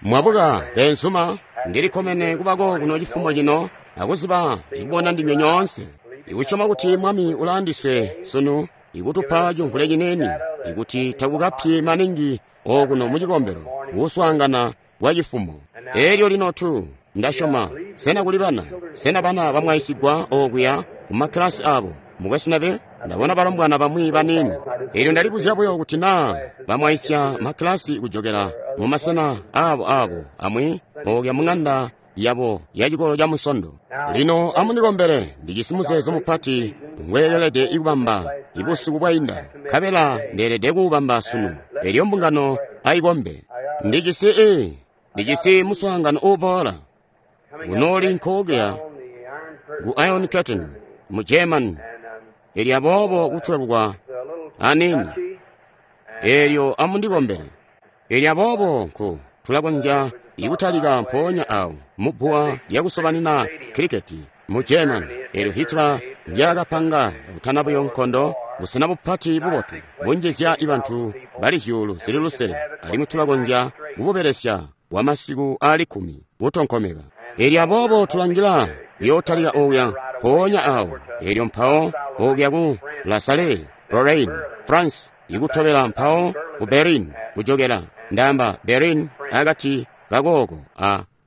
Mwabuka, beenzuma. Ndili kkomene kubako kuno cifumo cino akuziba ikubona ndinywe nyoonse. Ikusyoma kuti Mwami ulaandiswe sunu ikutupa cimvule cineni, ikuti takukapyi maningi okuno mu cikombelo kuswaangana kwa cifumo. Elyo lino tu, ndasyoma, sena kuli bana? Sena bana bamwaisigwa okuya mu makkilasi abo? Mukwesu Neville, ndabona balombwana bamwi baniini. Elyo ndalibuzya buyo kuti naa bamwaisya makkilasi kujokela mu masena abo abo amwi okuya mu ng'anda yabo ya cikolo ca Munsondo. Lino amundikombele, ndijisi muzeezo mupati ngweelede kubamba ibusiku bwainda, nkabela ndeelede kuubamba sunu. Elyo mbungano aikombe. Ndijisi i, ndijisi muswaangano uuboola kunooli nkookuya ku Iron Curtain mu German. Elyo aboobo kutwelwa aniini. Elyo amundikombele. Elyo aboobo nku tulakonzya ikutalika mpoonya awo mu bbuwa lyakusobanina kiriketi mu German. Elyo Hitler ndyakapanga kutana buyo nkondo, busena bupati bubotu bunjizya bantu bali zyuulu zili lusele, alimwi tulakonzya kububelesya kwa masiku aali 10 kutonkomeka. Elyo aboobo tulangila kuyootalika okuya mpoonya awo. Elyo mpawo okuya ku La Salle, Lorraine, France, ikutobela mpawo ku Berlin, kujokela, ndaamba Berlin akati kakooko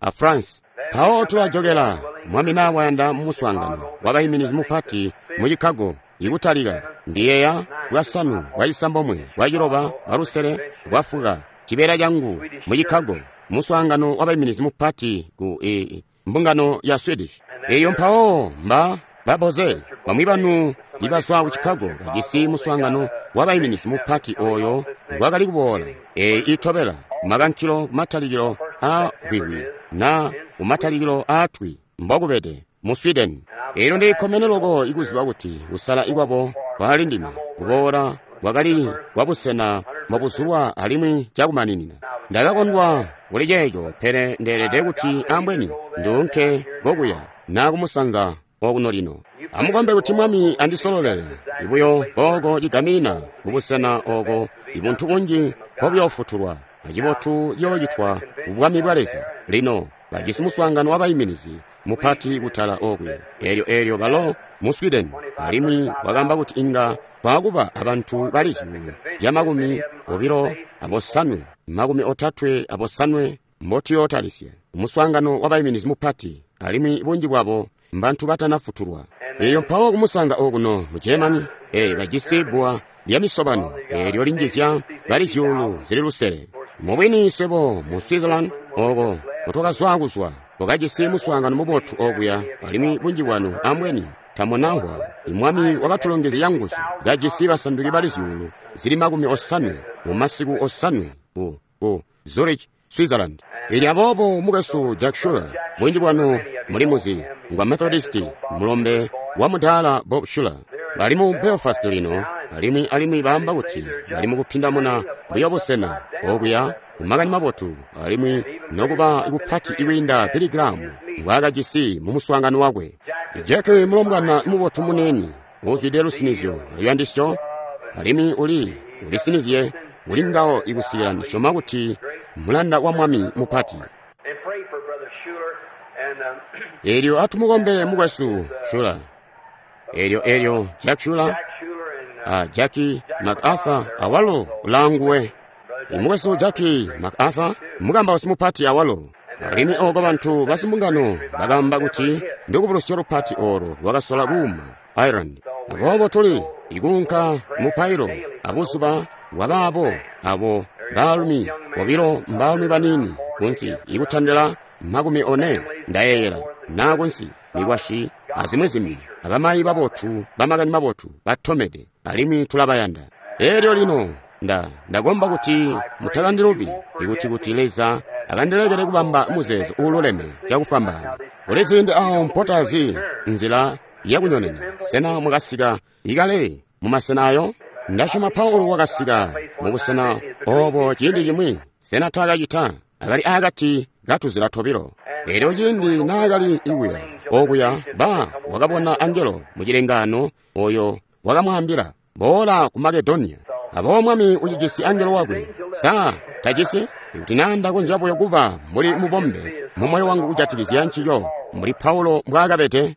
a France. Mpawo tulajokela, Mwami na wayanda mu muswaangano wabaiminizi mupati mu Chicago, ikutalika, ndiyeeya, bwasanu, bwacisambomwe, bwaciloba, bwalusele, bwafuka, cibeela cangu mu Chicago, muswaangano wabaiminizi mupati ku i mbungano ya Swedish. Elyo mpawo mba baboze bamwi banu ibazwa ku Chicago bajisi muswaangano wabaiminizi mupati oyo ngwakali kuboola. Eyi itobela kumakankilo kumatalikilo a hwihwi na kumatalikilo a twi mbokubede mu Sweden. Elyo ndili kkomene loko ikuziba kuti kusala kwabo kwali ndime kuboola kwakali kwa busena mbobuzulwa alimwi cakumaninina. Ndakakondwa kuli ceeco, pele ndeelede kuti ambweni nduunke kokuya na kumusanza okuno lino. Amukombe kuti Mwami andisololele buyo kooko cigamina kubusena ooko ibuntu bunji nkobuyoofutulwa acibotu ciyoocitwa ku Bwami bwa Leza. Lino bajisi muswaangano wabaiminizi mupati kutala okuya. Elyo, elyo balo mu Sweden, alimwi wakaamba kuti inga kwaakuba abantu bali zyuulu zya makumi obilo abosanwe, makumi otatwe abosanwe mbotuyootalisya muswaangano wabaiminizi mupati, alimwi bunji bwabo mbantu batanafutulwa. Elyo mpawo kumusanza okuno mu Germany, bajisi bbuwa lya misobano eelyo linjizya bali zyuulu zili lusele. Mubwini swebo mu Switzerland oko mutwakazwa kuzwa, twakajisi muswaangano mubotu okuya, alimwi bunji bwanu ambweni tamunamvwa. Mwami wakatulongezya canguzu, kajisi basanduki bali zyuulu zili makumi osanwe mu masiku osanwe ku Zurich, Switzerland. Elyo aboobo mukwesu Jack Schuler, bunji bwanu muli muzi, ngwa Methodist, mulombe wa mudaala Bob Schuler. Bali mu Belfast lino, alimwi, alimwi baamba kuti bali mukupindamuna buyo busena okuya ku Makani Mabotu, alimwi nokuba kupati kwiinda Billy Graham ngwaakajisi mu muswaangano wakwe. Jack mulombwana mubotu muniini, uzwide lusinizyo aluyandisyo, alimwi uli sinizye kuli ngawo ikusikila ndisyoma kuti mulanda wa Mwami mupati. Elyo atumukombele mukwesu Schuler. Elyo, elyo Jack Schuler, a Jackie MacArthur awalo ulaanguwe. Mukwesu Jackie MacArthur mukambausi mupati awalo. Alimwi oko bantu basimbungano bakaamba kuti ndukubulusyo lupati olo lwakasola kuuma Ireland. Aboobo tuli ikuunka mupailo abuzuba bwabaabo abo baalumi bobilo mbaalumi baniini kunsi ikutandila 40 ndayeeyela na kunsi mikwasyi azimwi zimbi abamayi babotu bamakani mabotu batomede alimwi tulabayanda. Elyo lino ndakomba kuti mutakandilubi ikuti kuti Leza akandilekele kubamba muzeezo uululeme cakufwambaana. Kuli ziindi awo mpotazi nzila yakunyonena. Sena mwakasika ikale mumasena ayo? Ndasyoma Paulo wakasika mubusena obo ciindi cimwi. Sena taakacita? Akali akati katuzila tobilo. Elyo ciindi naakali ikuya okuya, ba wakabona angelo mu cilengaano oyo wakamwaambila, boola ku Makedoniya. Aboobo Mwami ucijisi angelo wakwe. Sa tajisi? Ikuti naa ndakonzya buyo kuba mbuli mubombe mu moyo wangu kujatikizya ncico, mbuli Paulo mbwaakabede.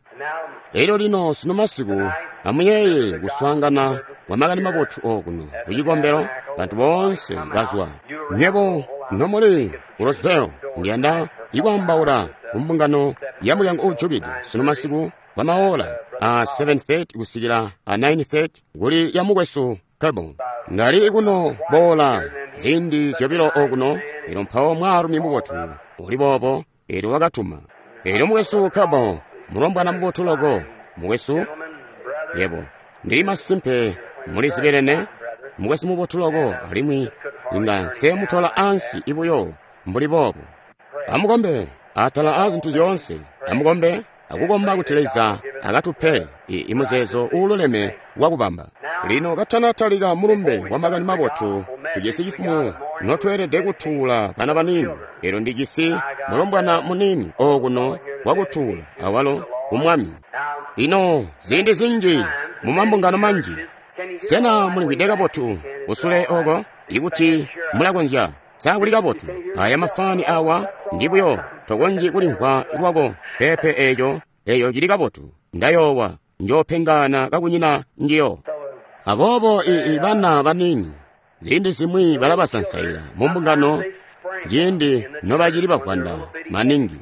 Elyo lino sunu masiku amuyeeye kuswaangana kwa Makani Mabotu okuno ku cikombelo, bantu boonse bazwa. Nywebo nomuli ku Roseville, ndiyanda ikwaambaula ku mbungano ya mulyango uujukide sunu masiku kwa maola a 7:30 kusikila a 9:30 kuli ya mukwesu Cable. Ndali kuno boola ziindi zyobilo okuno, elyo mpawo mwaalumi mubotu uli boobo, elyo wakatuma. Elyo mukwesu Cable, mulombwana mubotu loko, mukwesu, yebo, ndili masimpe muli zibelene, mukwesu mubotu loko, alimwi inga nsemutola ansi ibuyo mbuli boobo. Amukombe atala a zintu zyoonse, amukombe akukomba kuti Leza akatupe imuzeezo uululeme wakubamba. Lino katanatalika mulumbe wa Makani Mabotu, tujisi cifumo notweelede kutuula bana baniini. Elyo ndijisi mulombwana muniini okuno wakutuula awalo ku Mwami. Lino ziindi zinji mu mambungano manji, sena mulimvwide kabotu kusule oko? Ikuti mulakonzya, sa kuli kabotu? Aya mafani awa ndi buyo tokonzyi kulimvwa lwako. Pepe eeco, eyo cili kabotu. Ndayoowa njoopengana kakunyina njiyo. Aboobo bana baniini ziindi zimwi balabasansaila mu mbungano ciindi nobacili bavwanda maningi.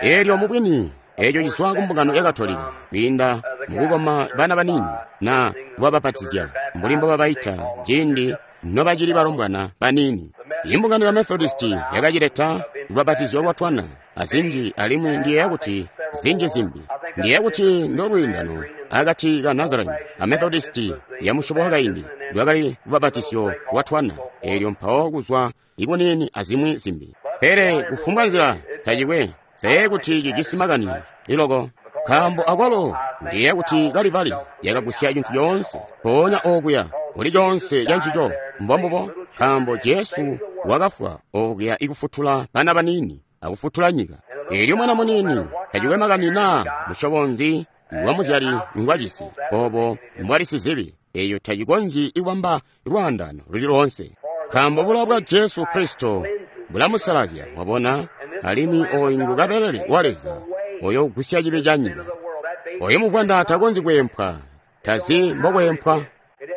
Elyo mubwini eeco cizwa ku mbungano ya Katolika kwiinda mukukoma bana baniini na kubabapatizya mbuli mbobabaita ciindi nobacili balombwana baniini. Imbungano ya Methodisti yakacileta lubapatizyo lwa twana azinji, alimwi ndiyeeya kuti zinji zimbi. Ndiyeeya kuti ndolwiindano akati ka Nazarene a Methodisti ya musyobo wakaindi lwakali lubapatizyo lwa twana, elyo mpawo kuzwa ikuniini azimwi zimbi. Pele kufumbwa nzila tacikwe see kuti cijisi makani iloko, nkaambo akwalo ndiyeeya kuti Kalibali yakagusya cintu coonse mpoonya okuya kuli coonse ca ncico. Mbombubo, nkaambo Jesu wakafwa okuya ikufutula bana baniini akufutula nyika. Elyo mwana muniini tacikwe makani naa musyobo nzi wa muzyali ngwajisi, obo mbwali sizibi, eyo tacikonzyi ikubamba lwaandano luli loonse, nkaambo bulowa bwa Jesu Kristo bulamusalazya, wabona, alimwi oyu ngu kabelele wa Leza oyo ugusya cibi ca nyika. Oyo muvwanda takonzyi kweempwa, tazi mbokweempwa,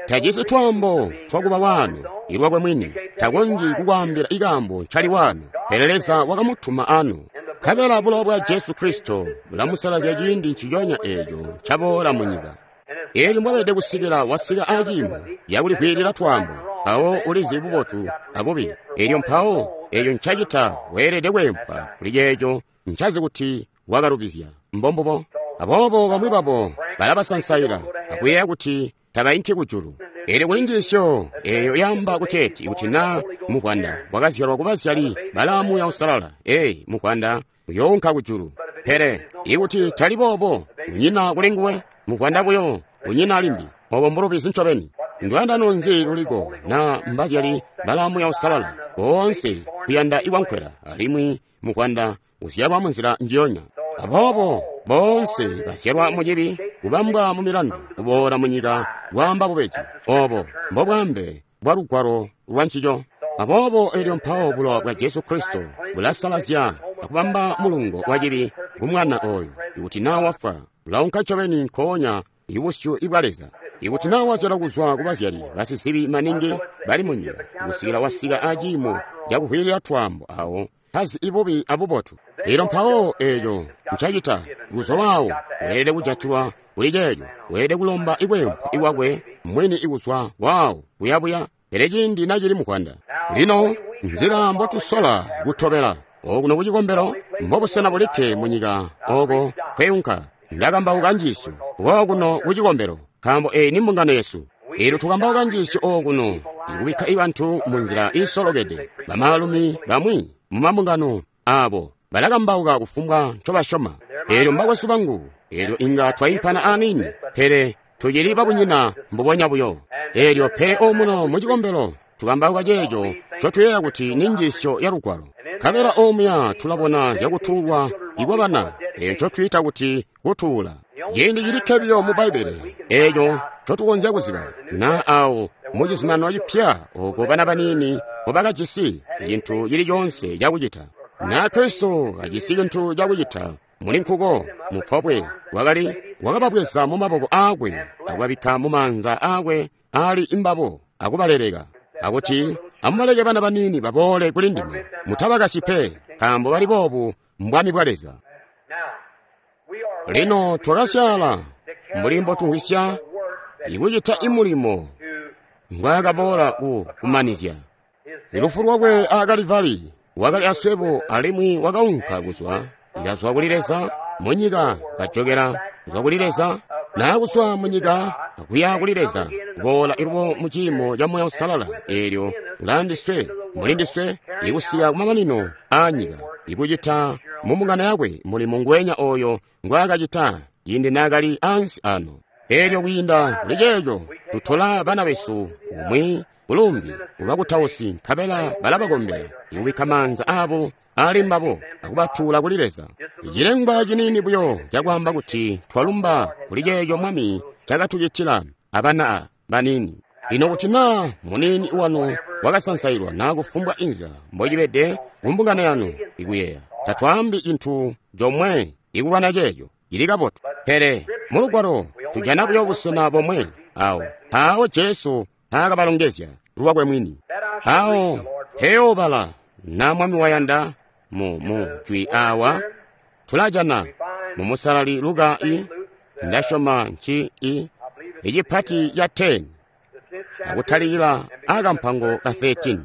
tajisi twaambo twakuba waano ilwakwe mwini, takonzyi kukwaambila ikaambo ncali waano, pele Leza wakamutuma ano. Nkabela bulowa bwa Jesu Kristo bulamusalazya ciindi nciconya eeco ncaboola mu nyika. Eelyo mbwabede kusikila wasika aciimo cakulikwiilila twaambo, mpawo ulizi bubotu abubi. Elyo mpawo eeco ncacita weelede kweempwa kuli ceeco ncazi kuti wakalubizya. Mbombubo. Aboobo bamwi babo balabasansaila akuyeeya kuti tabainki kujulu. Elyo kuli njiisyo eyo yaamba kuteeti kuti naa muvwanda wakazyalwa kubazyali balaa Muuya Uusalala, ee, muvwanda uyounka kujulu. Pele ikuti tali boobo, kunyina kuli nguwe, muvwanda buyo, kunyina limbi. Obo mbulubizi ncobeni. Ndwaandano nzi luliko na mbazyali balaa Muuya Uusalala boonse kuyanda ikwankwela, alimwi muvwanda uzyalwa munzila njiyonya. Aboobo boonse bazyalwa mucibi, kubambwa mu milandu, kuboola munyika kwaamba bubeji. Obo mbobwaambe bwa lugwalo lwa ncico. Aboobo elyo mpawo bulowa bwa Jesu Kristo bulasalazya akubamba mulungo wa cibi ku mwana oyo. Ikuti naa wafwa, ulaunka ncobeni nkoonya ibusyu ibwa Leza. Ikuti naa wazyalwa kuzwa ku bazyali basizibi maningi bali munyika, kusikila wasika aciimo cakuvwiilila twaambo awo tazi ibubi abubotu. Elyo mpawo eeco ncacita kuzwa waawo, weelede kujatilwa kuli ceeco, weelede kulomba ikweempwa ikwakwe mwini ikuzwa waawo kuyabuya, pele ciindi nacili muvwanda. Lino nzila mbotusola kutobela okuno ku cikombelo mbobusena bulikke munyika oko kweunka. Ndakambauka njiisyo okuno ku cikombelo, nkaambo eyi ni mbungano yesu. Elyo tukambauka njiisyo okuno ikubikka ibantu munzila iisolokede. Bamaalumi bamwi mu mambungano abo balakambauka kufumbwa ncobasyoma. Elyo mbakwesu bangu, elyo inga twaimpana aniini, pele tucili babunyina mbubonya buyo. Elyo pele omuno mu cikombelo tukambauka ceeco ncotuyeeya kuti ni njiisyo ya lugwalo. Nkabela omuya tulabona zyakutuulwa ikwabana, eyo ncotwiita kuti kutuula. Ciindi cilikke biyo mu Bbaibbele eeco ncotukonzya kuziba naa awo mu Cizuminano Cipya oko bana baniini mbobakajisi cintu cili coonse cakucita, na Kristo kajisi cintu cakucita muli nkuko mupobwe, wakali wakababweza mu maboko aakwe akubabikka mu maanza aakwe ali imbabo akubaleleka, akuti amubaleke bana baniini baboole kuli ndime, mutabakasyi pe, nkaambo bali boobu mbwami bwa Leza. Lino twakasyaala mbuli mbotumvwisya ikucita imulimo ngwaakaboola ku kumanizya. Lufu lwakwe a Kalivali wakali aswebo alimwi wakaunka kuzwa kazwa kuli Leza munyika kajokela kuzwa kuli Leza na kuzwa munyika akuya kuli Leza kuboola ilubo mu ciimo ca Muuya Uusalala eelyo ulaandiswe mulindiswe ikusika kumamanino aa nyika ikucita mu mbungano yakwe mulimo ngweenya oyo ngwaakacita ciindi naakali ansi ano. Eelyo kwiinda kuli ceeco tutola bana besu umwi kulumbi kubakutausi nkabela balabakombela ikubikka maanza aabo ali mbabo akubatuula kuli Leza. Cilengwa ciniini buyo cakwaamba kuti twalumba kuli ceeco Mwami cakatucitila abana baniini. Lino kuti naa muniini wanu wakasansailwa naa kufumbwa inzila mbocibede kumbungano yanu ikuyeeya, tatwaambi cintu comwe ikulwana ceeco cili kabotu. Pele mulugwalo tujana buyo busena bomwe awo mpawo Jesu mpaakabalongezya lwakwe mwini. Awo mpeyoobala na Mwami wayanda mu jwi awa tulajana mu Musalali Luka i ndasyoma nci i icipati ca 10 akutalikila akampango ka 13.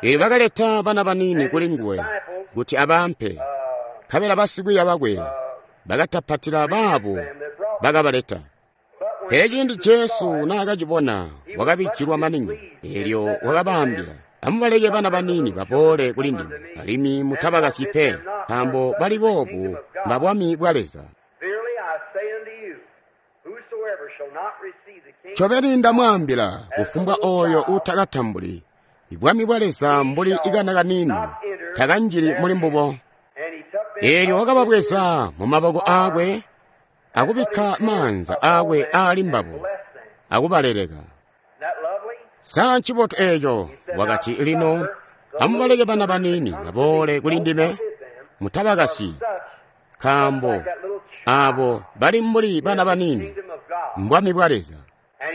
Eelyo bakaleta bana baniini kuli nguwe kuti abampe, nkabela basikwiiya bakwe bakatapatila baabo bakabaleta. Pele ciindi Jesu naakacibona wakabijilwa maningi, eelyo wakabaambila, amubaleke bana baniini baboole kuli ndime, alimwi mutabakasyi pe, nkaambo bali boobu mbabwami bwa Leza. Ncobeni ndamwaambila, kufumbwa oyo uutakatambuli bwami bwa Leza mbuli ikana kaniini takanjili muli mbubo. Eelyo wakababweza mu maboko aakwe akubikka maanza aakwe aali mbabo akubaleleka. Sa ncibotu eeco? Wakati, lino amubaleke bana baniini baboole kuli ndime, mutabakasyi, nkaambo aabo bali mbuli bana baniini mbwami bwa Leza.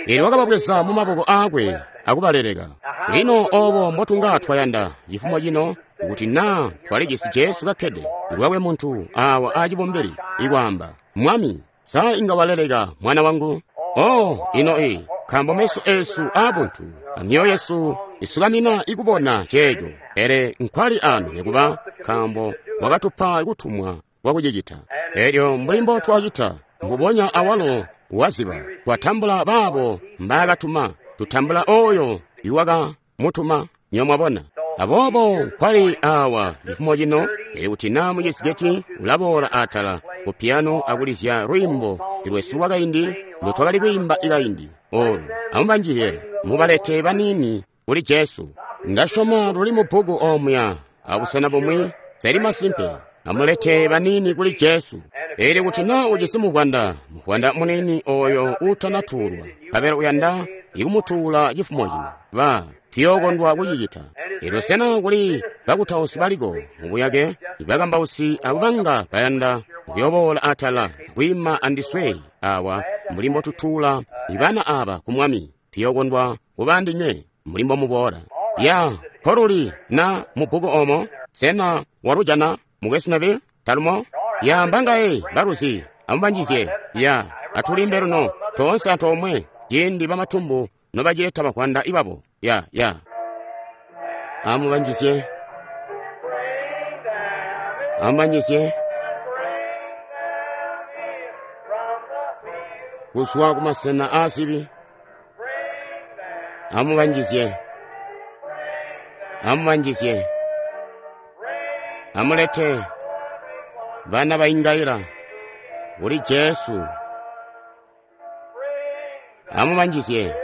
Eelyo wakababweza mu maboko aakwe akubaleleka. Lino obo mbotunga twayanda cifumo cino kuti naa twalijisi Jesu kakkede lwakwe muntu awa acibumbili ikwaamba, Mwami, sa inga waleleka mwana wangu? Oh, ino i nkaambo meso esu aabuntu amyoyo yesu isukamina ikubona ceeco, pele nkwali ano nikuba nkaambo wakatupa kutumwa kwakucicita. Eelyo mbuli mbo twacita mbubonya awalo waziba, twatambula baabo mbaakatuma, tutambula oyo iwakamutuma. Nyo mwabona. Aboobo nkwali awa cifumo cino, pele kuti naa mucizigeti ulaboola atala ku piano akulizya lwiimbo lwesu lwakaindi lwetwakali kwiimba ikaindi olu, amubanjilye mubalete baniini kuli Jesu. Ndasyoma luli mu bbuku omuya abusena bumwi, seli masimpe, amulete baniini kuli Jesu. Eelyo kuti naa ujisi muvwanda, muvwanda muniini oyo uutanatuulwa, nkabela uyanda ikumutuula cifumo cino, ba tuyookondwa kucicita. Eelyo sena kuli bakutausi baliko mubuyake, ibakambausi abo banga bayanda kuyoboola atala kwiima andiswe awa mbuli mbotutuula ibana aba ku Mwami, tuyookondwa kuba andinywe mbuli mbomuboola. Ya nkoluli na mu bbuku omo, sena walujana mukwesu Neville? Talumo? Ya mbangaye baluzi, amubanjizye. Ya atulimbe luno toonse antoomwe ciindi bamatumbu nobacileta bavwanda ibabo. Ya ya amubanjizye, amubanjizye kuzwa kumasena aazibi. Amubanjizye, amubanjizye, amulete bana baingaila kuli Jesu. Amubanjizye,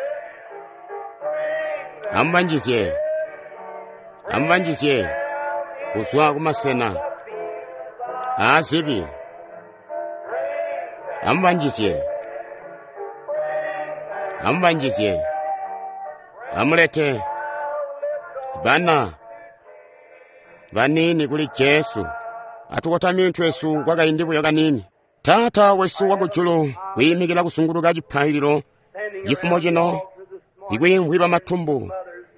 amubanjizye, amubanjizye kuzwa kumasena aazibi. Amubanjizye. Amubanjizye. Amulete bana baniini kuli Jesu. Atukotamye mitwe yesu kwa kaindi buyo kaniini. Taata wesu wakujulu, kwiimikila kusunguluka cipaililo cifumo cino, ikwiimvwi bamatumbu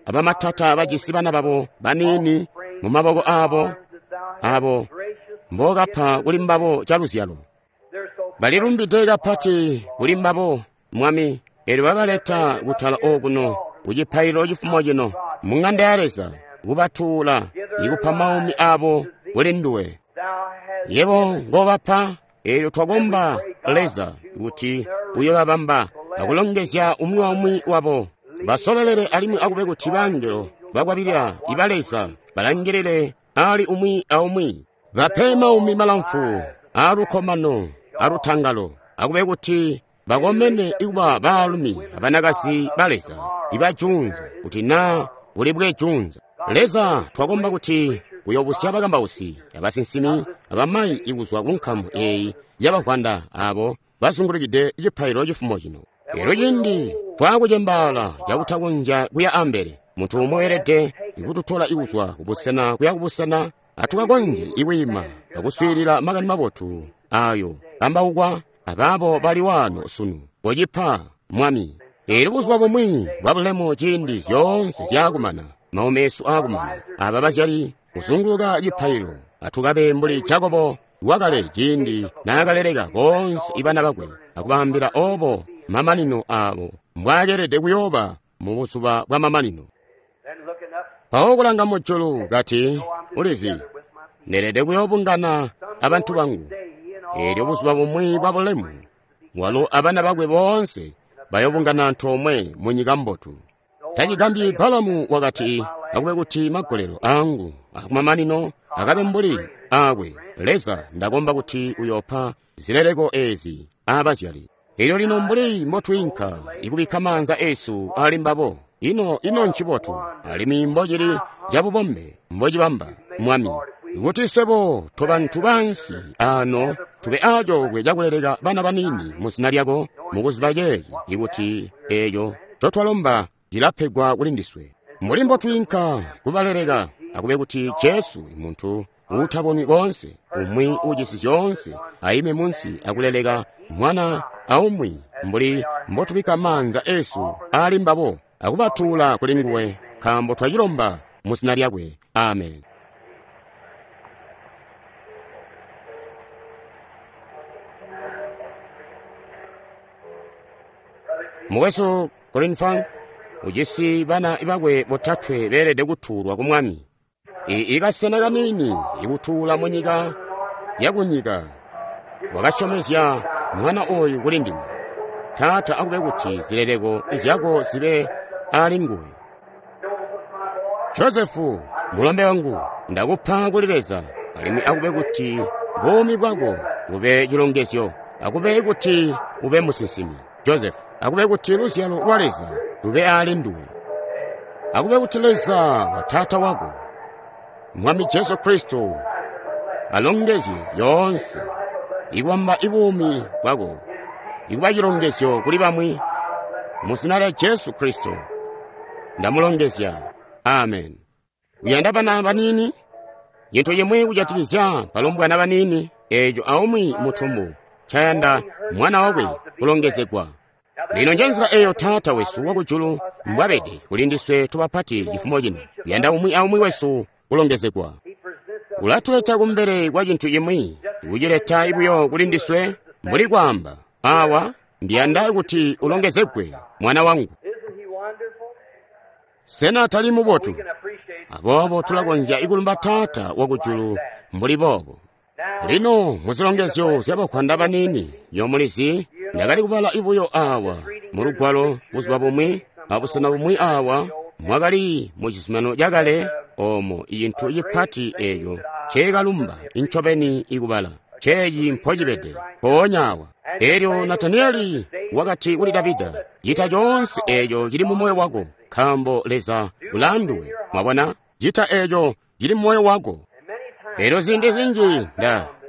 abamatata bajisi bana babo baniini mu maboko abo, abo mbokapa kuli mbabo caluzyalo. Balilumbide kapati kuli mbabo, Mwami, elyo babaleta kutala okuno ku cipaililo cifumo cino mu ng'anda ya Leza, kubatuula ikupa maumi abo kuli nduwe. Yebo ngobapa, elyo twakomba Leza kuti uyobabamba akulongezya umwi waumwi wabo. Basololele alimwi akube kuti bangelo bakwabilila iba Leza balangilile ali umwi aumwi. Bape maumi malamfu alukkomano alutangalo, akube kuti bakomene ikuba baalumi abanakazi ba Leza ibajunza kuti naa bulibwe junza. Leza, twakomba kuti uyobusya bakambausi abasinsimi abamayi ikuzwa ku nkamu eyi yabavwanda abo bazungulukide cipaililo cifumo cino. Elyo ciindi twakucembaala cakutakonzya kuya ambele, muntu umwe weelede ikututola ikuzwa kubusena kuya kubusena, atukakonzye ikwiima akuswiilila makani mabotu ayo kambaukwa abaabo bali waano sunu. Kocipa, Mwami. Elyo buzuba bumwi bwa bulemu ciindi zyoonse zyakumana, maumi esu aakumana, aba bazyali kuzunguluka cipaililo, atukabe mbuli Jakobo wakale ciindi naakaleleka boonse ibana bakwe akubaambila obo mamanino abo mbwaakeelede kuyooba mu buzuba bwa mamanino. Mpawo kulanga mujulu kati, ulizi, ndeelede kuyoobungana abantu bangu. Elyo buzuba bumwi bwa bulemu, walo abana bakwe boonse bayobungana antoomwe mu nyika mbotu. Tacigambyi Balamu wakati, akube kuti magolelo angu akumamanino akabe mbuli akwe. Leza, ndakomba kuti uyopa zileleko ezi abazyali. Elyo lino mbuli mbotwiinka ikubikka maanza esu ali mbabo, ino ncibotu alimwi mbocili cabubombe mbocibamba, Mwami, kuti swebo tobantu bansi ano tube acoolwe cakuleleka bana baniini mu zina lyako, mukuziba ceeci ikuti eeco ncotwalomba cilapegwa kuli ndiswe. Mbuli mbotwiinka kubaleleka, akube kuti Jesu, muntu uutabonwi koonse, umwi uujisi zyoonse, aime munsi akuleleka mwana aumwi mbuli mbotubikka maanza esu ali mbabo akubatuula kuli nguwe, nkaambo twacilomba mu zina lyakwe. Amen. Mukwesu Greenfang ujisi bana bakwe botatwe beelede kutuulwa ku Mwami. Ikasena kaniini ikutuula mu nyika yakunyika wakasyomezya mwana oyu kuli ndime. Taata, akube kuti zileleko zyako zibe ali nguwe. Josefu, mulombe wangu, ndakupa kuli Leza, alimwi akube kuti buumi bwako bube cilongezyo, akube kuti ube musinsimi. Josefu, akube kuti luzyalo lwa Leza lube ali nduwe. Akube kuti Leza wa taata wako, Mwami Jesu Kristo, alongezye yoonse ikubamba ibuumi bwako ikuba cilongezyo kuli bamwi. Mu zina lya Jesu Kristo ndamulongezya. Amen. Uyanda bana baniini? Cintu cimwi kujatikizya balombwana baniini eeco aumwi mutumbu ncayanda mwana wakwe kulongezegwa. Lino njenzila eyo Taata wesu wakujulu mbwabede kuli ndiswe tubapati cifumo cino. Uyanda umwi aumwi wesu kulongezegwa. Ulatuleta kumbele kwa cintu cimwi, kucileta buyo kuli ndiswe mbuli kwaamba, awa ndiyanda kuti ulongezegwe mwana wangu. Sena tali mubotu? Aboobo tulakonzya ikulumba Taata wakujulu mbuli boobo. Lino muzilongezyo zyabakwanda baniini yomulizi, ndakali kubala ibuyo awa mu lugwalo buzuba bumwi, abusena bumwi awa mwakali mu cizuminano cakale omo icintu cipati eeco nceekalumba incobeni ikubala ceeci mpocibede mpoonya awa. Elyo Nataniyeli wakati kuli Davida, cita coonse eeco cili mu moyo wako, nkaambo Leza ulaanduwe. Mwabona, cita eeco cili mu moyo wako. Elyo ziindi zinji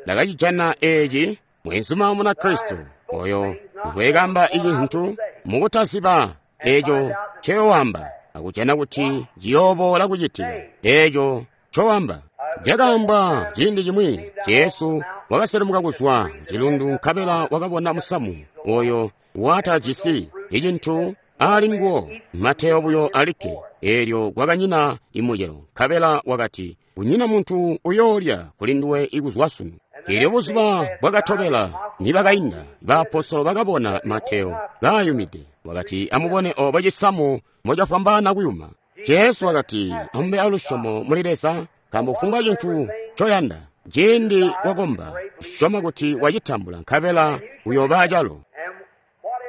ndakacijana eeci mwenzuma Munakristo oyo ngwekamba icintu Mukutaziba eco ncoyoamba, akujana kuti ciyooboola kucitika eco ncoamba. Cakaambwa ciindi cimwi, Jesu wakaselemuka kuzwa kucilundu nkabela wakabona musamu oyo watajisi icintu ali nguwo, mateyo buyo alikke, eelyo kwakanyina imucelo, nkabela wakati, kunyina muntu uyoolya kuli nduwe ikuzwa sunu. Eelyo buzuba bwakatobela nibakainda, baapostolo bakabona mateyo kaayumide. Wakati, amubone obo cisamu mocafwambaana kuyuma. Jesu wakati, amube alusyomo muli Leza, nkaambo kufumbwa cintu ncoyanda, ciindi wakomba, syoma kuti wacitambula, nkabela uyooba acalo.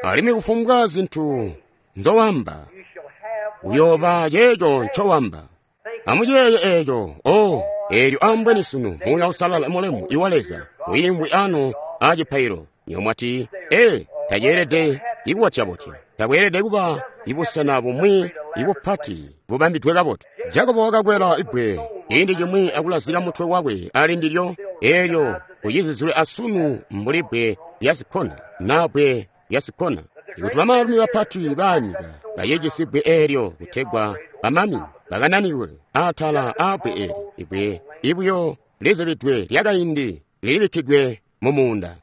Alimwi kufumbwa zintu nzowamba, uyooba ceeco ncowamba. Amuciyeeye eeco, oh, eelyo ambweni sunu Muuya Uusalala mulemu iwa Leza wiimvwi ano aa cipaililo. Nywebo mwati, ee, taceelede ikubotyabotya, tabweelede kuba ibusena bumwi ibupati bubambidwe kabotu. Jakobo wakakwela ibbwe ciindi cimwi akulazika mutwe wakwe ali ndilyo, eelyo kucizizilwe asunu mbuli bbwe lya zikkona naa bbwe lya zikkona. Ikuti bamaalumi bapati baanyika bacijisi bbwe eelyo kutegwa bamami bakananikwe atala aabbwe eeli, ibbwe ibuyo lizibidwe lyakaindi lilibikkidwe mu muunda.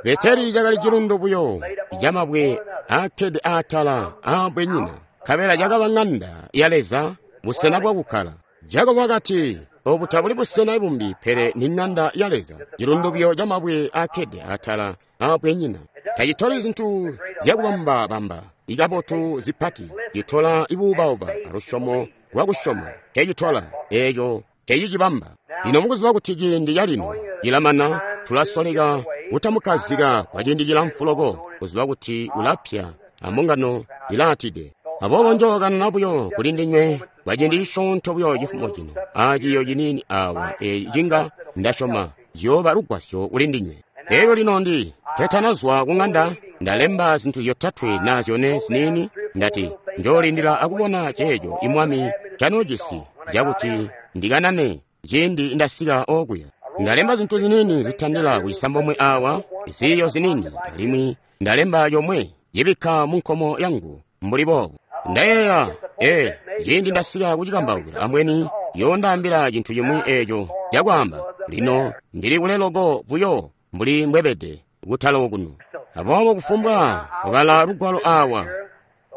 Beteli cakali cilundu buyo camabwe aakkede atala aabbwenyina, nkabela cakaba ŋanda ya Leza, busena bwakukkala. Jakobo wakati, obu tabuli busena bumbi pele ni ŋanda ya Leza, cilundu buyo camabwe aakkede atala aabbwenyina. Tacitoli zintu zyakubamba-bamba ikabotu zipati, citola ibuubauba alusyomo lwakusyoma. Cecitola eeco cecicibamba. Lino mukuziba kuti ciindi calino cilamana, tulasoleka kutamukkazika kwa ciindi cilamfu loko, kuziba kuti ulapya ambungano ilaatide. Aboobo njookanana buyo kuli ndinywe kwa ciindi cisyoonto buyo cifumo cino, aciiyo ciniini awa eeci cinga ndasyoma ciyooba lugwasyo kuli ndinywe. Elyo lino ndi ketanazwa ku ŋanda, ndalemba zintu zyotatwe naa zyone ziniini, ndati njoolindila akubona ceeco imwami canoojisi cakuti ndikanane ciindi ndasika okuya. Ndalemba zintu ziniini zitandila kucisambomwe awa, ziiyo ziniini, alimwi ndalemba comwe cibikka mu nkomo yangu mbuli boobu. Ndayeeya, ee, ciindi ndasika kucikambaukila ambweni yoondaambila cintu cimwi eeco cakwaamba. Lino ndili kule loko buyo mbuli mbwebede kutala okuno. Aboobo kufumbwa kubala lugwalo awa,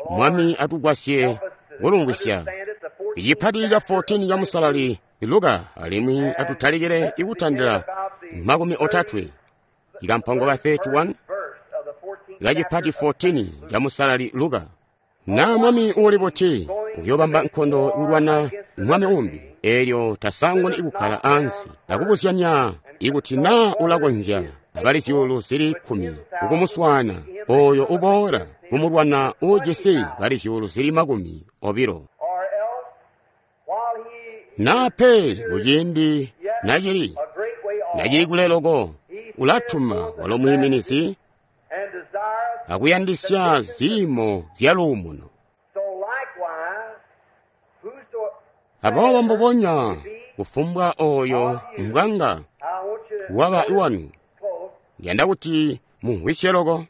Mwami atugwasye kulumvwisya. Icipati ca 14 ca Musalali Luka, alimwi atutalikile ikutandila 30, ikampango ka 31 kacipati 14 ca Musalali Luka. Naa mwami uuli buti uyoobamba nkondo kulwana mwami umbi, eelyo tasanguni kukkala ansi akubuzyanya ikuti naa ulakonzya abali zyuulu zili 10 kukumuswaana oyo uboola kumulwana uujisi bali zyuulu zili 20. Naa pe kuciindi nacili kule loko, ulatuma walo mwiiminizi akuyandisya ziimo zya luumuno. Aboobo mbubonya kufumbwa oyo mbwanga waba iwanu, ndiyanda kuti mumvwisye loko.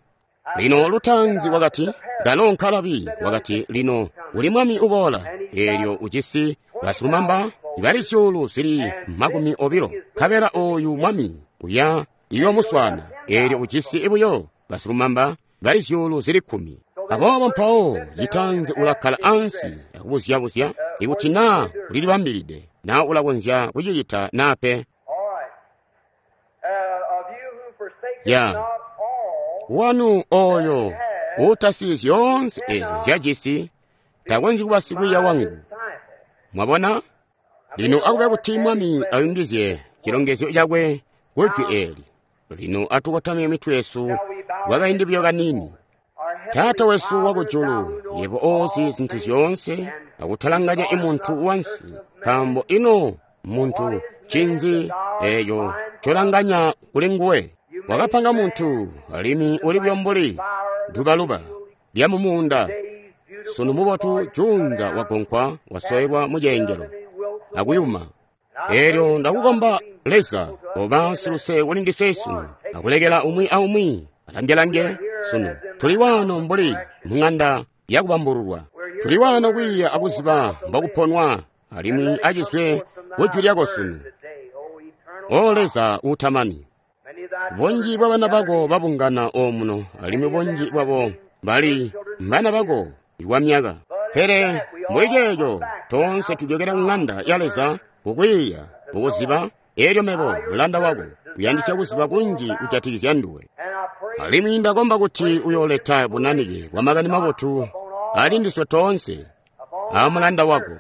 Lino lutaanzi wakati, kalo nkalabi, wakati lino uli mwami uboola, eelyo ujisi basilumamba bali zyuulu zili 20, nkabela oyu mwami uya iyoomuswaana, eelyo ujisi buyo basilumamba bali zyuulu zili 10. Aboobo mpawo citaanzi ulakkala ansi akubuzyabuzya ikuti naa ulilibambilide, naa ulakonzya kucicita naa pe. Ya wanu oyo uutasiyi zyoonse ezo nzyajisi takonzyi kuba sikwiiya wangu. Mwabona? Lino akube kuti Mwami ayungizye cilongezyo cakwe kujwi eeli. Lino atukotamye mitwe yesu kwakaindi buyo kaniini. Taata wesu wakujulu, yebo oozi zintu zyoonse, akutalanganya imuntu wansi, nkaambo ino muntu ncinzi eeco ncolanganya kuli nguwe? Wakapanga muntu, alimwi uli buyo mbuli dubaluba lya mumuunda. Sunu mubotu, juunza wagonkwa, wasoelwa muceengelo akuyuma. Eelyo ndakukomba Leza, oba siluse kuli ndiswe sunu, akulekela umwi aumwi alangelange sunu. Tuli waano mbuli mung'anda yakubambululwa. Tuli waano kwiiya akuziba mbokuponwa alimwi acizwe kujwi lyako sunu. O Leza uutamani, bunji bwa bana bako babungana omuno, alimwi bunji bwabo bali mbana bako kwa myaka. Pele muli ceeco toonse tujokera ku ng'anda ya Leza kukwiiya, kukuziba. Elyo mebo mulanda wako uyandisya kuziba kunji kujatikizya nduwe. Alimwi ndakomba kuti uyooleta bunanike bwa makani mabotu ali ndiswe toonse a mulanda wako,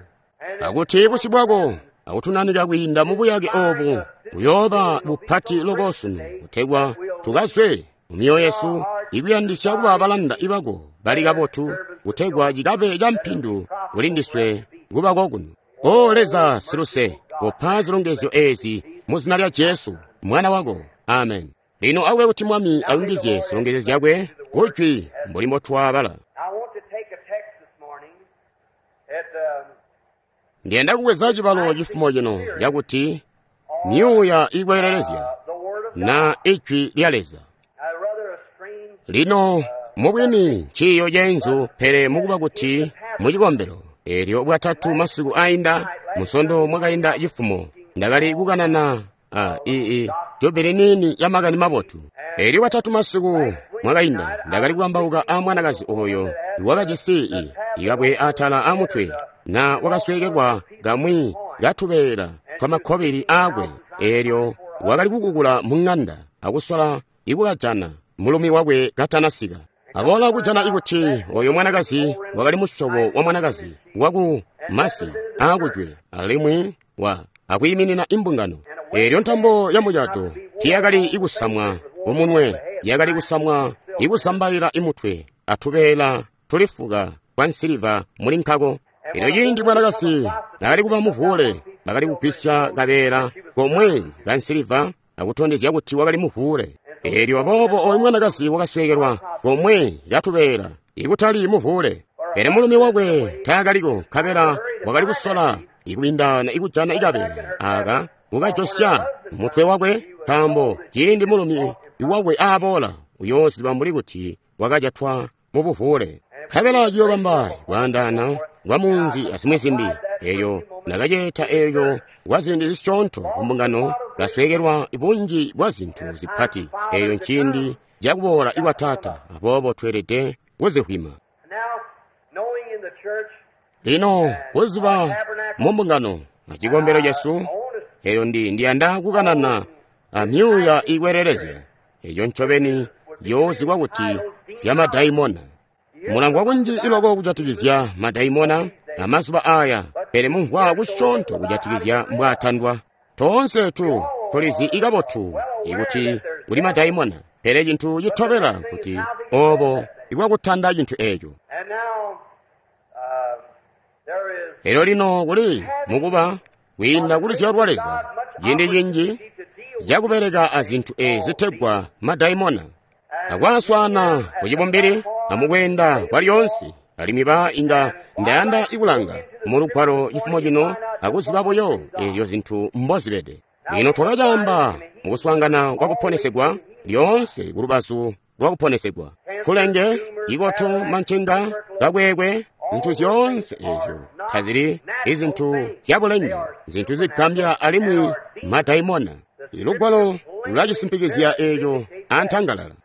akuti busyu bwako akutunanika kwiinda mu buyake obu buyooba bupati loko sunu, kutegwa tukazwe mu myoyo yesu ikuyandisya kuba balanda bako bali kabotu, kutegwa cikabe ca mpindu kuli ndiswe kuba kokuno. O Leza siluse, kopa zilongezyo ezi mu zina lya Jesu mwana wako. Amen. Lino akube kuti Mwami ayungizye zilongezyo zyakwe kujwi mbuli mbotwabala. Ndiyanda kubweza cibalo cifumo cino cakuti myuuya ikwelelezya na ijwi lya Leza. Lino mubwini nciiyo ceenzu, pele mukuba kuti mucikombelo elyo bwatatu masiku ainda musondo mwakainda cifumo ndakali kukanana a jubili nini ya makani mabotu. Elyo bwatatu masiku mwakainda ndakali kukambauka a mwanakazi oyo wakajisi ikabwe atala a mutwe na wakasweekelwa kamwi katubeela twamakkobili aakwe. Elyo wakali kukukula mu ng'anda akusola ikukajana mulumi wakwe katanasika. Aboola kujana ikuti oyo mwanakazi wakali musyobo wa mwanakazi waku masi aakujwe, alimwi wa akwiiminina imbungano. Elyo ntambo ya mucato tiyakali ikusamwa umunwe, yakali kusamwa ikusambaila imutwe atubeela tulifuka kwa nsiliva muli nkako. Elyo ciindi mwanakazi nakali kuba muvuule, bakali kugwisya kabeela komwe ka nsiliva akutondezya kuti wakali muvuule. Elyo aboobo oyu mwanakazi wakasweekelwa komwe katubeela ikutali muvuule. Pele mulumi wakwe taakaliko, nkabela wakali kusola ikubindana ikujana ikabeela aka kukajosya mutwe wakwe, nkaambo ciindi mulumi wakwe aaboola uyooziba mbuli kuti wakajatwa mu buvuule. Nkabela ciyoobamba kwaandaana kwa munzi azimwi zimbi. Eyo ndakaceeta eyo kwa ziindi zisyoonto kumbungano kasweekelwa bunji bwa zintu zipati. Eyo nciindi cakuboola ikwa Taata, aboobo tweelede kuzihwima. Lino kuziba mu mbungano acikombelo cesu, eyo ndiyanda kukanana amyuuya ikwelelezya eyo ncobeni yoozikwa kuti zyamadayimona. Mulangwa kunji iloko kujatikizya madayimona amazuba aya, pele mumvwa kusyoonto kujatikizya mbwaatandwa. Toonse tulizi ikabotu ikuti kuli madayimona, pele cintu citobela kuti obo ikwakutanda cintu eco. Elyo lino kuli mukuba kwiinda kuluzyalo lwa Leza ciindi cinji cakubeleka azintu ezi zitegwa madayimona, akwaswaana kucibumbili amukweenda kwa lyoonse. Alimwi ba inga ndayanda ikulanga mu lugwalo cifumo cino akuziba buyo ezyo zintu mbozibede. Lino twakacaamba mukuswaangana kwa kuponesegwa lyoonse kulubazu lwa kuponesegwa, kulenge, ikoto, mancenga, kakwekwe, zintu zyoonse ezyo tazili izintu zyabulenge, zintu zigambya alimwi madayimona. Ilugwalo lulacisimpikizya eco antangalala.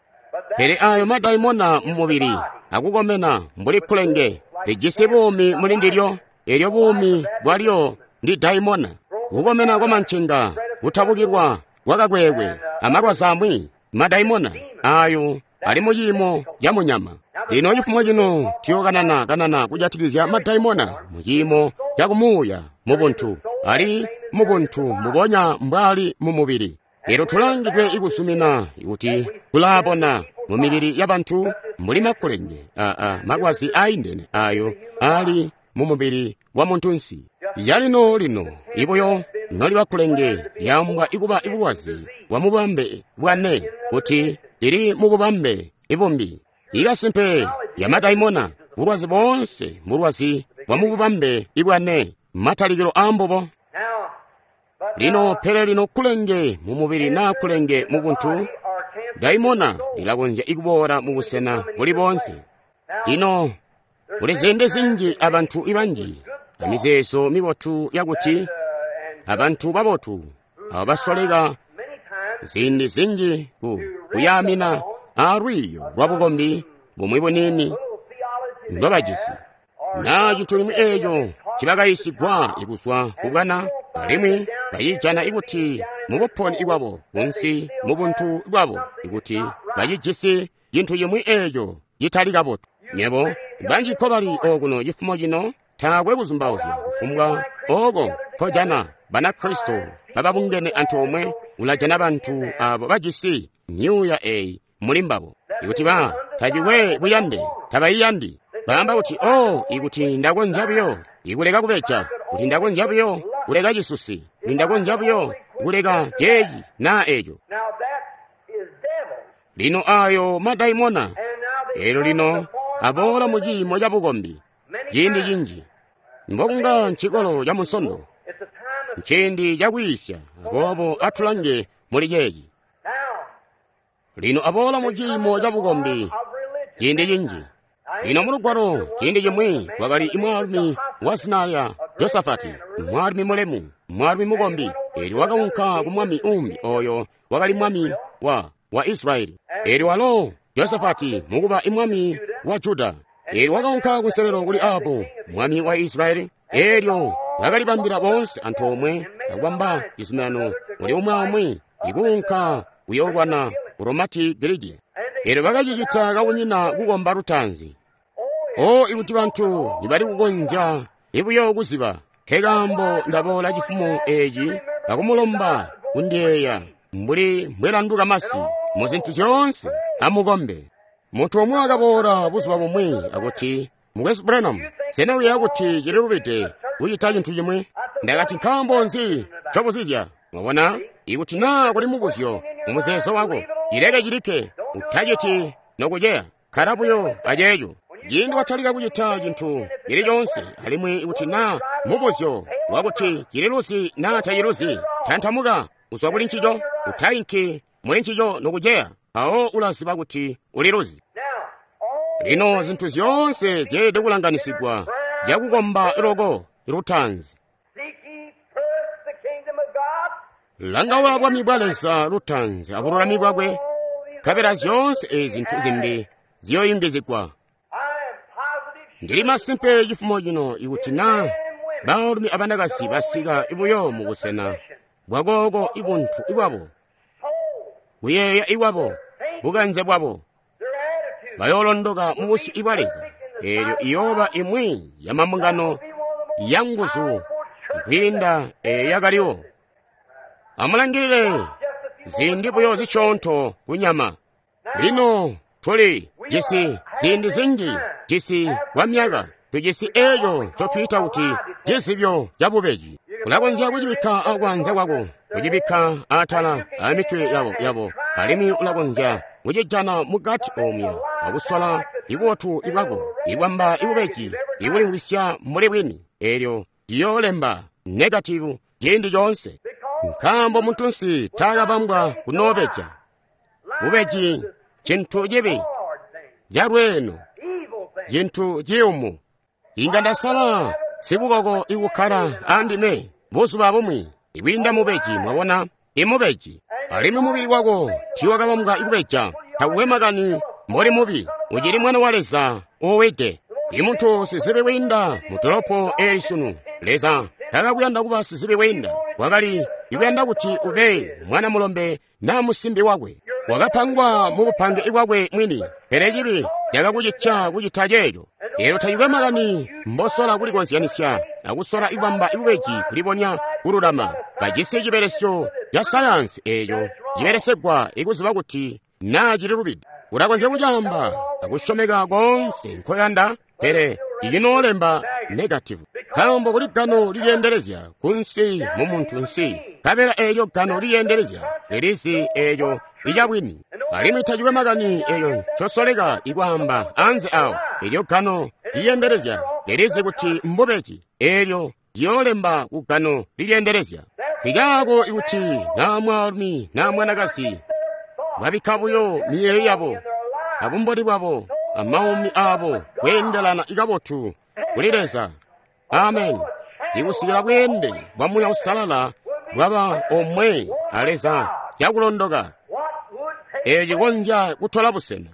Pele ayo madayimona mu mubili akukomena mbuli kulenge lijisi buumi muli ndilyo, elyo buumi bwalyo ndi dayimona. Kukomena kwa mancenga, kutabukilwa kwa kakwekwe, amalwazi amwi madayimona ayo ali mu ciimo ca munyama. Lino cifumo cino tuyokanana kanana kujatikizya madayimona mu ciimo ca kumuuya mu buntu, ali mu buntu mbubonya mbwali mu mubili. Elyo tulangidwe ikusumina kuti kulaabona mu mibili ya bantu mbuli makulenge malwazi aindene ayo ali mu mubili wa muntunsi. Yalino lino ibuyo noliba kulenge lyambwa ikuba ibulwazi bwa mubambe bwane kuti lili mu bubambe ibumbi. Ikasimpe ya madayimona bulwazi boonse mbulwazi bwa mu bubambe ibwane, matalikilo ambubo. Lino pele lino kulenge mu mubili na kulenge mu buntu Daimona lilakonzya ikuboola mu busena buli boonse. Lino kuli ziindi zinji abantu banji amizeezo mibotu yakuti abantu babotu abo basoleka ziindi zinji kuyaamina aalwiiyo lwabukombi bumwi buniini ndobajisi naa cintu limwi eeco cibakayiisigwa kuzwa kubwana, alimwi bacijana ikuti mubuponi bwabo kunsi mubuntu bwabo ikuti bacijisi cintu cimwi eeco citali kabotu. Nyebo banji nkobali okuno cifumo cino, taakwe kuzumbauzya kufumbwa ooko nkojana Banakristo bababungene antoomwe, ulajana bantu abo bajisi myuuya eeyi muli mbabo. Ikuti ba tacikwe buyande, tabaiyandi. Baamba kuti, oh, ikuti ndakonzya buyo ikuleka kubeja, kuti ndakonzya buyo kuleka cisusi, kuti ndakonzya buyo kuleka ceeci naa eeco. Lino ayo madaimona, eelyo lino aboola mu ciimo cabukombi ciindi cinji. Mbokunga ncikolo ca Munsondo, nciindi cakwiisya, aboobo atulange muli ceeci. Lino aboola mu ciimo cabukombi ciindi cinji. Lino mulugwalo ciindi cimwi kwakali mwaalumi wa zina lya Josafati, mwaalumi mulemu, mwaalumi mukombi. Eelyo wakaunka ku mwami uumbi oyo wakali mwami wa Israyeli. Eelyo walo Josafati mukuba mwami wa Juda. Eelyo wakaunka kunselelo kuli Ahabu mwami wa Israyeli. Eelyo bakalibambila boonse antoomwe akubamba cizuminano kuli umwi aumwi ikuunka kuyoolwana ku Romati Gilidi. Eelyo bakacicita kakunyina kukomba lutaanzi. O ikuti bantu nibali kukonzya ibuyo kuziba, nkekaambo ndaboola cifumo eeci akumulomba kundiyeeya mbuli mbwelanduka masi mu zintu zyoonse, amukombe. Muntu umwi wakaboola buzuba bumwi akuti, Mukwesu Branham, sena uyeeya kuti cililubide kucita cintu cimwi? Ndakati, nkaambo nzi ncobuzizya? Mwabona, ikuti naa kuli mubuzyo mumuzeezo wako, cileke cilikke, utaciti nokuceya, kkala buyo aceeco. Ciindi watalika kucita cintu cili coonse, alimwi ikuti naa mubuzyo wakuti cililuzi naa taciluzi, tantamuka kuzwa kuli ncico, utainki muli ncico nokuceya, mpawo ulaziba kuti uliluzi. Lino zintu zyoonse zyeelede kulanganisigwa cakukomba loko lutaanzi. Langaula bwami bwa Leza lutaanzi abululami bwakwe, nkabela zyoonse ezi zintu zimbi ziyooyungizigwa. Ndili masimpe cifumo cino ikuti naa baalumi abanakazi basika buyo mu busena bwakooko ibuntu bwabo, kuyeeya iwabo, bukanze bwabo, bayoolondoka mu busyu bwa Leza. Eelyo iyooba imwi ya mambungano ya nguzu kwiinda eeyo yakaliwo. Amulangilile ziindi buyo zisyoonto kunyama. Lino tuli jisi ziindi zinji, jisi kwa myaka, tujisi eeco ncotwiita kuti cizibyo cabubeji. Ulakonzya kucibikka akwanza kwako, kucibikka atala amitwe yabo, alimwi ulakonzya kucijana mukati omwe akusola ibubotu bwako, ikwamba ibubeji, ikulimvwisya mbuli bwini. Eelyo ciyoolemba negativu ciindi coonse. Nkaambo muntunsi taakabambwa kunoobeja. Bubeji cintu cibi, calweeno, cintu ciyumu. Inga ndasala sibukoko ikukkala andime buzuba bumwi ikwiinda mubeji, mwabona, imubeji. Alimwi mubili wako tiiwakabambwa ikubeja, takukwe makani mboli mubi, ucili mwana wa Leza uwide. Imuntu sizibi kwiinda mu dolopo eeli sunu, Leza takakuyanda kuba sizibi kwiinda, wakali ikuyanda kuti ube mwana mulombe naa musimbi wakwe. Wakapangwa mu bupange bwakwe mwini, pele cibi cakakucitya kucita ceeco. Eelyo tacikwe makani mbosola kulikozyanisya akusola ikubamba ibubeji kulibonya kululama, bajisi cibelesyo ca sayansi eeco cibelesegwa ikuziba kuti naa cililubide. Ulakonzya kucaamba akusyomeka koonse nkoyanda, pele icinoolemba negativu. Nkaambo kuli gano lilyeendelezya kunsi mu muntu nsi, nkabela eelyo gano lilyeendelezya lilizi eeco icabwini. Alimwi tacikwe makani eeyo ncosoleka ikwaamba anze awo, eelyo gano lilyeendelezya lilizi kuti mbubeji, eelyo liyoolemba ku gano lilyeendelezya. Nkikaako ikuti naa mwaalumi naa mwanakazi Babikka buyo miyeeyo yabo abumboni bwabo amaumi abo kweendelana kabotu kuli Leza. Amen. Ikusikila bweende bwa Muuya Uusalala bwaba omwe a Leza cakulondoka, eeco cikonzya kutola busena.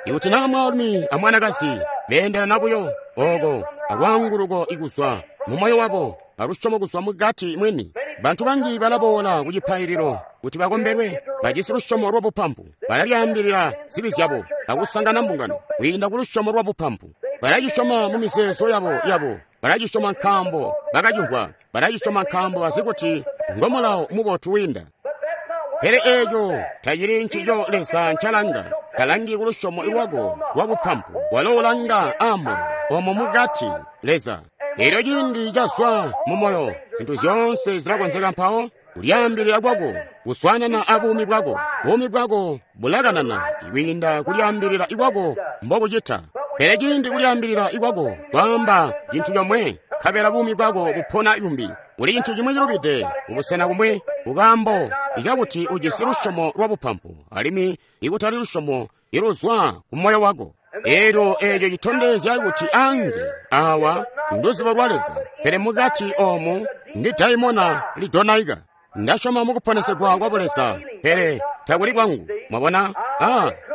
Ikuti naa mwaalumi amwanakazi beendelana buyo oko alwaanguluko ikuzwa mu moyo wabo alusyomo kuzwa mukati mwini, bantu banji balaboola ku cipaililo kuti bakombelwe, bajisi lusyomo lwabupampu, balalyaambilila zibi zyabo akusangana mbungano kwiinda ku lusyomo lwabupampu. Balacisyoma mu mizeezo yabo, balacisyoma nkaambo bakacimvwa, balacisyoma nkaambo bazi kuti ngo mulawo mubotu wiinda. Pele eeco tacili ncico Leza ncalanga. Talangi ku lusyomo lwako lwabupampu, walo ulanga aamoyo omo mukati Leza. Elyo ciindi cazwa mu moyo, zintu zyoonse zilakonzeka mpawo. Kulyaambilila kwako kuswaanana a buumi bwako, buumi bwako bulakanana kwiinda kulyaambilila kwako mbokucita. Pele ciindi kulyaambilila kwako kwaamba cintu comwe, nkabela buumi bwako bupona bumbi, kuli cintu cimwi cilubide kubusena kumwi, kukaambo ikakuti ujisi lusyomo lwabupampu alimwi ikutali lusyomo iluzwa ku moyo wako. Elyo eeco citondezya kuti anze awa nduzibo lwa Leza, pele mukati omu ndi daimona lidonaika. Ndasyoma mukuponesegwa kwa Buleza, pele takuli kwangu. Mwabona?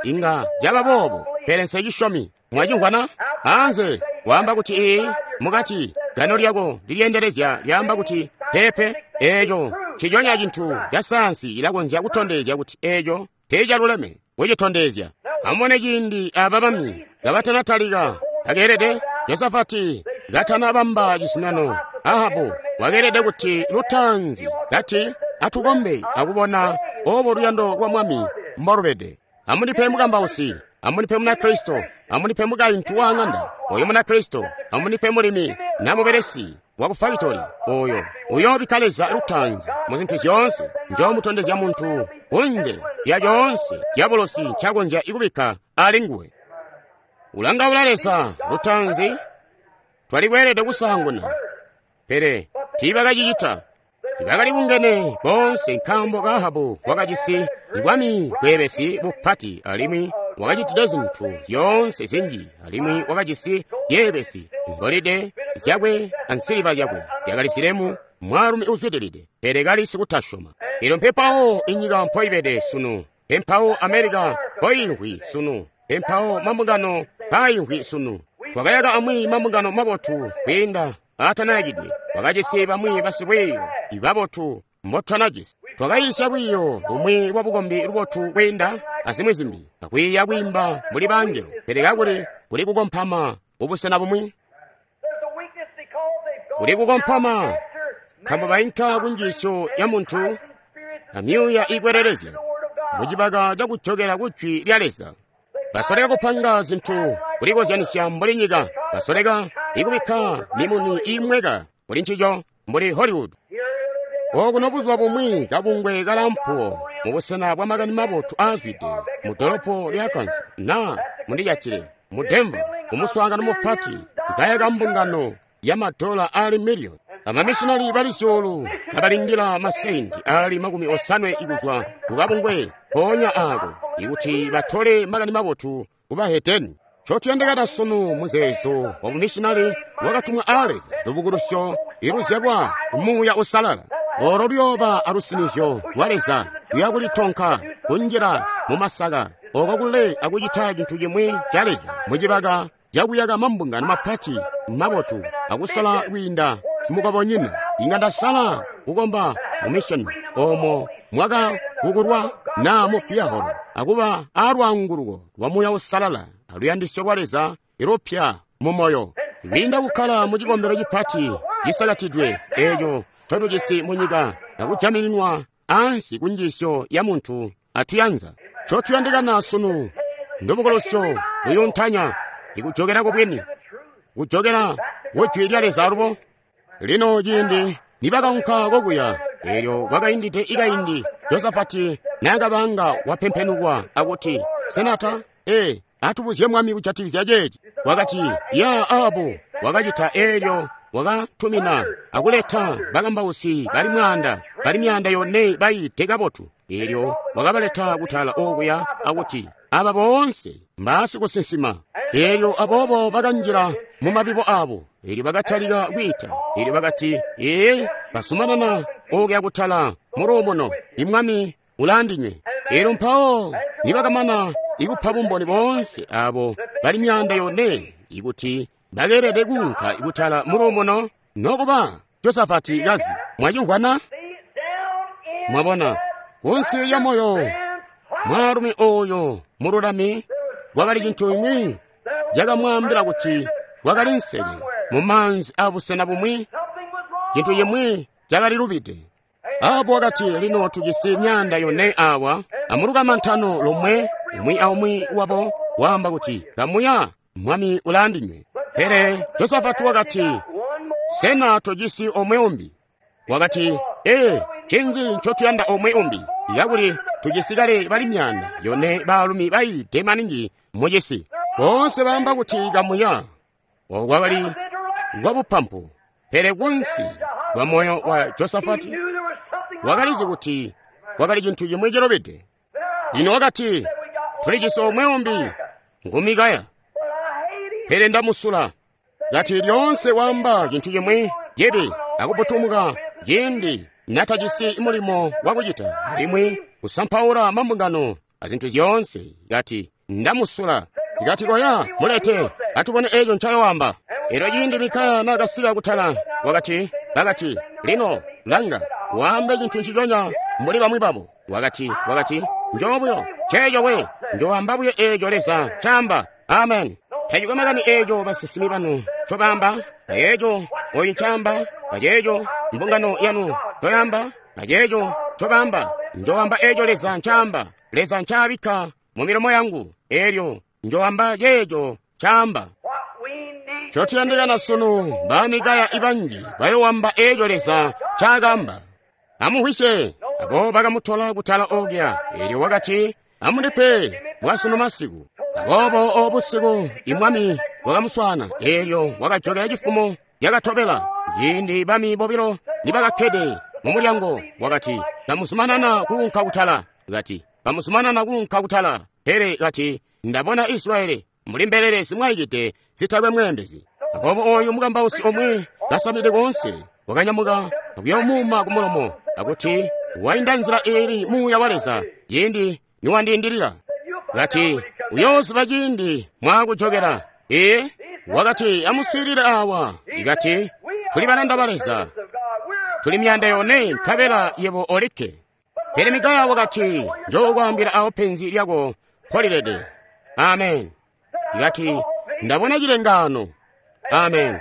Inga caba boobo, pele nsecisyomi. Mwacimvwana? Anze waamba kuti ee, mukati gano lyako lilyeendelezya lyaamba kuti pepe. Eeco nciconya cintu ca sayansi ilakonzya kutondezya kuti eeco teecaluleme kucitondezya. Amubone ciindi aba bami kabatanatalika, bakeelede Josafati katanabamba cizuminano, Ahabu wakeelede kuti lutaanzi kati atukombe akubona obo luyando lwa Mwami mbolubede. Amundipe mukambausi, amundipe Munakristo, amundipe mukaintu wa ng'anda oyo Munakristo, amundipe mulimi na mubelesi wa ku fakitori oyo uyoobikka Leza lutaanzi mu zintu zyoonse. Njoomutondezya muntu kunze lya coonse diabolosi ncakonzya kubikka ali nguwe. Ulangaula Leza lutaanzi, twali kweelede kusaanguna, pele tiibakacicita. Bakali bungene boonse nkaambo ka Ahabu wakajisi bwami bweebesi bupati alimwi wakacitide zintu zyoonse zinji, alimwi wakajisi yeebesi, ngolide zyakwe ansiliva zyakwe yakali zilemu, mwaalumi uzwidilide, pele kali sikutasyoma. Elyo mpepawo inyika mpoibede sunu, mpempawo Amerika mpoiimvwi sunu, mpempawo mambungano mpaimvwi sunu. Twakayaka amwi mambungano mabotu kwiinda aatanayakidwe, twakajisi bamwi basilwiiyo ibabotu mbotutanajisi. Twakayiisya lwiiyo lumwi lwabukombi lubotu kwiinda azimwi zimbi, akwiiya kwiimba mbuli bangelo, pele kakuli kuli kukompama kubusena bumwi. Kuli kukompama nkaambo bainka kunjiisyo ya muntu amyuuya iikwelelezya mucibaka cakujokela ku jwi lya Leza. Basoleka kupanga zintu kulikozyanisya mbuli nyika, basoleka ikubikka mimuni iimweka kuli ncico mbuli Hollywood. Okuno buzuba bumwi kabungwe kalampuwo mubusena bwa makani mabotu aazwide mu dolopo lya Arkansas na mundijatile mu Denver kumuswaangano mupati ikayaka mbungano ya madola ali miliyoni. Amamishinali bali zyuulu kabalindila masenti ali 50 ikuzwa kukabungwe mpoonya aako ikuti batole makani mabotu kubahedeni. Ncotuyandikana sunu muzeezo wa bumishinali wakatumwa a Leza, lubukulusyo iluzyalwa ku Muuya Uusalala. Olo luyooba alusinizyo lwa Leza luya kulitonka kunjila mu masaka oko kule akucita cintu cimwi ca Leza mucibaka cakuyaka mambungano mapati mabotu akusola kwiinda simukobonyina. Inga ndasala kukomba mu mission omo mwakakukulwa na mu piyaholo akuba alwaanguluko lwa Muuya Uusalala aluyandisyo lwa Leza ilupya mu moyo, kwiinda kukkala mu cikombelo cipati cisakatidwe eeco ncotujisi mu nyika akujamininwa ansi ku njiisyo ya muntu atuyanza. Ncotuyandikana sunu ndubukulusyo luyuntanya ikujokela kubwini, kujokela ku jwi lya Leza alubo. Lino ciindi nibakaunka kokuya, eelyo kwakaindide ikaindi Josafati naakabanga wapempenukwa akuti, Senata, atubuzye mwami kujatikizya ceeci. Wakati, ya Ahabu wakacita eelyo wakatumina akuleta bakambausi bali 400 bali 400 bayiide kabotu. Elyo wakabaleta kutala okuya akuti aba boonse mbaasikusinsima. Elyo aboobo bakanjila mu mabibo abo. Elyo bakatalika kwiita. Elyo bakati, ee, basumanana okuya kutala mu luumuno. I Mwami ulaandinywe. Elyo mpawo nibakamana ikupa bumboni boonse abo bali 400 ikuti bakeelede kuunka kutala mu luumuno, nokuba Josafati kazi. Mwacimvwana? Mwabona, kunsi lya moyo mwaalumi oyo mululami kwakali cintu imwi cakamwaambila kuti kwakali nseke mu maanzi abusena bumwi, cintu cimwi cakali lubide. Ahabu wakati, lino tujisi 400 awa, amulukamantano lomwe, umwi aumwi wabo waamba kuti, kamuya, Mwami ulaandinywe. Pele Josafati wakati, sena tojisi omwe umbi? Wakati, ee, ncinzi ncotuyanda omwe umbi? Kakuli tujisi kale bali 400 baalumi bayiide maningi mucisi. Boonse baamba kuti kamuya. Oku kwakali kwabupampu. Pele kunsi kwa moyo wa Josafati wakalizi kuti kwakali cintu cimwi cilubide. Lino wakati, tulijisi omwe umbi, ngu Mikaya. Pele ndamusula. Kati lyoonse waamba cintu cimwi cibi akuputumuka ciindi natajisi mulimo wakucita, alimwi kusampaula mambungano azintu zyoonse. Kati ndamusula. Kati koya mulete atubone eco ncayoamba. Elyo ciindi Mikaya nakasika kutala, wakati, bakati, lino langa, waambe cintu nciconya mbuli bamwi babo. Wakati, wakati, njoobuyo ceeco we, njoamba buyo eeco Leza caamba. Amen. Tacikwe makani eeco basinsimi banu ncobaamba, ayeeco oyu ncaamba, aceeco mbungano yanu ncoyaamba, aceeco ncobaamba, njoamba eeco Leza ncaamba, Leza ncaabikka mu milomo yangu, elyo njoamba ceeco caamba. Ncotuyandikana sunu ba Mikaya ibanji bayoowamba eeco Leza ncaakaamba. Amumvwisye, abo bakamutola kutala okuya, elyo wakati, amundipe bwasunu masiku. Aboobo obusiku imwami wakamuswaana, elyo wakajokela cifumo cakatobela. Ciindi bami bobilo nibakakkede mu mulyango, wakati, kamuzumanana kuunka kutala. Kati, kamuzumanana kuunka kutala. Pele kati, ndabona Israyeli mbuli mbelele zimwaikide zitakwe mweembezi. Aboobo oyu mukambausi omwe kasamide koonse wakanyamuka akuyomuuma ku mulomo, akuti wainda nzila iili muuya wa Leza ciindi niwandiindilila. Kati, uyooziba ciindi mwaakujokela. Ee, wakati, amuswiilile awa. Ikati, tuli balanda ba Leza, tuli 400 nkabela yebo olikke. Pele Mikaya wakati, njookwaambila awo penzi lyako mpolilede. Amen. Ikati, ndabona cilengaano. Amen.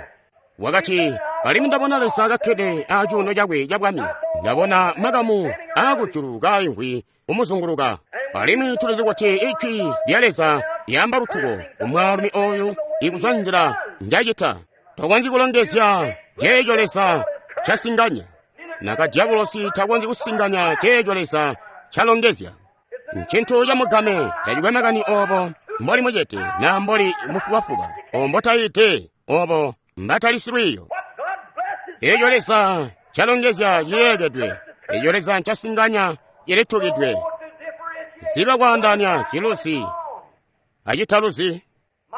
Wakati, alimwi ndabona Leza kakkede acuuno cakwe cabwami. Ndabona makamu aakujulu kaimvwi kumuzunguluka. Alimwi tulizi kuti ijwi lya Leza lyaamba lutuko kumwaalumi oyu ikuzwa nzila njacita. Tokonzyi kulongezya ceeco Leza casinganya. Naka dyabulosi takonzyi kusinganya ceeco Leza calongezya. Ncintu camugame, tacikwe makani obo mboli mucete na mboli mufubafuba, obo mbotayite, obo mbatali silwiiyo. Eeco Leza calongezya cileekedwe, eeco Leza ncasinganya cilitukidwe. Ziba kwaandaanya ciluzi acitaluzi.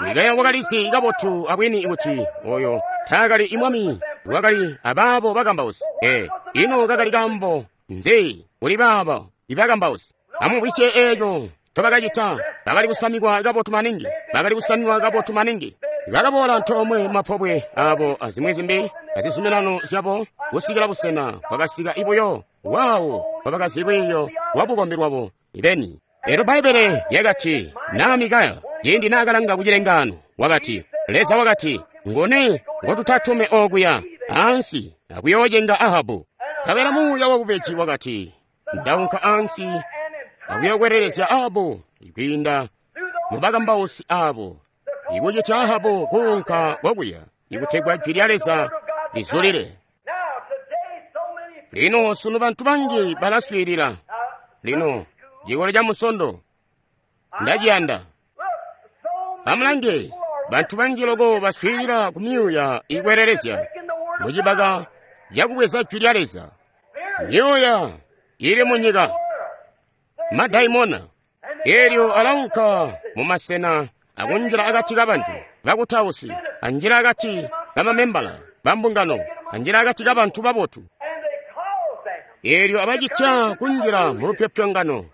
Mikaya wakalizi kabotu abwini kuti oyo taakali imwami wakali abaabo bakambausi. Ee, ino kakali kaambo nzi kuli baabo ibakambausi? Amumvwisye eeco ncobakacita. Bakali kusamikwa kabotu maningi, bakali kusamikwa kabotu maningi. Bakaboola antoomwe mapobwe abo azimwi zimbi azizuminano zyabo kusikila busena bwakasika ibuyo waawo bwabakazi lwiiyo lwabukombi lwabo ibeni. Elyo Bbaibbele lyakati, naa Mikaya ciindi naakalanga ku cilengaano, wakati, Leza wakati, nguni ngotutatume okuya ansi akuyoocenga Ahabu? Nkabela muuya wabubeji wakati, ndaunka ansi akuyokwelelezya Ahabu kwiinda mubakambausi abo, ikucita Ahabu kuunka kokuya ikutegwa jwi lya Leza lizulile. Lino sunu bantu banji balaswiilila. Lino cikolo ca Musondo ndaciyanda. Amulange, bantu banji loko baswiilila ku myuuya ikwelelezya mucibaka cakubweza jwi lya Leza. Myuuya ili munyika. Madaimona. Elyo alaunka mu masena akunjila akati kabantu bakutausi, anjila akati kamamembala bambungano, anjila akati kabantu babotu. Elyo abacitya kunjila mu lupyopyongano.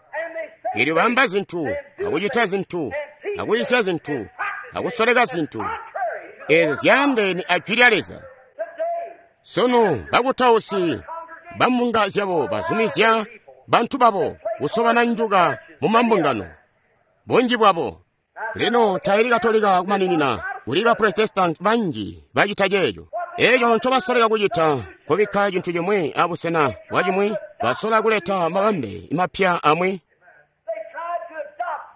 Elyo bamba zintu, akucita zintu, akuyisya zintu, akusoleka zintu ezo zyaandeene a Jwi lya Leza. Sunu bakutausi bambunga zyabo bazumizya bantu babo kusobana njuka mu mambungano, bunji bwabo. Lino taili Katolika kumaninina, kuli ba Protestant banji bacita ceeco. Eco ncobasoleka kucita kubikka cintu cimwi abusena bwa cimwi, basola kuleta mabambe mapya amwi.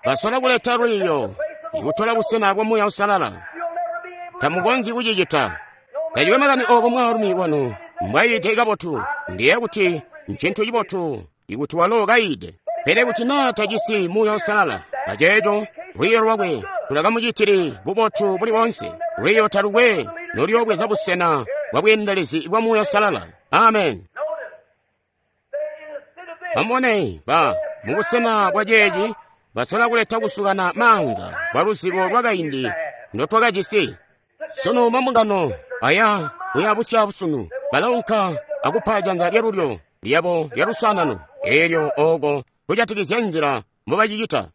Basola kuleta lwiiyo ikutola busena bwa Muuya Uusalala. Tamukonzyi kucicita. Tacikwe makani obo mwaalumi wanu mbwayiide kabotu, ndiye kuti ncintu cibotu ikuti walo kayiide. Pele kuti naa tajisi Muuya Uusalala, aceeco lwiiyo lwakwe tulakamucitili bubotu buli boonse. Lwiiyo talukwe nolyoobweza busena bwa bweendelezi bwa Muuya Uusalala. Amen. Amubone, ba mubusena bwa ceeci basola kuleta kusukana maanza kwa luzibo lwakaindi ndotwakajisi. Sunu mambungano aya kuya busyaabusunu balaunka akupa janza lyalulyo lyabo lyalusanano, elyo oko kujatikizya nzila mbobacicita.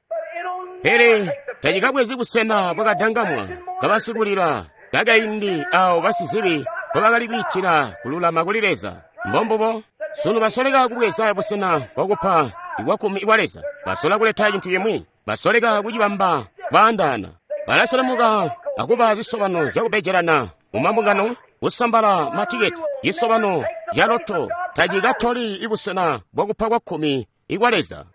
Pele tacikabwezi busena bwakadangamwa kabasikulila kakaindi awo basizibi mbobakali kwiitila kululama kuli Leza. Mbombubo sunu basoleka kubweza busena bwakupa ikwakkumi kwa Leza. Basola kuleta cintu cimwi, basoleka kucibamba kwaandaana. Balaselemuka akuba zisobano zyakubejelana mu mambungano, kusambala matiketi. Cisobano ca loto tacikatoli ibusena bwakupa kwakkumi ikwa Leza.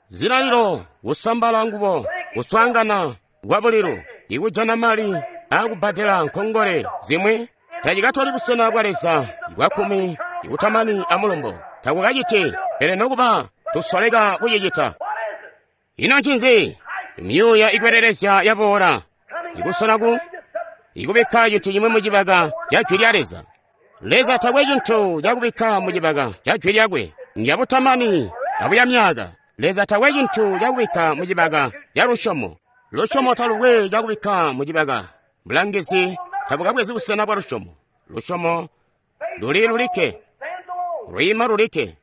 Zilalilo, kusambala ngubo, kuswaangana kwa bulilu, ikujana mali akubbadela nkongole zimwi, tacikatoli busena bwa Leza bwakkumi ikutamani amulumbo. Takukaciti, pele nokuba tusoleka kucicita. Ino ncinzi? Myuuya ikwelelezya yaboola, ikusola ku ikubikka cintu cimwi mucibaka ca Jwi lya Leza. Leza takwe cintu cakubikka mucibaka ca Jwi lyakwe, njabutamani abuya myaka. Leza takwe cintu cakubikka mucibaka ca lusyomo. Lusyomo talukwe cakubikka mucibaka. Bulangizi tabukabwezi busena bwa lusyomo. Lusyomo luli lulikke, lwiima lulikke.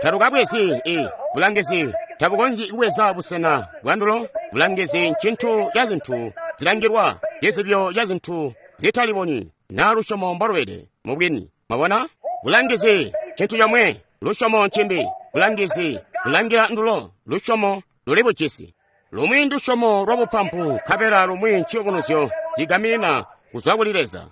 Talukabwezi i bulangizi tabukonzyi kubweza busena bwandulo. Bulangizi ncintu ca zintu zilangilwa, cizibyo ca zintu zitalibonyi, naa lusyomo mbolubede mubwini. Mwabona? Bulangizi ncintu comwe, lusyomo ncimbi. Bulangizi bulangila ndulo, lusyomo luli bujisi. Lumwi ndusyomo lwa bupampu, nkabela lumwi nciyubunuzyo cigaminina kuzwa kuli Leza.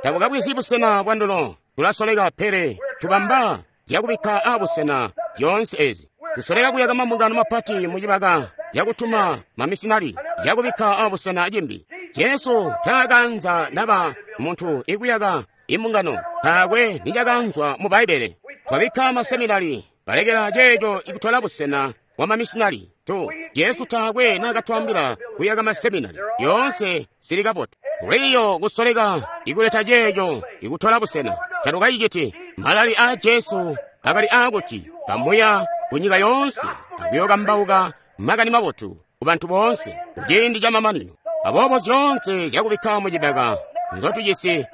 Tabukabwezi busena bwandulo, tulasoleka pele tubamba zyakubikka abusena zyoonse ezi. Tusoleka kuyaka mambungano mapati mucibaka cakutuma mamisinari cakubikka abusena cimbi. Jesu taakanza naba muntu ikuyaka imbungano, taakwe nicakanzwa mu Bbaibbele. Twabikka maseminari, balekela ceeco ikutola busena bwa mamisinari. Tu Jesu taakwe naakatwaambila kuyaka maseminari, yoonse zili kabotu. Lwiiyo kusoleka ikuleta ceeco ikutola busena talukaciciti. Malali aa Jesu akali aakuti kamuya kunyika yoonse akuyokambauka makani mabotu kubantu boonse kuciindi camamanino. Aboobo zyoonse zyakubikka mucibaka nzotujisi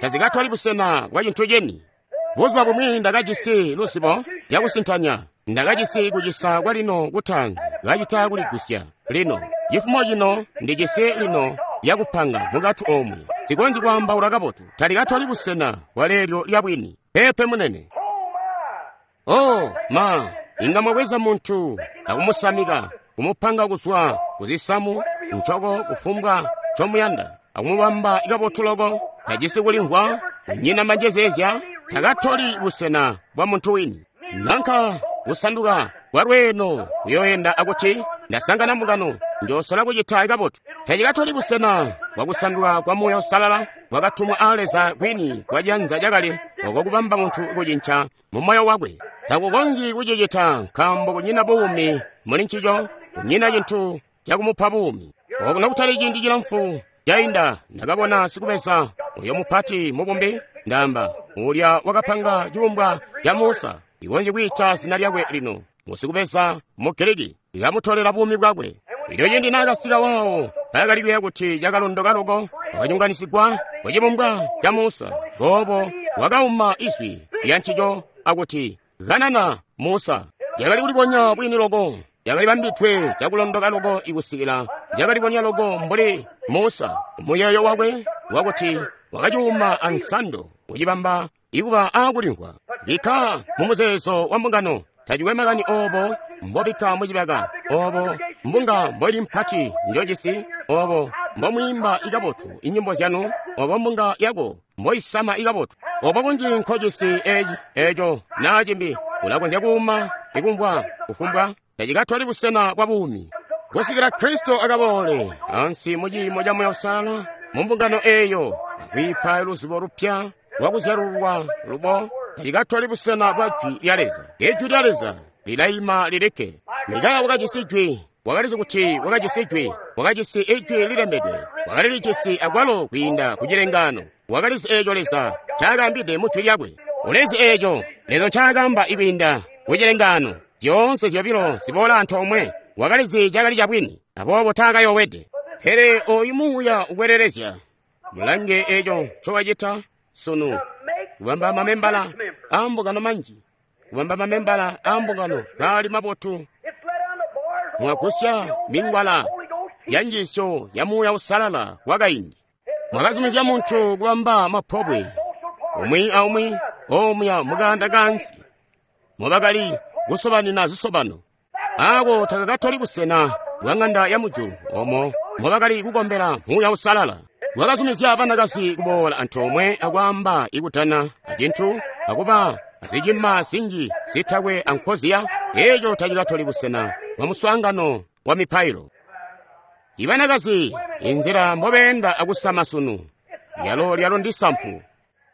tazikatoli busena bwa cintu ceni. Buzuba bumwi ndakajisi luzibo lyakusintanya, ndakajisi kucisa kwa lino kutaanzi kacita kuligusya lino. Cifumo cino ndijisi lino lyakupanga mukati omwe, sikonzyi kwaambaula kabotu, talikatoli busena bwa leelyo lya bwini. Peepe munene. Oh ma, inga mwabweza muntu akumusamika, kumupanga kuzwa kuzisamu, ncoko, kufumbwa ncomuyanda, akumubamba kabotu loko, tajisi kulimvwa, kunyina manjezeezya, takatoli busena bwa muntu wini. Nanka kusanduka kwa lweeno kuyoyenda akuti ndasangana mbungano, njosola kucita kabotu. Tacikatoli busena bwa kusanduka kwa Muuya Uusalala bwakatumwa aa Leza kwini kwa cianza cakale oko kubamba muntu kucinca mu moyo wakwe. Takukonzyi kucicita nkaambo kunyina buumi muli ncico, kunyina cintu cakumupa buumi. Okuno kutali ciindi cilamfu cainda ndakabona sikubeza uyo mupati mubumbi, ndaamba ulya wakapanga cibumbwa ca Musa, ikonzyi kwiita zina lyakwe lino. Musikubeza mu Giriki, ikamutolela buumi bwakwe. Elyo cindi naakasika waawo, bakali kuyeeya kuti cakalondoka loko, wakanyonganisigwa kucibumbwa ca Musa. Boobo wakauma izwi lya ncico akuti, "Kanana, Musa." Cakali kulibonya bwini loko, cakali bambidwe cakulondoka loko ikusikila cakalibonya loko mbuli Musa. Muyeeyo wakwe wakuti wakacuuma ansando kucibamba ikuba aakulimvwa. Bikka mu muzeezo wa mbungano, tacikwe makani oobo mbobikka mucibaka, oobo mbunga mboili mpati njojisi, oobo mbomwiimba ikabotu inyimbo zyanu, oobo mbunga yako mboisama ikabotu, oobo bunji nkojisi eci eco naa cimbi, ulakonzya kuuma ikumvwa kufumbwa, tacikatoli busena bwa buumi. Kusikila Kristo akaboole ansi mu ciimo ca Muuya Uusalala mu mbungano eeyo, akwiipa luzibo lupya lwakuzyalululwa lubo, tacikatoli busena bwa Jwi lya Leza. Ijwi lya Leza lilaima lilikke. Mikaya wakajisi Jwi, wakalizi kuti wakajisi Jwi, wakajisi Ijwi lilembedwe, wakalilijisi akwalo kwiinda ku cilengaano. Wakalizi eeco Leza ncaakaambide mu Jwi lyakwe. Ulizi eeco Leza ncaakaamba ikwiinda ku cilengaano. Zyoonse zyobilo ziboola antoomwe. Wakalizi cakali cabwini, aboobo taakayoowede. Pele ooyu muuya ukwelelezya. Mulange eeco ncowacita sunu, kubamba mamembala aambungano manji, kubamba mamembala aambungano kaali mabotu. Mwagusya mingwala ya njiisyo ya Muuya Uusalala wakaindi. Mwakazumizya muntu kubamba mapobwe umwi aumwi omuya mukaanda kansi mobakali kusobanina zisobano. Aako takakatoli busena bwa ng'anda ya mujulu omo mobakali kukombela Muuya Uusalala. Wakazumizya banakazi kuboola antoomwe akwaamba ikutana acintu akuba azicima zinji zitakwe ankoziya. Eeco tacikatoli busena bwa muswaangano wa mipailo. Ibanakazi inzila mbobeenda akusama sunu, lyalo lyalo ndi sampu.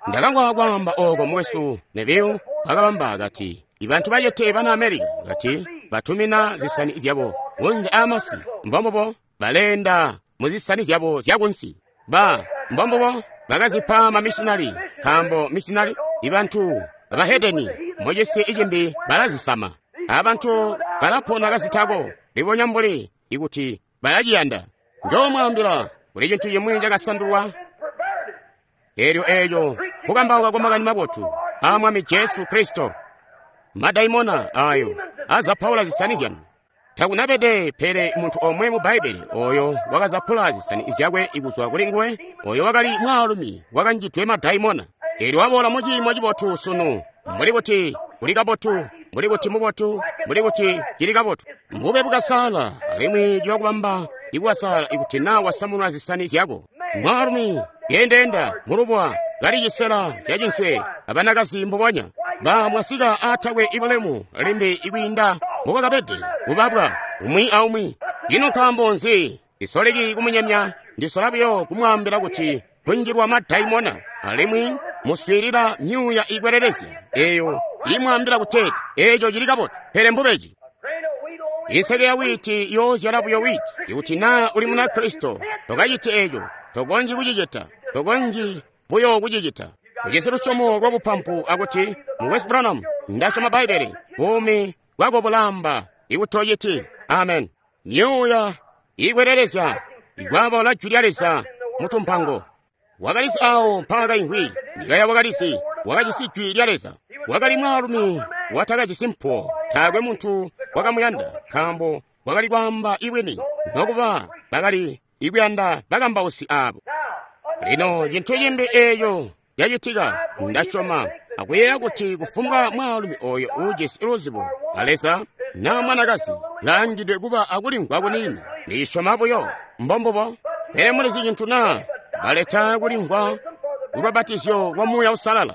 Ndakamvwa kwaamba ooko mukwesu Neville akabamba kati, ibantu bacete bana America kati batumina zisani zyabo kunze aamasi, mbombubo baleenda muzisani zyabo zyakunsi. Ba mbombubo bakazipa mamishinali, nkaambo mishinali ibantu abahedeni mucisi icimbi balazisama. Abantu balapona kazitako libonya mbuli ikuti balaciyanda. Njoomwaambila kuli cintu cimwi cakasandulwa, eelyo eeco kukambauka kwa makani mabotu aa Mwami Jesu Kristo. Madaimona ayo azapaula zisani zyanu. Takunabede pele muntu omwe mu Bbaibbele oyo wakazapula zisani zyakwe kuzwa kuli nguwe, oyo wakali mwaalumi wakanjidwe madaimona. Eelyo waboola mu ciimo cibotu sunu, mbuli kuti kuli kabotu, mbuli kuti mubotu, mbuli kuti cili kabotu. Mbube bukasala, alimwi ciyakubamba ikukasaala ikuti naa wasamunula zisani zyako. Mwaalumi yendeenda mulubwa kali cisela cacinswe abanakazi mbubonya. Ba mwasika aatakwe ibulemu limbi ikwiinda mbubakabede kubabwa umwi aumwi. Ino nkaambo nzi ndisoleki kumunyemya? Ndisola buyo kumwaambila kuti kunjilwa madaimona, alimwi muswiilila myuuya ikwelelezya eeyo imwaambila kuteeti eeco cili kabotu, pele mbubeji. Inseke ya wiiti yoozyala buyo wiiti. Ikuti naa uli muna Kristo, tokaciti eeco, tokonzyi kucicita, tokonzyi buyo kucicita. Ujisi lusyomo lwa bupampu akuti, Mukwesu Branham, ndasyoma Bbaibbele, buumi bwako bulaamba ikutociti. Amen. Myuuya ikwelelezya ikwaaboola Jwi lya Leza mutumpango. Wakalizi awo mpaakaimvwi. Mikaya wakalizi, wakajisi Jwi lya Leza. Wakali mwaalumi watakajisi mpuwo, taakwe muntu wakamuyanda, nkaambo wakali kwaamba ibwini, nokuba bakali ikuyanda bakambausi aabo. Lino cintu cimbi eeco cacitika, ndasyoma akuyeeya kuti kufumbwa mwaalumi oyo uujisi luzibo a Leza naa mwanakazi laangidwe kuba akulimvwa kuniini, ndisyoma buyo mbombubo. Pele mulizi cintu naa baleta kulimvwa kulubapatizyo lwa Muuya Uusalala.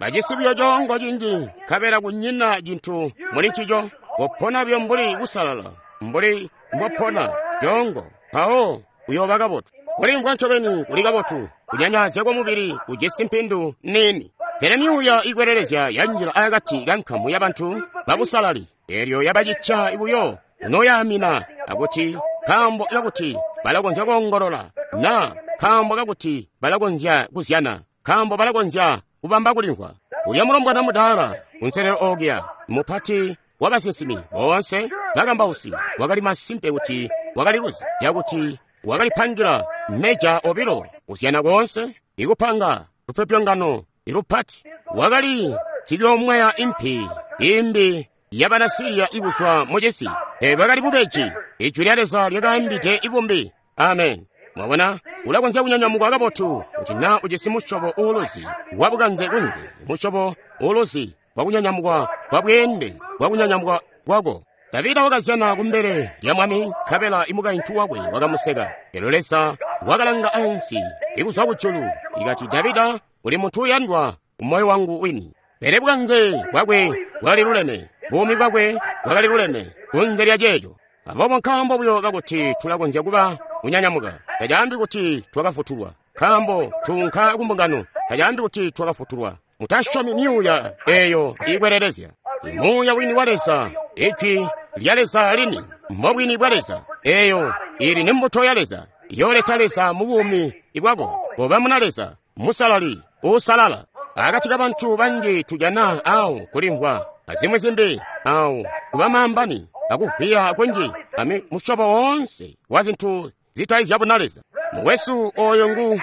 Bajisi buyo coongo cinji, nkabela kunyina cintu muli ncico. Kopona buyo mbuli kusalala, mbuli mbopona coongo, mpawo uyooba kabotu. Kulimvwa ncobeni kuli kabotu, kunyanyaazya kwamubili kujisi mpindu niini. Pele myuuya ikwelelezya yanjila akati kankamu yabantu babusalali, eelyo yabacitya buyo kunoyaamina akuti nkaambo kakuti balakonzya koongolola, naa nkaambo kakuti balakonzya kuzyana, nkaambo balakonzya kubamba kulimvwa. Ulya mulombwana mudaala kunselelo okuya, Mupati wa basinsimi boonse bakambausi wakali masimpe kuti wakali luzi, cakuti wakalipangila meja obilo kuzyana koonse, ikupanga lupyopyongano ilupati. Wakali sikyomweya impi imbi yabana Siriya ikuzwa mucisi. Bwakali bubeji. Ijwi lya Leza lyakaambide ibumbi. Amen. Mwabona, ulakonzya kunyanyamukwa kabotu kuti naa ujisi musyobo uuluzi wabukanze kunze, musyobo uuluzi wakunyanyamukwa kwa bweende bwakunyanyamukwa kwako. Davida wakazyana kumbele lya mwami, nkabela imukaintu wakwe wakamuseka. Elyo Leza wakalanga ansi ikuzwa kujulu, ikati, Davida, uli muntu uyandwa kumoyo wangu wini. Pele bukanze bwakwe bwakali luleme, buumi bwakwe bwakali luleme kunze lya ceeco. Aboobo nkaambo buyo kakuti tulakonzya kuba kunyanyamuka, tacaambi kuti twakafutulwa. Nkaambo tuunka kumbungano, tacaambi kuti twakafutulwa. Mutasyomi myuuya eyo iikwelelezya. Muuya wini wa Leza, Ijwi lya Leza lini, mbobwini bwa Leza. Eyo ili ni mbuto ya Leza, yooleta Leza mu buumi bwako. Koba muna Leza, musalali, uusalala. Akati ka bantu banji tujana awo kulimvwa, azimwi zimbi awo kuba maambani, akuvwiya kunji, ami musyobo woonse wa zintu zitali zyabuna Leza. Mukwesu oyo ngu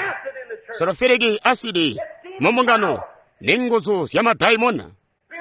sulfuriki asidi mu mbungano, ni nguzu zya madaimona.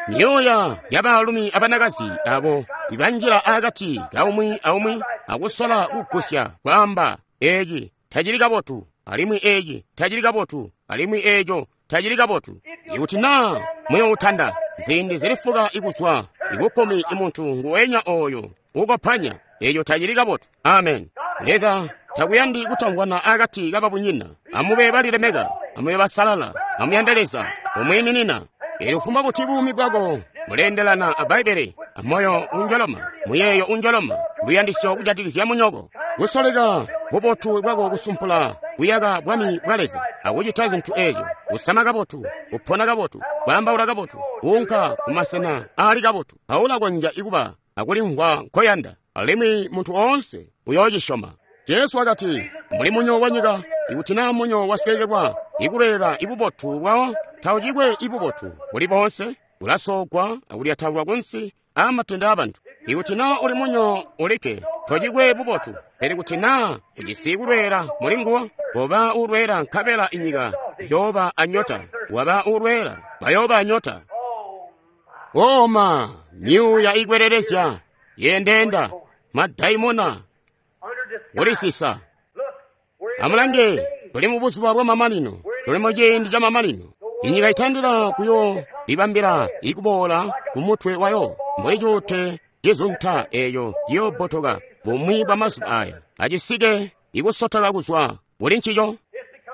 Myuuya ya baalumi abanakazi abo ibanjila akati kaumwi aumwi akusola kugusya kwaamba eci tacili kabotu, alimwi eci tacili kabotu, alimwi eco tacili kabotu. Ikuti naa muyoutanda ziindi zilifuka ikuzwa ikukkumi imuntu nguwenya oyo ukopanya, eco tacili kabotu. Amen. Leza takuyandi kutamvwana akati kababunyina. Amube balilemeka, amube basalala, amuyande Leza, umwiiminina. Elyo kufumbwa kuti buumi bwako buleendelana a Bbaibbele, amoyo unjoloma, muyeeyo unjoloma, luyandisyo kujatikizya munyoko, kusoleka bubotu bwako kusumpula kuyaka bwami bwa Leza, akucita zintu ezyo, kusama kabotu, kupona kabotu, kwaambaula kabotu, kuunka kumasena aali kabotu, aulakonzya ikuba akulimvwa nkoyanda, alimwi muntu oonse uyoocisyoma. Jesu wakati, muli munyo wa nyika. Ikuti naa munyo wasweekelwa ikuleela ibubotu bwawo, taucikwe ibubotu buli boonse, ulasoogwa akulyataulwa kunsi aamatende aabantu. Ikuti naa uli munyo ulikke, tocikwe bubotu. Pele kuti naa ujisi kulweela muli nguwo, koba uulweela nkabela inyika yooba anyota. Waba uulweela, bayooba anyota. Oma, myuuya ikwelelezya, yendeenda, madaimona, kulisisa. Amulange, tuli mu buzuba bwa mamanino, tuli mu ciindi ca mamanino. Inyika itandila kuyo libambila ikuboola ku mutwe wayo, mbuli cuute cizunta eyo ciyobbotoka bumwi bwa mazuba aya, acisike ikusotoka kuzwa kuli ncico.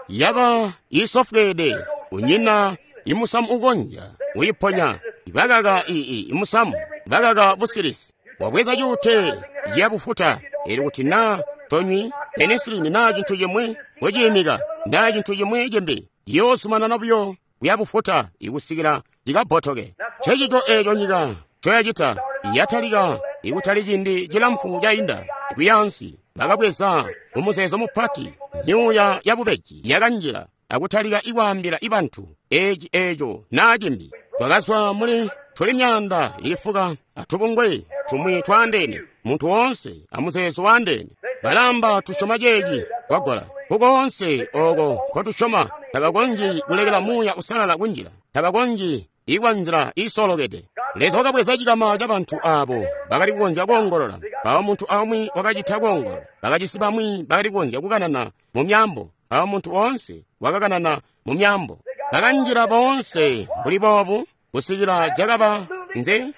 Yaba isofweede, kunyina imusamu ukonzya kuyiponya. Bakaka imusamu, bakaka busilisi. Wabweza cuute ciyabufuta, elyo kuti naa tonywi penisilini naa cintu cimwi kuciimika naa cintu cimwi cimbi, ciyoozumanana buyo kuyabufuta ikusikila cikabbotoke. Ncecico eeco nyika ncoyacita. Yatalika ikutali ciindi cilamfu cainda kuyaansi, bakabweza mumuzeezo mupati myuuya yabubeji yakanjila akutalika ikwaambila ibantu eci eeco naa cimbi. Twakazwa muli tuli myaanda ilifuka atubungwe tumwi twaandeene, muntu woonse amuzeezo waandeene. Balamba tusyoma ceeci kwagola kukoonse oko nkotusyoma. Tabakonzyi kulekela muuya usalala kunjila, tabakonzyi ikwa nzila iisolokede. Leza wakabweza cikama ca bantu abo bakali kukonzya koongolola, mpawo muntu aumwi wakacita koongolola. Bakajisi bamwi bakali kukonzya kukanana mu myaambo, mpawo muntu oonse wakakanana mu myaambo. Bakanjila boonse mbuli boobu kusikila cakaba nze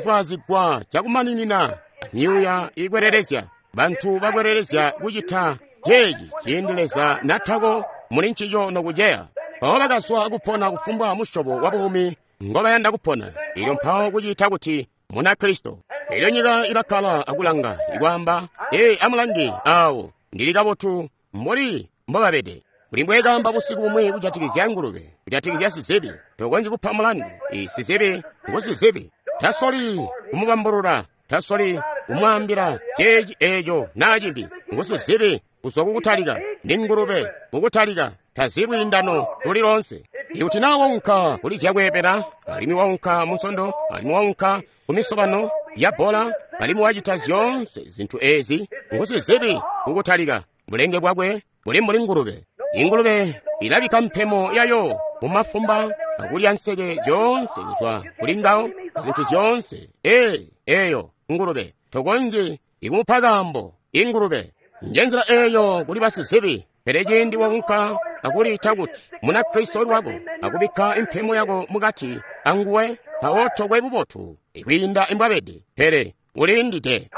kusofwaazigwa cakumaninina myuuya iikwelelezya. Bantu bakwelelezya kucita ceeci ciindi Leza natako muli ncico nokuceya. Mpawo bakazwa kupona kufumbwa musyobo wa buumi ngobayanda kupona, elyo mpawo kuciita kuti Munakristo. Elyo nyika ilakkala akulanga ikwaamba, ee, amulange awo, ndili kabotu mbuli mbobabede. Kuli mbwekaamba busiku bumwi kujatikizya ngulube, kujatikizya sizibi. Tokonzyi kupa mulandu. Sizibi ngu sizibi. Tasoli kumubambulula, tasoli kumwaambila ceeci eeco naa cimbi. Ngu sizibi kuzwa kukutalika, ndi ngulube kukutalika, tazi lwiindano luli loonse. Ikuti na waunka kuli zyakweebela, alimwi waunka munsondo, alimwi waunka ku misobano ya bbola, alimwi wacita zyoonse zintu ezi, ngusizibi kukutalika. Bulenge bwakwe buli mbuli ngulube. Ingulube ilabika mpemo yayo mu mafumba akulya nseke zyoonse kuzwa kuli ngawo, zintu zyoonse. Ee, eyo ngulube tokonzyi ikumupa kaambo. Ingulube njenzila eyo kuli basizibi. Pele ciindi waunka akuliita kuti Munakristo lwako, akubikka impemo yako mukati anguwe, mpawo tokwe bubotu kwiinda imbwabede, pele uliindide.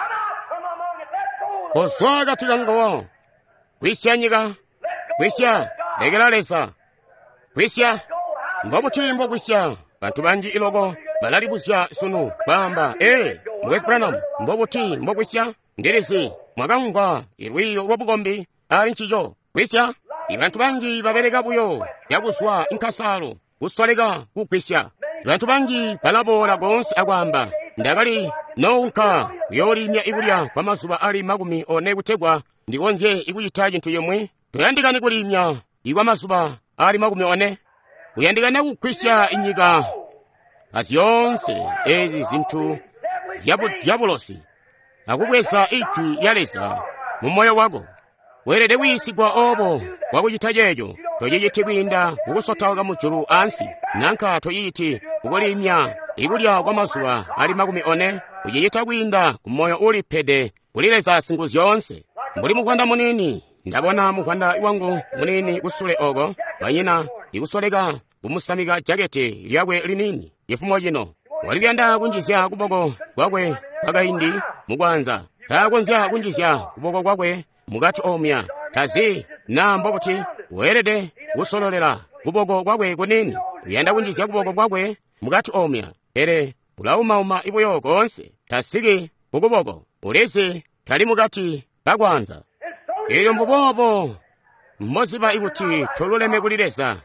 Kozwa akati kanguwo, kwisya nyika, kwisya, lekela Leza, kwisya. Mbobuti mbokwisya? Bantu banji iloko balalibuzya sunu, baamba, Ee, Mukwesu Branham, mbobuti mbokwisya? Ndilizi mwakamvwa ilwiiyo lwabukombi ali ncico. Kwisya. Ibantu banji babeleka buyo yakuzwa inkasaalo kusoleka kugwisya. Bantu banji balaboola koonse akwaamba, Ndakali nounka kuyoolimya ikulya kwa mazuba ali 40 kutegwa ndikonzye ikucita cintu cimwi. Toyandikani kulimya ikwa mazuba ali 40. Kuyandikana kugwisya inyika azyoonse ezi zintu zya bulosi akubweza ijwi lya Leza mu moyo wako. Weelede kuyiisigwa obo bwakucita ceeco. Tociciti kwiinda mukusotauka mujulu ansi, nanka tociciti kukulimya ikulya kwa mazuba ali 40. Ucicita kwiinda ku moyo ulipede kuli Leza Singuzyoonse. Mbuli muvwanda muniini, ndabona muvwanda wangu muniini kusule oko, banyina ikusoleka kumusamika jakete lyakwe liniini cifumo cino. Wali kuyanda kunjizya kuboko kwakwe kwakaindi mukwanza. Taakonzya kunjizya kuboko kwakwe mukati omya. Tazi na mbobuti weelede kusololela kuboko kwakwe kuniini. Uyanda kunjizya kuboko kwakwe mukati omya, pele ulaumauma ibuyo koonse. Tasiki kukuboko. Ulizi tali mukati kakwanza. Elyo mbuboobo mboziba ikuti toluleme kuli Leza,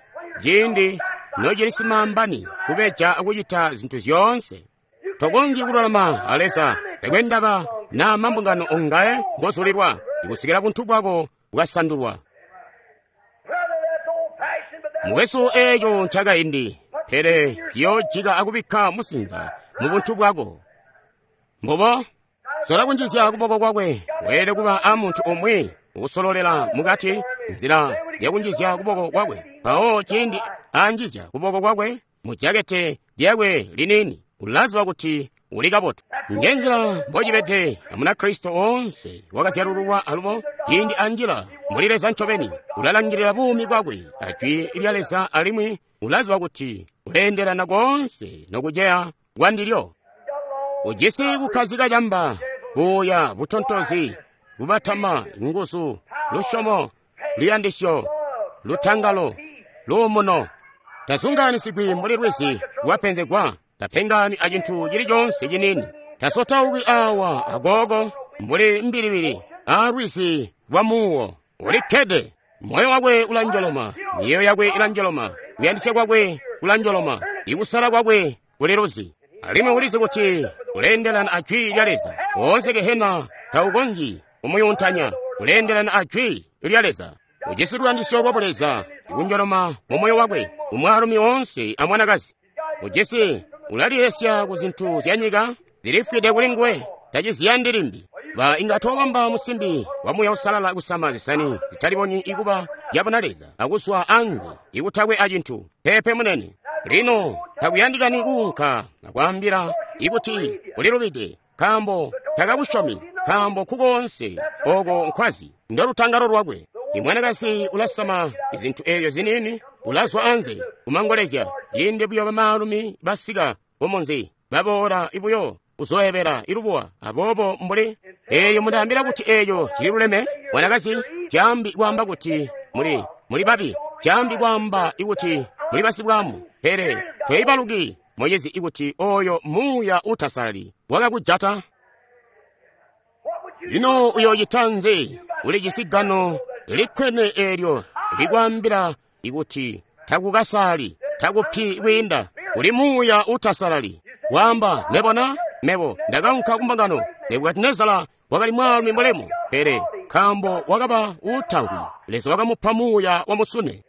ciindi nocili simambani kubeja akucita zintu zyoonse. Tokonzyi kululama a Leza, tekwe ndaba na mambungano ongaye ngozulilwa, ikusikila buntu bwako bwasandulwa. Mukwesu, eeco ncakaindi, pele ciyoojika akubikka musinza mu buntu bwako. Mbubo, sola kunjizya kuboko kwakwe, weelede kuba a muntu umwi ukusololela mukati nzila yakunjizya kuboko kwakwe. Mpawo ciindi anjizya kuboko kwakwe mu jakete lyakwe liniini, ulaziba kuti uli kabotu. Njenzila mbocibede a Munakristo woonse wakazyalululwa alubo, ciindi anjila muli Leza ncobeni, ulalangilila buumi bwakwe a Jwi lya Leza alimwi ulaziba kuti uleendelana koonse nokuceya kwandilyo. Ujisi kukkazika camba, buuya, butontozi, kubatama, nguzu, lusyomo, luyandisyo, lutangalo, luumuno. Tazungaanisigwi mbuli lwizi lwapenzegwa, tapengani acintu cili coonse ciniini. Tasotauki awa agogo mbuli mbilibili a lwizi lwa muuwo. Ulikkede, moyo wakwe ulanjoloma, miyeeyo yakwe ilanjoloma, kuyandisya kwakwe kulanjoloma, ikusala kwakwe kuli luzi. Alimwi ulizi kuti uleendelana a Jwi lya Leza. Woonse gehena taukonzyi kumuyuntanya. Uleendelana a Jwi lya Leza. Ujisi luyandisyo lwa Buleza ikunjoloma mu moyo wakwe, umwaalumi woonse a mwanakazi. Ujisi ulalilesya ku zintu zya nyika zilifwide kuli nguwe, taciziyandi limbi. Ba inga tobamba musimbi wa Muuya Uusalala kusama zisani zitalibonyi ikuba zyabona Leza akuzwa anze ikutakwe acintu. Peepe munene. Lino takuyandikani kuunka akwaambila ikuti ulilubide, nkaambo takakusyomi, nkaambo kukoonse oko nkwazi ndolutangalo lwakwe. Imwanakazi ulasama izintu eezyo ziniini, ulazwa anze kumangolezya, ciindi buyo bamaalumi basika kumunzi, baboola ibuyo kuzoebela ilubuwa. Aboobo mbuli eelyo mundaambila kuti eeyo cililuleme, mwanakazi, tyambi kwaamba kuti muli babi, tyambi kwaamba ikuti muli basibwamu, pele toibaluki mucizi ikuti oyo muuya utasalali wakakujata. Ino uyoocita nzi? Ulijisi gano likwene eelyo likwaambila ikuti takukasali, takupi kwiinda, uli muuya utasalali. Waamba, mebo mebo ndakaunka kumbungano. Nebukadinezara wakali mwaalumi mulemu, pele nkaambo wakaba uutamvwi, Leza wakamupa muuya wa musune.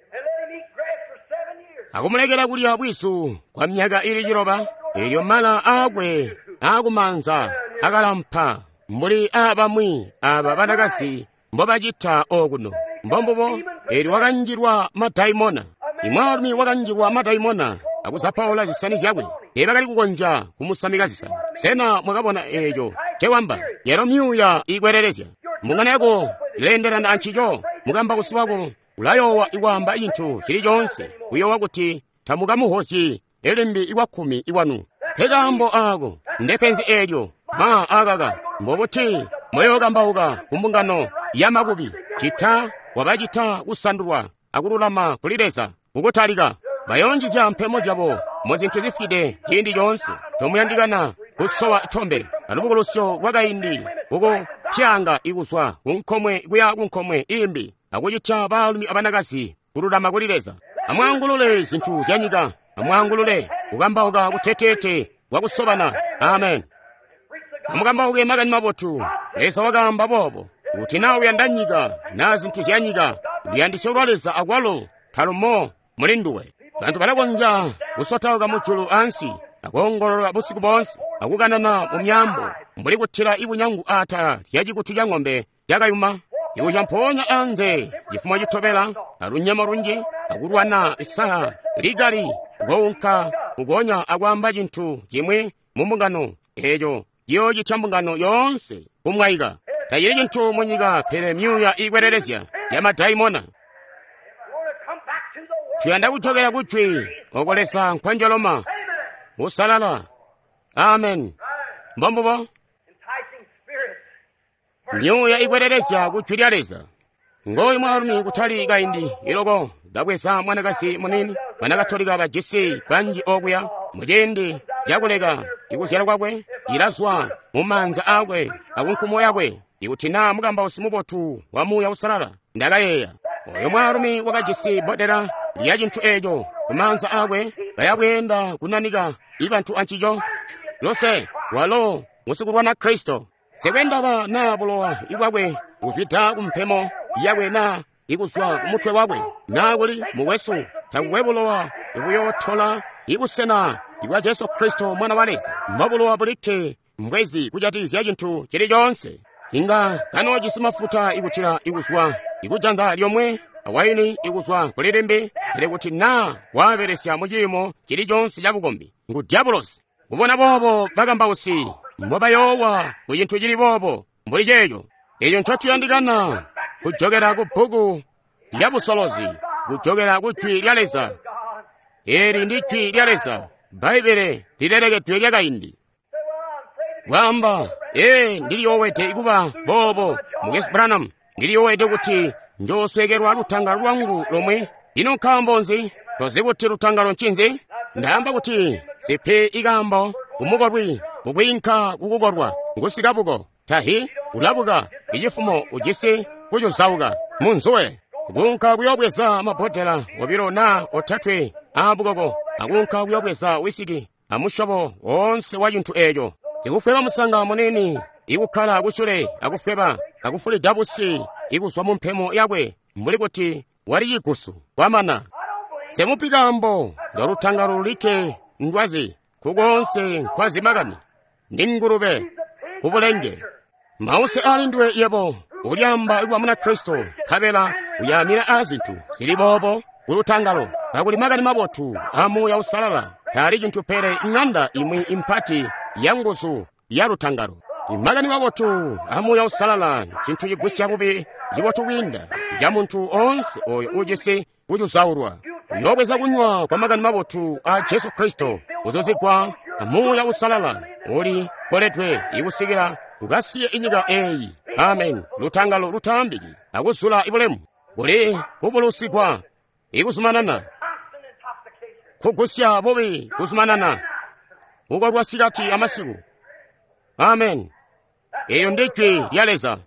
Akumulekela kulya bwizu kwa myaka ili 7, elyo mala aakwe aakumanza akalampa mbuli aabamwi aba banakazi mbobacita okuno. Mbombubo, elyo wakanjilwa madaimona. Imwaalumi wakanjilwa madaimona akuzapaula zisani zyakwe. Teebakali kukonzya kumusamika zisani. Sena mwakabona eeco cewamba? Yalo myuuya iikwelelezya. Mbungano yako ileendelana ancico. Mukambausi wako ulayoowa ikwaamba cintu cili coonse, kuyoowa kuti tamukamuhozyi limbi ikwakkumi ikwanu. Nkekaambo aako, ndepenzi eelyo. Ma akaka, mbobuti moyookambauka kumbungano yamakubi, cita wabacita kusandulwa akululama kuli Leza kukutalika. Bayoonjizya mpemo zyabo muzintu zifwide ciindi coonse. Tomuyandikana kusowa tombe alubukulusyo lwakaindi kukupyanga ikuzwa kunkomwe kuya kunkomwe imbi, akucitya baalumi abanakazi kululama kuli Leza. Amwaangulule zintu zyanyika, amwaangulule kukambauka kuteteete kwakusobana. Amen. Amukambauke makani mabotu. Leza wakaamba boobo, kuti naa uyanda nyika naa zintu zyanyika, luyandisyo lwa Leza akwalo talumo muli nduwe. Bantu balakonzya kusotauka mujulu ansi, akoongolola busiku boonse, akukanana mu myaambo, mbuli kutila ibunyangu atala lya cikutu ca ng'ombe yakayuma. Ikuca mpoonya anze cifumo citobela alunyemo lunji, akulwana isaha likali, kounka kugonya akwaamba cintu cimwi mu mbungano, eeco ciyoocitya mbungano yoonse kumwaika. Tacili cintu munyika pele myuuya iikwelelezya ya madaimona. Tuyanda kujokela kujwi oko Leza nkwanjoloma usalala. Amen. Mbombubo. Myuuya ikwelelezya kujwi lya Leza. Ngooyu mwaalumi kutali kaindi iloko kabweza mwanakazi munini, banakatolika bajisi banji okuya muciindi cakuleka ikuzyala kwakwe, ilazwa mumaanza aakwe akunkumo yakwe. Ikuti naa mukambausi mubotu wa Muuya Uusalala, ndakayeeya oyo mwaalumi wakajisi bbodela lya cintu eeco kumaanza aakwe, kayabweenda kunanika ibantu ancico. Luse walo ngusikulwana Kristo. Sekwendaba naa bulowa ibwakwe buzwida kumpemo yakwe naa ikuzwa kumutwe wakwe, naa kuli mukwesu, takukwe bulowa ibuyootola ibusena ibwa Jesu Kristo Mwana wa Leza. Mbobulowa bulikke mbwezi kujatikizya cintu cili coonse. Inga kanoojisi mafuta ikutila ikuzwa ikujanza lyomwe awaini ikuzwa kuli limbi, pele kuti naa waabelesya muciimo cili coonse cabukombi, ngu dyabulosi. Kubona boobo bakambausi mbobayoowa ku cintu cili boobo mbuli ceeco. Eco ncotuyandikana kujokela ku bbuku lya busolozi, kujokela ku jwi lya Leza. Eli ndi jwi lya Leza, Bbaibbele lilelekedwe lyakaindi. Kwaamba, ee, ndiliyoowede kuba boobo, Mukwesu Branham, ndiliyoowede kuti njooswekelwa lutangalo lwangu lomwe. Ino nkaambo nzi? Tozi kuti lutangalo ncinzi? Ndaamba kuti sipi ikaambo kumukolwi kukwiinka kukukolwa ngusikabuko tahi ulabuka icifumo ujisi kucuzauka munzuwe kuunka kuyoobweza mabbodela obilo naa otatwe aabukoko, akuunka kuyoobweza wisiki amusyobo woonse wa cintu eeco. Sikufweba musanga munini ikukkala kusyule akufweba akufulida busi ikuzwa mu mpemo yakwe mbuli kuti wali cigusu kwamana. Semupi kaambo ndolutangalo lulikke ndwazi kukoonse nkwazi makani ndi ngulube kubulenge. Mause alindwe yebo ulyamba ikuba muna Kristo, nkabela uyaamina aazintu zili boobo kulutangalo, kakuli makani mabotu a Muuya Uusalala taali cintu pele ŋanda imwi impati ya nguzu ya lutangalo. Imakani mabotu a Muuya Uusalala ncintu cigwisya bubi cibotu kwiinda ca muntu oonse oyo uujisi kucuzaulwa. Uyoobweza kunywa kwa makani mabotu a Jesu Kristo, kuzuzigwa a Muuya Uusalala uli koledwe ikusikila ukasiye inyika eeyi. Amen. Lutangalo lutaambiki akuzula ibulemu kuli kubulusigwa ikuzumanana kugusya bubi kuzumanana kukolwa sikati amasiku. Amen. Eyo ndi jwi lya Leza.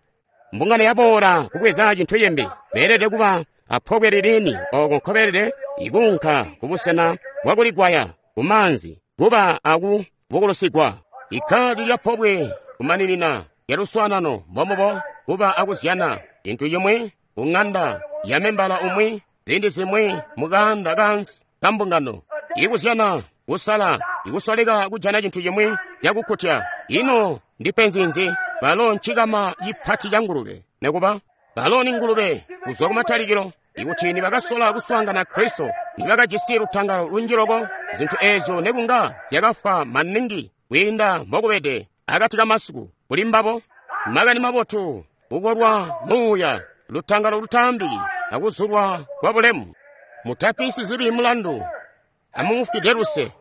Mbungano yaboola kubweza cintu cimbi. Beelede kuba apobwe lilini oko nkobeelede ikuunka kubusena bwakuligwaya kumaanzi kuba aku bukulusigwa. Ikkadi lya pobwe kumaninina lya luswaanano mbombubo kuba akuzyana cintu cimwi ku ŋanda ya membala umwi, ziindi zimwi mukaanda kaansi. kambungano. Ikuzyana, kusala, ikusoleka kujana cintu cimwi cakukkutya. Ino ndi penzi nzi? Balo ncikama cipati ca ngulube. Nekuba, balo ni ngulube kuzwa kumatalikilo. Ikuti nibakasola kuswaangana Kristo, nibakajisi lutangalo lunji loko, zintu eezyo nekunga zyakafwa maningi kwiinda mbokubede akati kamasiku kuli mbabo. Makani mabotu, kukolwa muuya, lutangalo lutaambiki, akuzulwa kwa bulemu. Mutapi sizibi mulandu, amumufwide luse,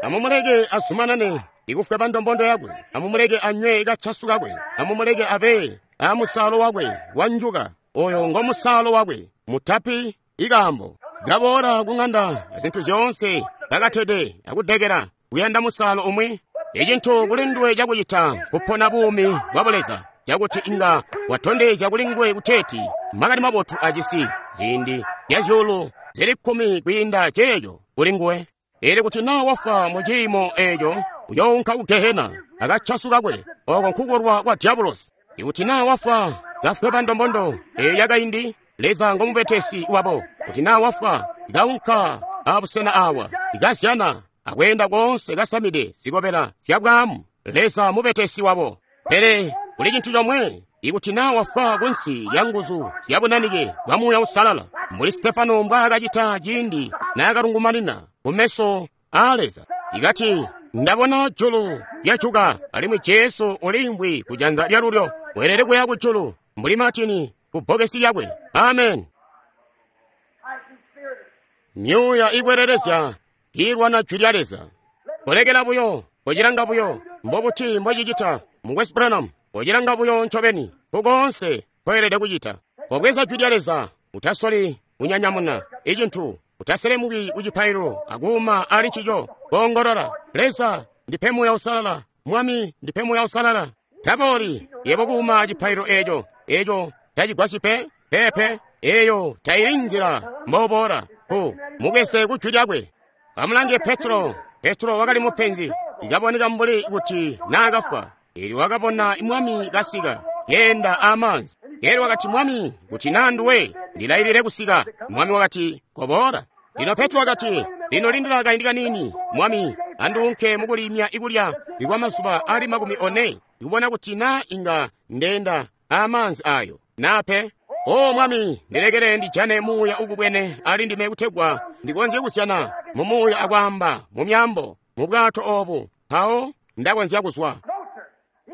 amumuleke azumanane ikufweba bandombondo yakwe, amumuleke anywe kachasu kakwe, amumuleke abe amusaalo wakwe wanjuka, oyo ngo musaalo wakwe. Mutapi ikaambo kaboola kung'anda zintu zyoonse kakatede akudekela kuyanda musaalo umwi. Icintu kuli nduwe cakucita kupona buumi bwa buleza cakuti inga watondezya kuli nguwe kuteeti makani mabotu ajisi ziindi zya zyuulu zili 10 kwiinda ceeco kuli nguwe. Ili kuti naa wafwa mu ciimo eeco uyounka ku Gehena akachasu kakwe, oko nkukolwa kwa diabulosi. Ikuti naa wafwa kafweba ndombondo eyo yakaindi, Leza ngomubetesi wabo. Kuti naa wafwa kaunka abusena awa ikazyana akweenda koonse kasamide zikobela zya bwaamu, Leza mubetesi wabo. Pele kuli cintu comwe, ikuti naa wafwa kunsi lya nguzu zya bunanike bwa Muuya Uusalala, mbuli Stefano mbwaakacita ciindi naakalungumanina kumeso aa Leza, ikati ndabona julu lyajuka alimwi Jesu uliimvwi kujanza lyalulyo, weelede kuya kujulu mbuli Martini ku bbokesi lyakwe. Amen. Myuuya ikwelelezya kiilwana jwi lya Leza. Kolekela buyo, kocilanga buyo, mbobuti mbocicita, Mukwesu Branham, kocilanga buyo ncobeni, kukoonse koelede kucita. Kobweza jwi lya Leza, utasoli kunyanyamuna icintu, utaselemuki ku cipaililo akuuma ali ncico, koongolola, Leza, ndipe Muuya Uusalala, Mwami, ndipe Muuya Uusalala. Tabooli, yebo kuuma cipaililo eeco, eeco tacigwasyi pe, peepe, eeyo taili nzila mboboola, ku mubweze ku jwi lyakwe. Amulange Petro. Petro wakali mupenzi, ikaboneka mbuli kuti naakafwa. Elyo wakabona Mwami kasika, keenda amaanzi. Elyo wakati, Mwami, kuti naa nduwe, ndilailile kusika. Mwami wakati, koboola. Lino Petro wakati, lino lindila kaindi kaniini, Mwami, anduunke mukulimya ikulya ikwa mazuba ali 40, ikubona kuti naa inga ndeenda amaanzi ayo, naa pe. O Mwami, ndilekele ndijane muuya ukubwene ali ndime kutegwa ndikonzye kuzyana mu muuya akwaamba mu myaambo mu bwato obu, mpawo ndakonzya kuzwa.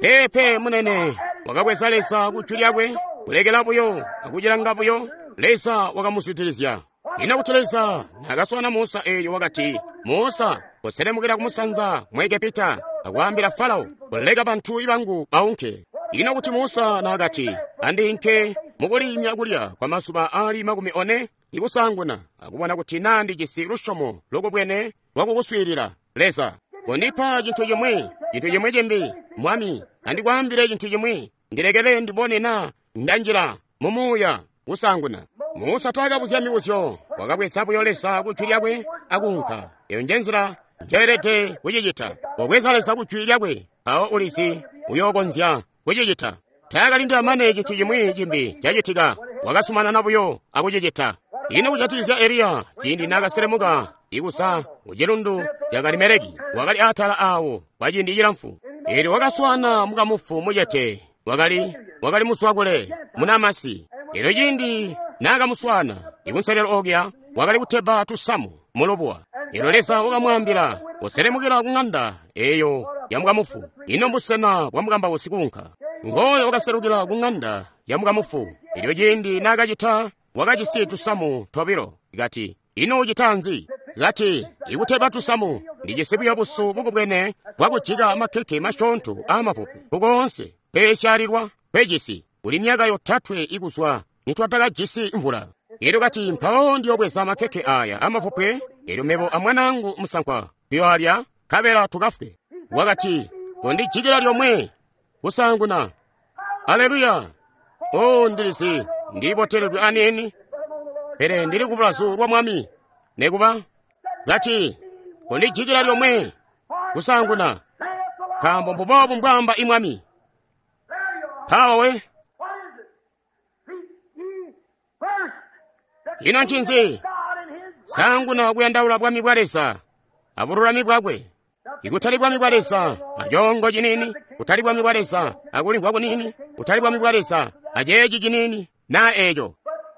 Peepe munene wakabweza Leza ku jwi lyakwe, kulekela buyo akucilanga buyo, Leza wakamuzwidilizya. Ino kuti Leza naakaswaana Musa eelyo wakati, Musa, koselemukila kumusanza mu Egepita akwaambila Farao kuleka bantu bangu baunke. Ino kuti Musa naakati, andiinke mukulimya kulya kwa mazuba ali 40 ikusanguna akubona kuti naa ndijisi lusyomo lukubwene lwakukuswiilila Leza. Kondipa cintu cimwi, cintu cimwi cimbi, Mwami, andikwaambile cintu cimwi, ndilekele ndibone naa ndanjila mu muuya kusanguna. Musa taakabuzya mibuzyo, wakabweza buyo Leza ku jwi lyakwe akuunka. Eyo nje nzila njoelede kucicita. Kobweza Leza ku jwi lyakwe, mpawo ulizi uyookonzya kucicita. Taakalindila mane cintu cimwi cimbi cacitika, wakasumanana buyo akucicita. Ino kujatikizya Eliya, ciindi naakaselemuka ikuza ku cilundu ca Karimeleki, wakali atala awo kwa ciindi cilamfu. Elyo wakaswaana mukamufu mucete, wakali muswakule munamasi. Elyo ciindi naakamuswaana ikunselelo okuya, wakali kutebba tusamu mulubuwa. Elyo Leza wakamwaambila kuselemukila ku ng'anda eyo ya mukamufu. Ino mbusena bwa mukambausi kuunka. Ngoyo wakaselukila ku ng'anda ya mukamufu. Elyo ciindi naakacita, wakajisi tusamu tobilo. Kati, ino ucita nzi? Kati, ikutebba tusamu, ndijisi buyo busu bukubwene bwakujika makeke masyoonto aamapupu kukoonse kweesyalilwa kwecisi. Kuli myaka 3 ikuzwa nitwatakajisi mvula. Elyo kati, mpawo ndiyobweza makeke aya amapupwe, elyo mebo amwanaangu musankwa tuyoalya, nkabela tukafwe. Wakati, kondijikila lyomwe kusanguna. Aleluya! O, ndilizi ndiliboteledwe aniini, pele ndili ku bulazu lwa Mwami. Nekuba kati, kondijikila lyomwe kusanguna, nkaambo mbuboobu mbwaamba i Mwami. Mpawo we. Ino ncinzi? Saanguna kuyandaula bwami bwa Leza abululami bwakwe. Ikutali bwami bwa Leza acongo ciniini, kutali bwami bwa Leza akulimvwa kuniini, kutali bwami bwa Leza aceeci ciniini naa eeco.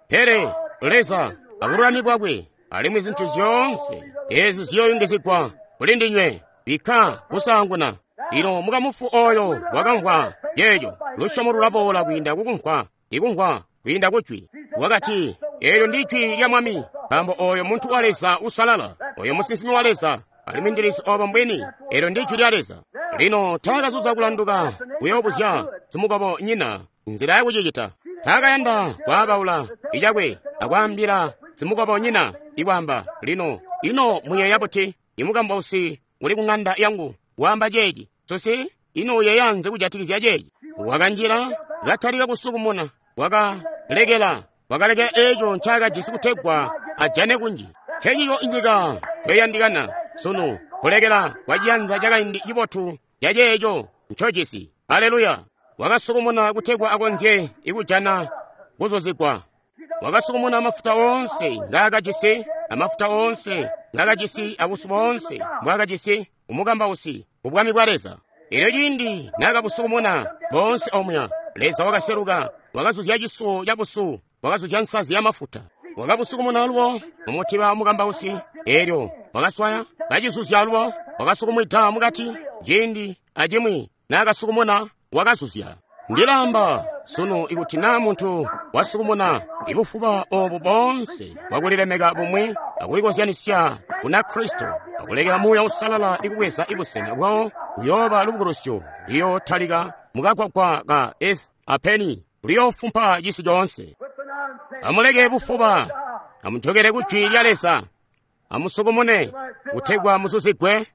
Pele Leza abululami bwakwe, alimwi zintu zyoonse ezi ziyooyungizigwa kuli ndinywe. Bikka kusaanguna. Lino mukamufu oyo wakamvwa ceeco. Lusyomo lulaboola kwiinda kukumvwa, ikumvwa kwiinda kujwi. Wakati, eelyo ndi jwi lya Mwami, nkaambo oyo muntu wa Leza usalala, oyo musinsimi wa Leza, alimwi ndilizi obo mbwini. Eelyo ndi jwi lya Leza. Lino taakazuza kulanduka kuyoobuzya simukobo nyina nzila yakucicita. Taakayanda kwaabaula icakwe akwaambila simukobo nyina ikwaamba, lino ino muyeeya buti? Imukambausi uli ku ŋanda yangu waamba ceeci. Susi, ino uyeeya nzi kujatikizya ceeci? Wakanjila katalika kusukumuna, wakalekela eeco ncaakajisi kutegwa ajane kunji. Ncencico inyika ncoiyandikana sunu, kulekela kwa ciyanza cakaindi cibotu ca ceeco ncojisi. Aleluya! Wakasukumuna kutegwa akonzye ikujana kuzuzigwa. Wakasukumuna mafuta oonse ngaakajisi, amafuta oonse ngaakajisi, abusu boonse mbwaakajisi umukambausi kubwami bwa Leza. Elyo ciindi naakabusukumuna boonse omuya, Leza wakaseluka, wakazuzya cisuwo cabusu, wakazuzya nsazi ya mafuta. Wakabusukumuna alubo mumutiba wamukambausi, elyo wakaswaya kacizuzya alubo, wakasukumwida mukati. Ciindi acimwi naakasukumuna wakazuzya. Ndilaamba sunu ikuti naa muntu wasukumuna ibufuba obu boonse bwakulilemeka bumwi akulikozyanisya kuna Kristo, akulekela Muuya Uusalala ikubweza ibusena bwawo, kuyooba lubukulusyo luyootalika mukagwagwa ka Eth Apeni, luyoofumpa cisi coonse. Amuleke bufuba, amujokele ku jwi lya Leza, amusukumune kutegwa muzuzigwe.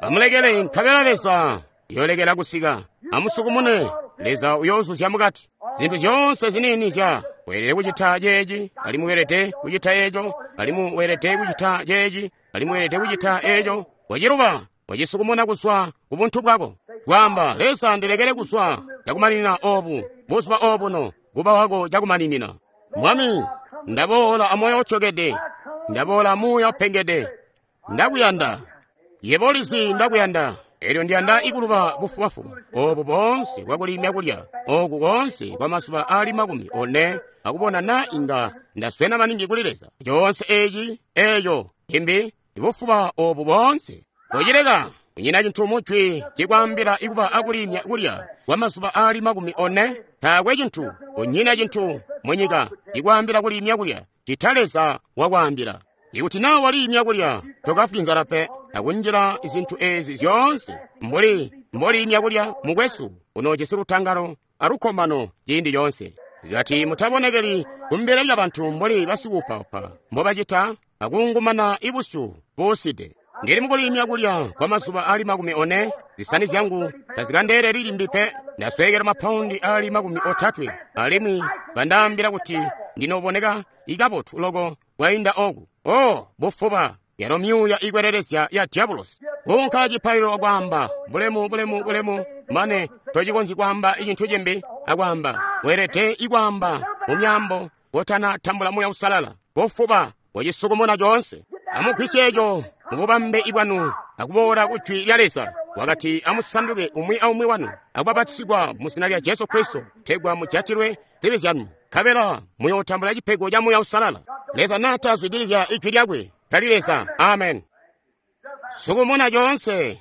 Amulekele nkabela Leza yoolekela kusika. Amusukumune, Leza uyoozuzya mukati. Zintu zyoonse ziniini zya weelede kucita ceeci, alimwi weelede kucita eeco, alimwi weelede kucita ceeci, alimwi weelede kucita eeco. Waciluba, wacisukumuna kuzwa ku buntu bwako. Kwaamba, Leza ndilekele kuzwa cakumaninina obu, buzuba obuno, kuba wako cakumaninina. Mwami, ndaboola amoyo utyokede, ndaboola amuuya upengede, ndakuyanda. Yebo ulizi ndakuyanda. Elyo ndiyanda ikuluba bufubafuba obu boonse bwakulimya kulya oku koonse kwa mazuba aali 40 akubona na inga ndaswena maningi kuli Leza. Coonse eci eeco cimbi ibufuba obu boonse kocileka. Kunyina cintu mujwi cikwaambila ikuba akulimya kulya kwa mazuba aali 40. Taakwe cintu, kunyina cintu munyika cikwaambila kulimya kulya cita Leza wakwaambila. Ikuti naa walimya kulya tokafwi nzala pe, akunjila zintu ezi zyoonse mbuli mbolimya kulya mukwesu unoojisi lutangalo alukkomano ciindi coonse. Kati mutabonekeli kumbele lya bantu mbuli basikuupaupa mbobacita akuungumana ibusyu buuside. Ndili mukulimya kulya kwa mazuba aali 40, zisani zyangu tazikandeeleli limbi pe. Ndasweekela mapaundi aali 30, alimwi bandaambila kuti ndinooboneka ikabotu loko kwainda oku. Oh, bufuba! Yalo myuuya ikwelelezya ya diabulosi. Kuunka cipaililo akwaamba, bulemu, bulemu, bulemu, mane tocikonzyi kwaamba icintu cimbi, akwaamba, weelede ikwaamba mu myaambo kotana tambula Muuya Uusalala. Bufuba, wacisukumuna coonse. Amugwisye eco mububambe ibwanu akuboola ku jwi lya Leza. Wakati amusanduke umwi aumwi wanu akubapatisigwa mu zina lya Jesu Kristo kutegwa mujatilwe zibi zyanu, nkabela muyootambula cipego ca Muuya Uusalala. Leza naatazwidilizya ijwi lyakwe, tali Leza. Amen. Sukumuna coonse,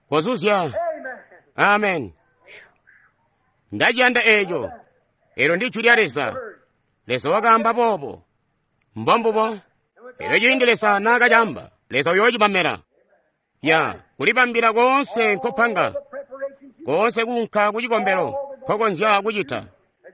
kozuzya. Amen. Ndaciyanda eeco. Eelyo ndi jwi lya Leza. Leza wakaamba boobo. Mbombubo. Elyo ciindi Leza naakacamba, Leza uyoocibamela. Ya kulibambila koonse nkopanga, koonse kuunka ku cikombelo nkokonzya kucita.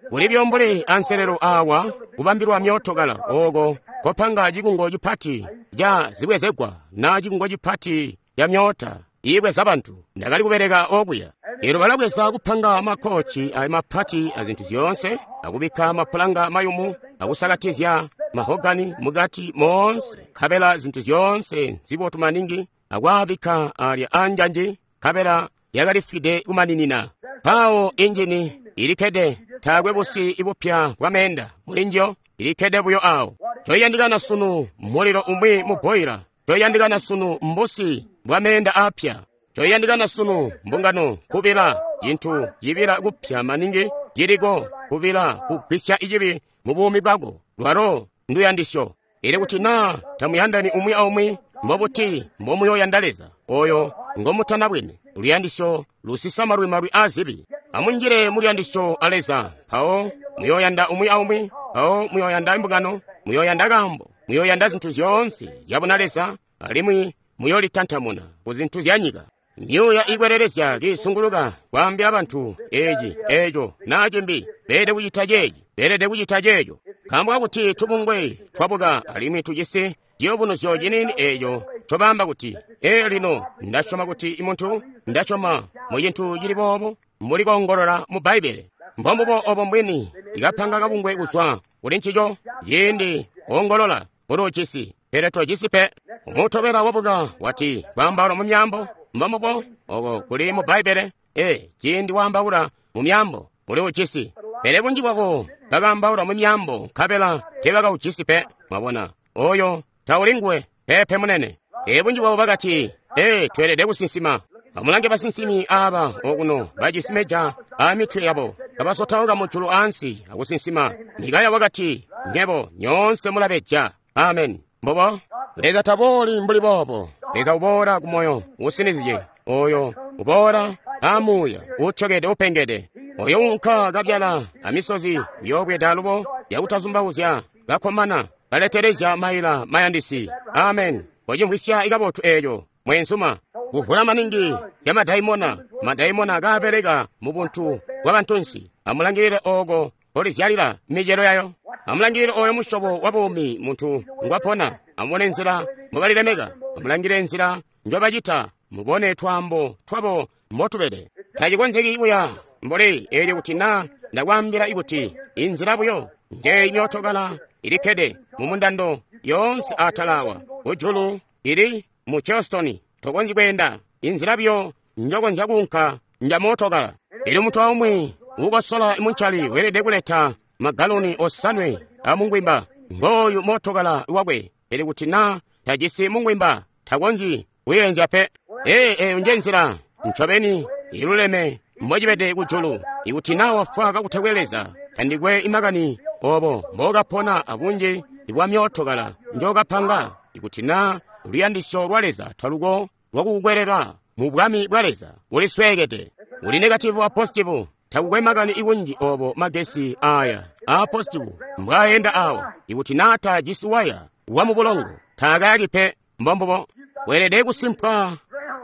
Kulibyo mbuli anselelo awa kubambilwa myootokala ooko kopanga cikungo cipati ca zibwezegwa na cikungo cipati ca myoota iibweza bantu. Ndakali kubeleka okuya. Elyo balabweza kupanga makoci ayo mapati azintu zyoonse, akubikka mapulanga mayumu, akusakatizya mahogani mukati moonse, nkabela zintu zyoonse nzibotu maningi, akwaabikka alya anjanji, nkabela yakalifwide kumaninina. Mpawo injini ilikkede, taakwe busi bupya bwa meenda mulinjiyo, ilikkede buyo awo. Coyandikana sunu mulilo umwi mu boila. Coyandikana sunu mbusi bwa meenda apya. Coyandikana sunu mbungano kubila cintu cibila kupya maningi ciliko kubila kugwisya icibi mu buumi bwako lwalo nduyandisyo. Ili kuti naa tamuyandani umwi aumwi mbobuti mbomuyoyanda Leza oyo ngomutanabwene. Luyandisyo lusisa malwi azibi. Amunjile muluyandisyo a Leza mpawo muyoyanda umwi aumwi, mpawo muyoyanda imbungano, muyoyanda kaambo, muyoyanda zintu zyoonse zyabuna Leza, alimwi muyolitantamuna ku zintu zya nyika. Myuuya ikwelelezya kiisunguluka kwaambila bantu eci, eco, naa cimbi, beelede kucita ceeci, beelede kucita ceeco. Nkaambo kakuti tubungwe twabuka alimwi tujisi ciyubunuzyo ciniini eco ncobaamba kuti, ee lino ndasyoma kuti muntu, ndasyoma mu cintu cili boobo, mbuli koongolola mu Bbaibbele. Mbombubo obo mbwini ikapanga kabungwe kuzwa kuli ncico, ciindi ongolola uluujisi, pele tojisi pe. Umutobela wabuka wati kwaambaula mu myaambo, mbombubo oko kuli mu Bbaibbele. Ee, ciindi waambaula mu myaambo uli ujisi, pele bunji bwabo bakaambaula mu myaambo nkabela teebakaujisi pe. Mwabona, oyo tauli nguwe, peepe munene. Ee, bunji bwabo bakati, ee, tweelede kusinsima. Amulange basinsimi aaba okuno bajisi meja aa mitwe yabo, kabasotauka mujulu ansi akusinsima. Mikaya wakati, nyebo nyoonse mulabeja. Amen. Mbobo Leza tabooli mbuli boobo. Leza uboola ku moyo usinizye, oyo uboola amuuya utyokede upengede, oyo unka kabyala amisozi uyoobweda alubo yakutazumbauzya kakkomana kaletelezya maila mayandisi. Amen. Wacimvwisya ikabotu eeco mweenzuma. Kuvula maningi zya madaimona, madaimona kaabeleka mu buntu bwa bantunsi. Amulangilile ooko mpolizyalila micelo yayo. Amulangilile oyo musyobo wa buumi muntu ngwapona. Amubone nzila mbobalilemeka. Amulangilile nzila njobacita. Mubone twaambo twabo mbotubede. Tacikonzeki buya mbuli eelyo kuti naa ndakwaambila kuti inzila buyo njeyi myootokala ilikkede mu mundando yoonse atala awa kujulu ili mu Charleston. Tokonzyi kweenda inzila buyo njokonzya kuunka nja mootokala. Elyo muntu aumwi uukosola muncali weelede kuleta magaloni 5 amungwimba. Ngooyu mootokala wakwe, pele kuti naa tajisi mungwimba takonzyi kuyeenzya pe. Ee, eyo nje nzila ncobeni iluleme mbocibede kujulu. Ikuti naa wafwa kakutakwe Leza, tandikwe imakani obo mbokapona abunji bwa myootokala njokapanga. Ikuti naa luyandisyo lwa Leza taluko lwakukukwelela mu bwami bwa Leza, ulisweekede. Uli negativu a positivu. Takukwe makani ikunji obo magesi aya a positivu mbwaayenda awa. Ikuti naa tajisi waya wa mu bulongo, taakayaki pe. Mbombubo weelede kusimpwa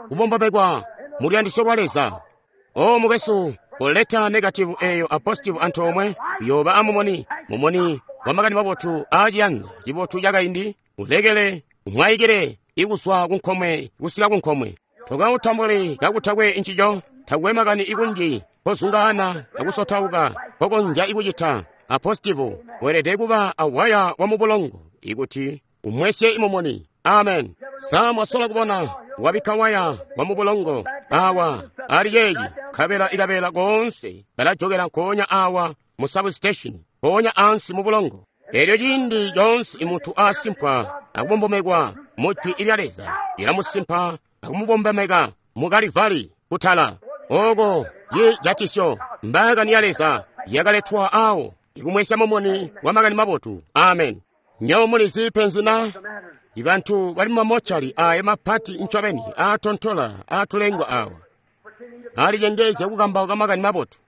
kubombomekwa mu luyandisyo lwa Leza. O mukwesu, kuleta negativu eyo a positivu antoomwe uyooba amumoni, mumoni wa makani mabotu aaciyanza cibotu cakaindi, ulekele umwaikile ikuswa kunkomwe kusika kunkomwe. Tokautambuli kakutakwe ncico. Takwe makani ikunji kozungaana akusotauka kokonzya ikucita a positivu. Weelede kuba awaya wa mubulongo ikuti umwesye imumoni. Amen. Sa mwasola kubona wabikka waya wa mubulongo awa ali ceeci, nkabela ikabela koonse kalajokela nkoonya awa mu substation, nkoonya ansi mu bulongo. Elyo ciindi coonse imuntu asimpwa akubombomekwa mu jwi lya Leza, lilamusimpa akumubombomeka mu Kalivali kutala. Oko cijatisyo mbaakani ya Leza yakaletwa awo ikumwesya mumuni wa makani mabotu. Amen. Nyo mulizi penzi na ibantu bali mumamochali aya mapati ncobeni aatontola aatulengwa awa alicengezya kukambauka makani mabotu.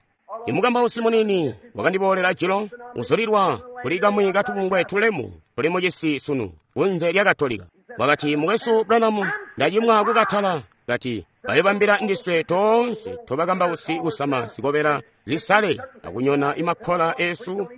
Imukambausi munini wakandiboolela jilo uzulilwa kuli kamwi katubungwe tulemu tuli mucisi sunu kunze lya Katolika. Wakati, mukwesu Branham, ndacimwa kukatala. Kati bayobambila ndiswe toonse tobakambausi kusama zikobela zisale akunyona imakkola esu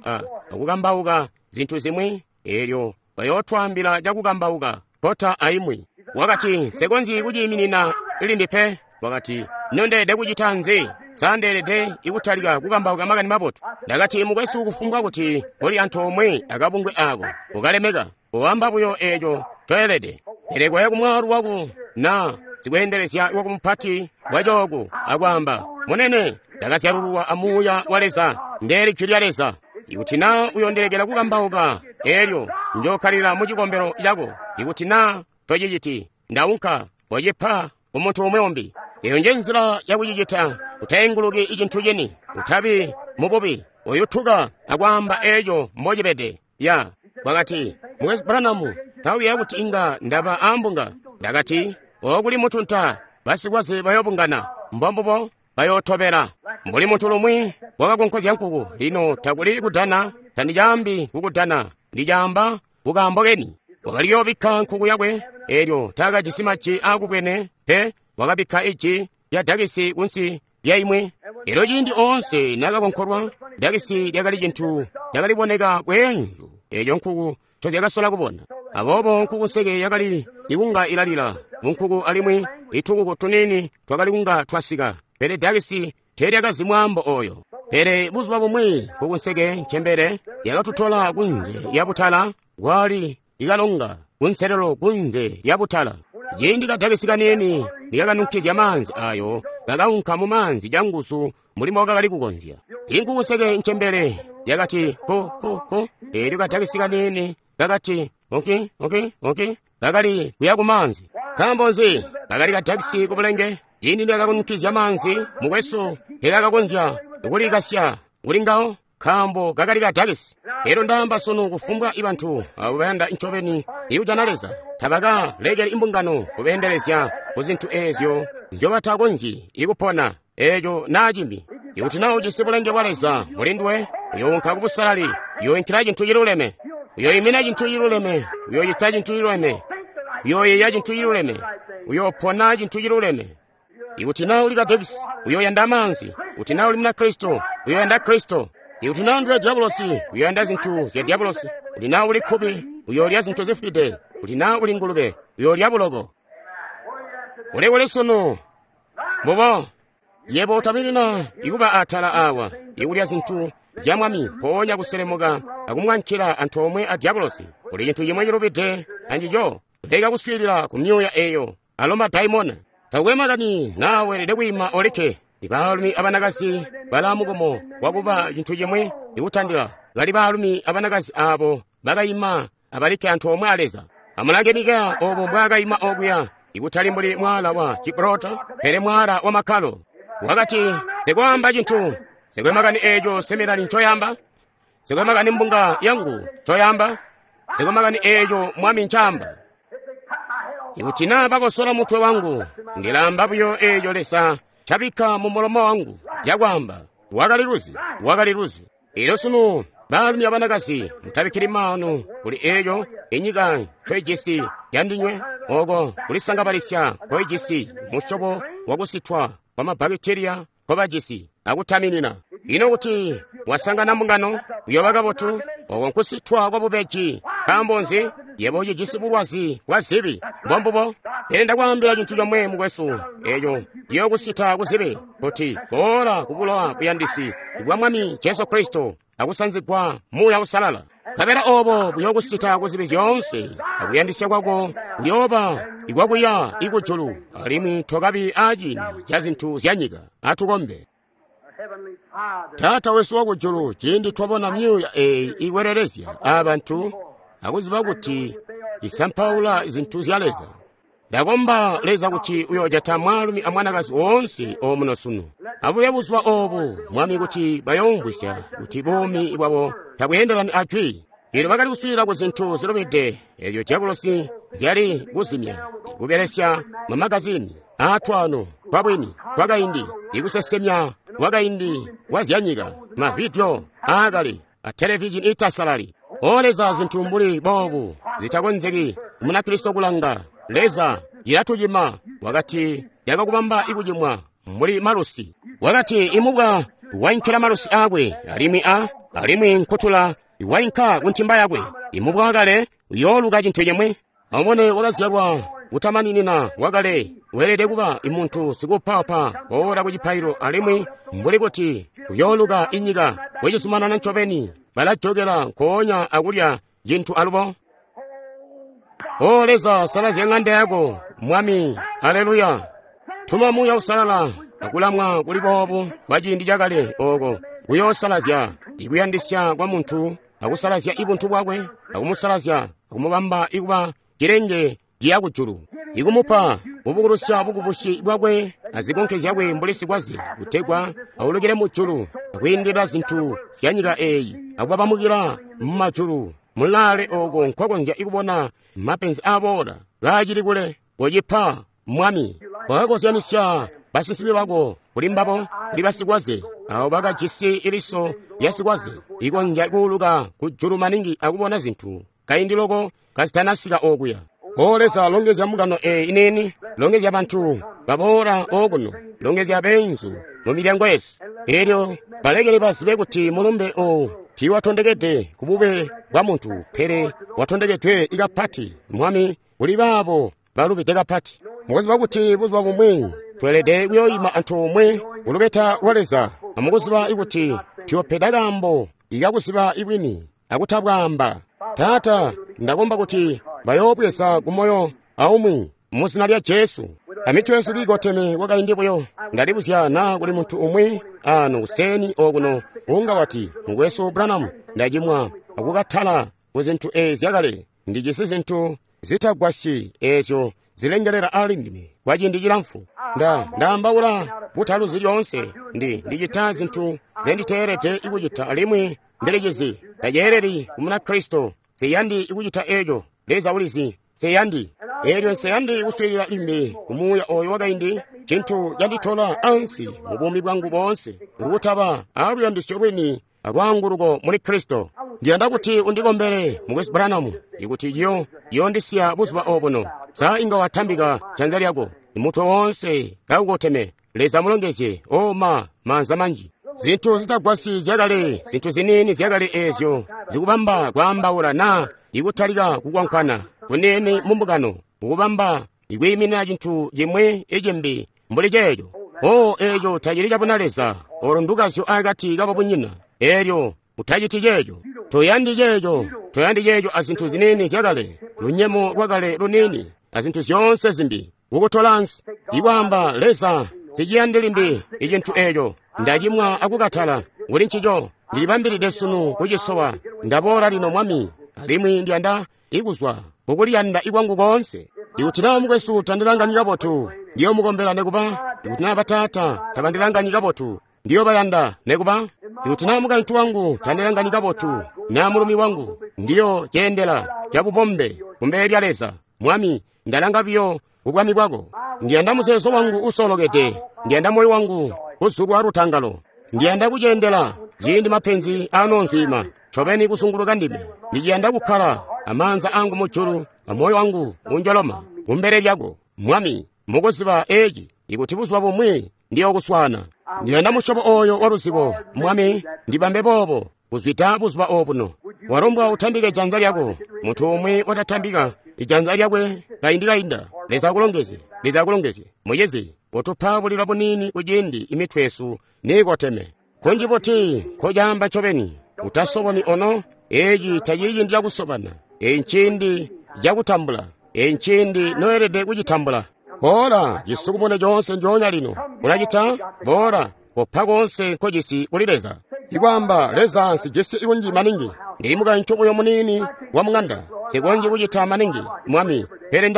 akukambauka zintu zimwi, elyo bayootwaambila cakukambauka kota aimwi. Wakati, nsekonzyi kuciiminina limbi pe. Wakati, ino ndeelede kucita nzi? Sa ndeelede ikutalika kukambauka makani mabotu? Ndakati, mukwesu, kufumbwa kuti uli antoomwe akabungwe ako ukalemeka, uwamba buyo eeco toelede. Pele koya kumwaalu wako na sikweendelezya wako mupati wacooku akwaamba, munene, ndakazyalululwa amuuya wa Leza, ndeeli jwi lya Leza. Ikuti naa uyondelekela kukambauka Elyo Njo kkalila mu cikombelo cako. Ikuti na tociciti, Nda unka, kocipa ku muntu umwi umbi. Eyo nje nzila ya kucicita. Utainguluki cintu cini. Utabi mububi. Uyutuka akwaamba eco mbocibede. Ya. Wakati, Mukwesu Branham, tauya kuti inga ndaba ambunga. Ndakati, okuli mutunta, basikwaze bayobungana. Mbombubo bayotobela. Mbuli muntu lumwi wakakonkozya nkuku. Lino takuli kudana, tandicaambi kukudana, ndicaamba kukaambo keni. Wakaliyobikka nkuku yakwe, elyo taakajisi maji aakubwene pe, wakabikka iji lya dakisi kunsi lya imwe. Elyo ciindi oonse nakakonkolwa, dakisi lyakali cintu lyakaliboneka bweenzu, eco nkuku ncozyakasola kubona. Aboobo nkuku nseke yakali ikunga ilalila munkuku alimwi itukuku tuniini twakali kunga twasika, pele dakisi teelyakazi mwaambo oyo. Pele buzuba bumwi nkuku nseke ncembele yakatutola kunze lya butala, kwali ikalonga kunselelo kunze lya butala. Ciindi kadakisi kaniini nikakanunkizya maanzi ayo, kakaunka mu maanzi canguzu mbuli mbokakali kukonzya. Inkuku nseke ncembele yakati ko ko ko, elyo kadakisi kaniini kakati oki oki oki, kakali kuya ku maanzi. Nkaambo nzi? Kakali kadakisi kubulenge. Ciindi nikakanunkizya maanzi, mukwesu teekakakonzya kulikasya kuli ngawo, nkaambo kakali kadakisi. Elyo ndaamba sunu kufumbwa bantu abo bayanda ncobeni ikujana Leza, tabaka lekeli imbungano kubeendelezya ku zintu eezyo nzyobatakonzyi ikupona, eeco naa cimbi. Ikuti naa ujisi bulenge bwa Leza muli nduwe, uyounka ku busalali, uyoinkila cintu ciluleme, uyoimina cintu ciluleme, uyoocita cintu ciluleme, uyooyeeya cintu ciluleme, uyoopona cintu ciluleme. Ikuti naa uli kadekisi, uyoyanda maanzi. Ikuti naa uli Munakristo, uyoyanda Kristo. Ikuti naa nduwe dyabulosi, uyoyanda zintu zya dyabulosi. Ikuti naa uli kkubi, uyoolya zintu zifwide. Ikuti naa uli ngulube, uyoolya buloko. Uli kuli sunu? Mbubo. Yebo utaminina ikuba atala awa, ikulya zintu zya Mwami, mpoonya kuselemuka akumwankila antoomwe a dyabulosi. Kuli cintu cimwe cilubide ancico. Leka kuswiilila ku myuuya eyo, alo madaimona. Takwe makani naa weelede kwiima olikke. Ibaalumi abanakazi balaa mukomo wakuba cintu cimwi ikutandila kali baalumi abanakazi aabo bakaima abalikke antoomwe a Leza. Amulange Mikaya obo mbwaakaima okuya, ikutali mbuli mwaala wa Gibraltar, pele mwaala wa makkalo. Wakati, Nsikwaamba cintu, nsikwe makani eeco seminari ncoyaamba, nsikwe makani mbunga yangu ncoyaamba, nsikwe makani eeco Mwami ncaamba. Ikuti naa bakosola mutwe wangu, ndilaamba buyo eeco Leza ncabikka mu mulomo wangu cakwaamba. Wakali luzi, wakali luzi. Elyo sunu, baalumi abanakazi, mutabikkili maanu kuli eeco inyika ncoijisi yandinywe, oko kulisangabalisya nkoijisi, musyobo wakusitwa kwa mabakitiliya nkobajisi, akutaminina. Ino kuti wasangana mbungano, uyooba kabotu, oko nkusitwa kwa bubeji. Nkaambo nzi? Yebo ucijisi bulwazi bwa zibi. Mbombubo. Pele ndakwaambila cintu comwe, mukwesu, eco ciyookusita ku zibi, kuti boola ku bulowa buyandisi bwa Mwami Jesu Kristo akusanzigwa Muuya Uusalala. Nkabela obo buyookusita ku zibi zyoonse, akuyandisya kwako kuyooba ikwakuya ikujulu, alimwi tokabi aaciindi ca zintu zya nyika. Atukombe. Taata wesu wakujulu, ciindi twabona myuuya eeyi ikwelelezya abantu akuziba kuti isampaula zintu zya Leza, ndakomba Leza kuti uyoojata mwaalumi amwanakazi woonse omuno sunu. Abuye buzuba oobu, Mwami, kuti bayoomvwisya kuti buumi bwabo tabweendelani a jwi. Elyo bakali kuswiilila ku zintu zilubide ezyo dyabulosi zyali kuzimya, kubelesya mamagazini aatwaano twabwini twakaindi, ikusesemya kwakaindi kwa zyanyika, mavidiyo aakale, a televizhini iitasalali. O Leza, zintu mbuli boobu zitakonzeki Munakristo kulanga. Leza, cilatucima. Wakati lyakakubamba ikucimwa mbuli malusi. Wakati imubwa wainkila malusi aakwe, alimwi alimwi nkutula wainka ku ntimba yakwe. Imubwa wakale uyooluka cintu cimwi. Amubone, wakazyalwa kutamaninina wakale weelede kuba imuntu sikupapa boola ku cipaililo, alimwi mbuli kuti uyooluka inyika kucizumanana ncobeni, balajokela nkoonya akulya cintu alubo. O Leza, salazya ŋanda yako, Mwami. Aleluya. Tuma Muuya Uusalala akulamwa kuli boobu kwa ciindi cakale oko kuyoosalazya ikuyandisya kwa muntu akusalazya ibuntu bwakwe, akumusalazya, akumubamba ikuba cilenge ciya kujulu, ikumupa kubukulusya bukubusi bwakwe azikonke zyakwe mbuli sikwaze, kutegwa aulukile mujulu akwiindilila zintu zya nyika eeyi, akubabamukila mumajulu mulaale ooko nkwakonzya kubona mapenzi aaboola kaacili kule. Kocipa, Mwami. Wakakozyanisya basinsimi bako kuli mbabo, kuli basikwaze, abo bakajisi iliso lya sikwaze ikonzya kuuluka kujulu maningi akubona zintu kaindi loko kazitanasika okuya. O Leza, longezya mbungano eyi iniini, longezya bantu baboola okuno, longezya beenzu mu milyango yesu. Elyo balekele bazibe kuti mulumbe owu tiiwatondekede ku bube bwa muntu, pele watondekedwe kapati, Mwami, kuli baabo balubide kapati. Mukuziba kuti buzuba bumwi tweelede kuyoyima antoomwe kulubeta lwa Leza, amukuziba kuti tuyopeda kaambo ikakuziba ibwini akutabwaamba. Taata, ndakomba kuti bayoobweza kumoyo aumwi mu zina lya Jesu. Amitwe yesu kiikoteme kwakaindi buyo, ndalibuzya naa kuli muntu umwi ano kuseeni okuno unga wati, Mukwesu Branham, ndacimwa akukatala ku zintu eezi zyakale. Ndijisi zintu zitagwasyi eezyo zilengelela ali ndime kwa ciindi cilamfu. Ndaambaula butaluzi lyoonse. Ndicita zintu nzenditeelede kucita alimwi ndilicizi. Taceeleli ku Munakristo. Nsiyandi kucita eeco. Leza ulizi. Nsiyandi. Eelyo nsiyandi kuswiilila limbi ku muuya oyo wakaindi, cintu canditola ansi mu buumi bwangu boonse, kukutaba aluyandisyo lwini alwaanguluko muli Kristo. Ndiyanda kuti undikombele, Mukwesu Branham, ikuti ciyoondisiya buzuba obuno. Sa inga watambika janza lyako, mutwe woonse kaukoteme. Leza mulongezye. O ma, maanza manji. Zintu zitagwasyi zyakale, zintu ziniini zyakale eezyo zikubamba kwaambaula naa ikutalika kukwankwana kuniini mu mbungano, kukubamba ikwiiminina cintu cimwi icimbi mbuli ceeco. O, eeco tacili cabuna Leza. Olo ndukazyo akati kababunyina. Eelyo utaciti ceeco. Toyandi ceeco. Toyandi ceeco azintu ziniini zyakale, lunyemo lwakale luniini, azintu zyoonse zimbi, kukutola ansi. Ikwaamba, Leza, nsiciyandi limbi icintu eeco. Ndacimwa akukatala kuli ncico. Ndilibambilide sunu kucisowa. Ndaboola lino, Mwami, alimwi ndiyanda ikuzwa kukuliyanda ikwangu koonse. Ikuti naa mukwesu tandilanganyi kabotu, ndiyomukombela nekuba. Ikuti naa bataata tabandilanganyi kabotu, ndiyobayanda nekuba. Ikuti naa mukaintu wangu tandilanganyi kabotu, naa mulumi wangu, ndiyo ceendela cabubombe kumbele lya Leza. Mwami, ndalanga biyo kubwami bwako. Ndiyanda muzeezo wangu usolokede. Ndiyanda moyo wangu kuzulwa lutangalo. Ndiyanda kuceendela ciindi mapenzi anoonzwiima ncobeni kusunguluka ndime. Ndiciyanda kukkala amaanza angu mujulu amoyo wangu unjoloma kumbele lyako, Mwami, mukuziba eci, ikuti buzuba bumwi ndiyokuswaana. Ndiyanda musyobo oyo wa luzibo, Mwami, ndibambe boobo kuzwida buzuba obuno. Walombwa utambike janza lyako. Muntu umwi watatambika ijanza lyakwe kaindi kainda. Leza akulongezye. Leza akulongezye. Mucizi, utupa bulila buniini kuciindi imitwe yesu niikoteme. Kunji buti nkocaamba ncobeni, utasoboni ono. Eci tacili ciindi cakusobana. Eci nciindi cakutambula. Eci nciindi noelede kucitambula. Boola, cisukumune coonse njoonya lino. Ulacita? Boola, kopa koonse nkojisi kuli Leza. Ikwaamba, Leza, nsijisi ikunji maningi. Ndili mukaintu buyo muniini wa mung'anda. Nsikonzyi kucita maningi, Mwami. Pele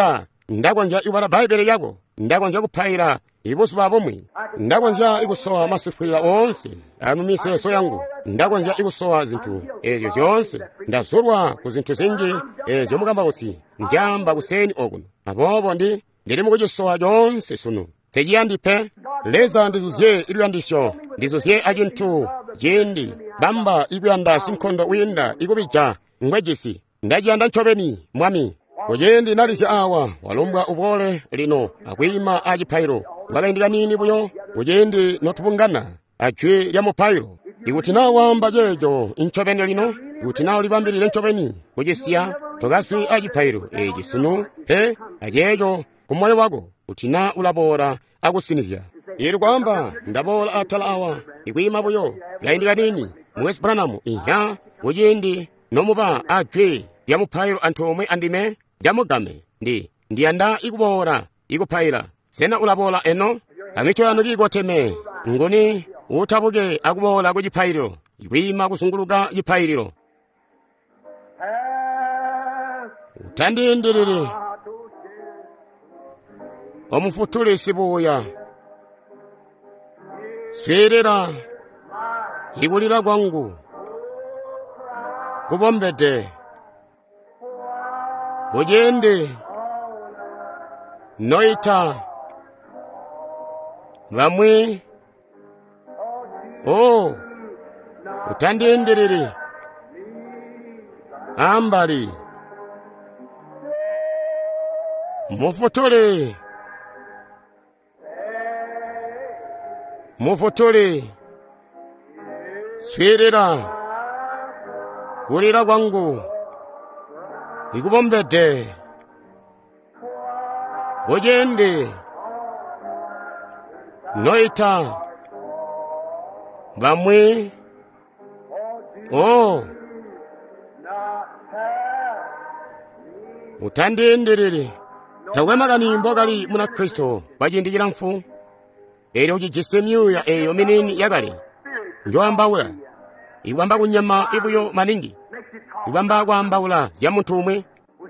ndakonzya kubala Bbaibbele lyako. Ndakonzya kupaila ibuzuba bumwi. Ndakonzya ikusowa masifwilila oonse amumiseeso yangu. Ndakonzya ikusowa zintu eezyo zyoonse. Ndazulwa ku zintu zinji eezyo mukambausi njaamba kuseeni okuno. Aboobo ndili mukucisowa coonse sunu. Nsiciyandi pe. Leza, ndizuzye iluyandisyo. Ndizuzye acintu ciindi bamba ikuyanda sinkondo wiinda ikubija ngwejisi. Ndaciyanda ncobeni, Mwami. Kuciindi nalizya awa, walombwa uboole lino akwiima acipailo. Kwakaindi kaniini buyo, kuciindi notubungana ajwi lya mupailo. Ikuti naa waamba ceeco ncobeni lino, ikuti naa ulibambilile ncobeni kucisiya, tokazwi acipailo eci sunu pe aceeco ku moyo wako, kuti naa ulaboola akusinizya. Ili kwaamba, ndaboola atala awa, ikwiima buyo kaindi kaniini, Mukwesu Branham, inhya, kuciindi nomuba ajwi lya mupailo antoomwe andime, camugame, ndiyanda ikuboola ikupaila. Sena ulaboola eno? Amitwe yanu kiikoteme, nguni utabuke akuboola ku cipaililo, ikwiima kuzunguluka cipaililo. Utandiindilili, omufutuli sibuuya. Swiilila ikulila kwangu kubombede kuciindi noita bamwi. O, utandiindilili ambali, mufutuli, mufutuli, swiilila kulila kwangu ikubombede kuciindi noita bamwi. O, utandiindilili. Takwe makani mbokali Munakristo kwa ciindi cilamfu, elyo ucijisi myuuya eyo miniini yakale njoambaula, ikwamba kunyama ibuyo maningi, ikwamba kwaambaula zya muntu umwi.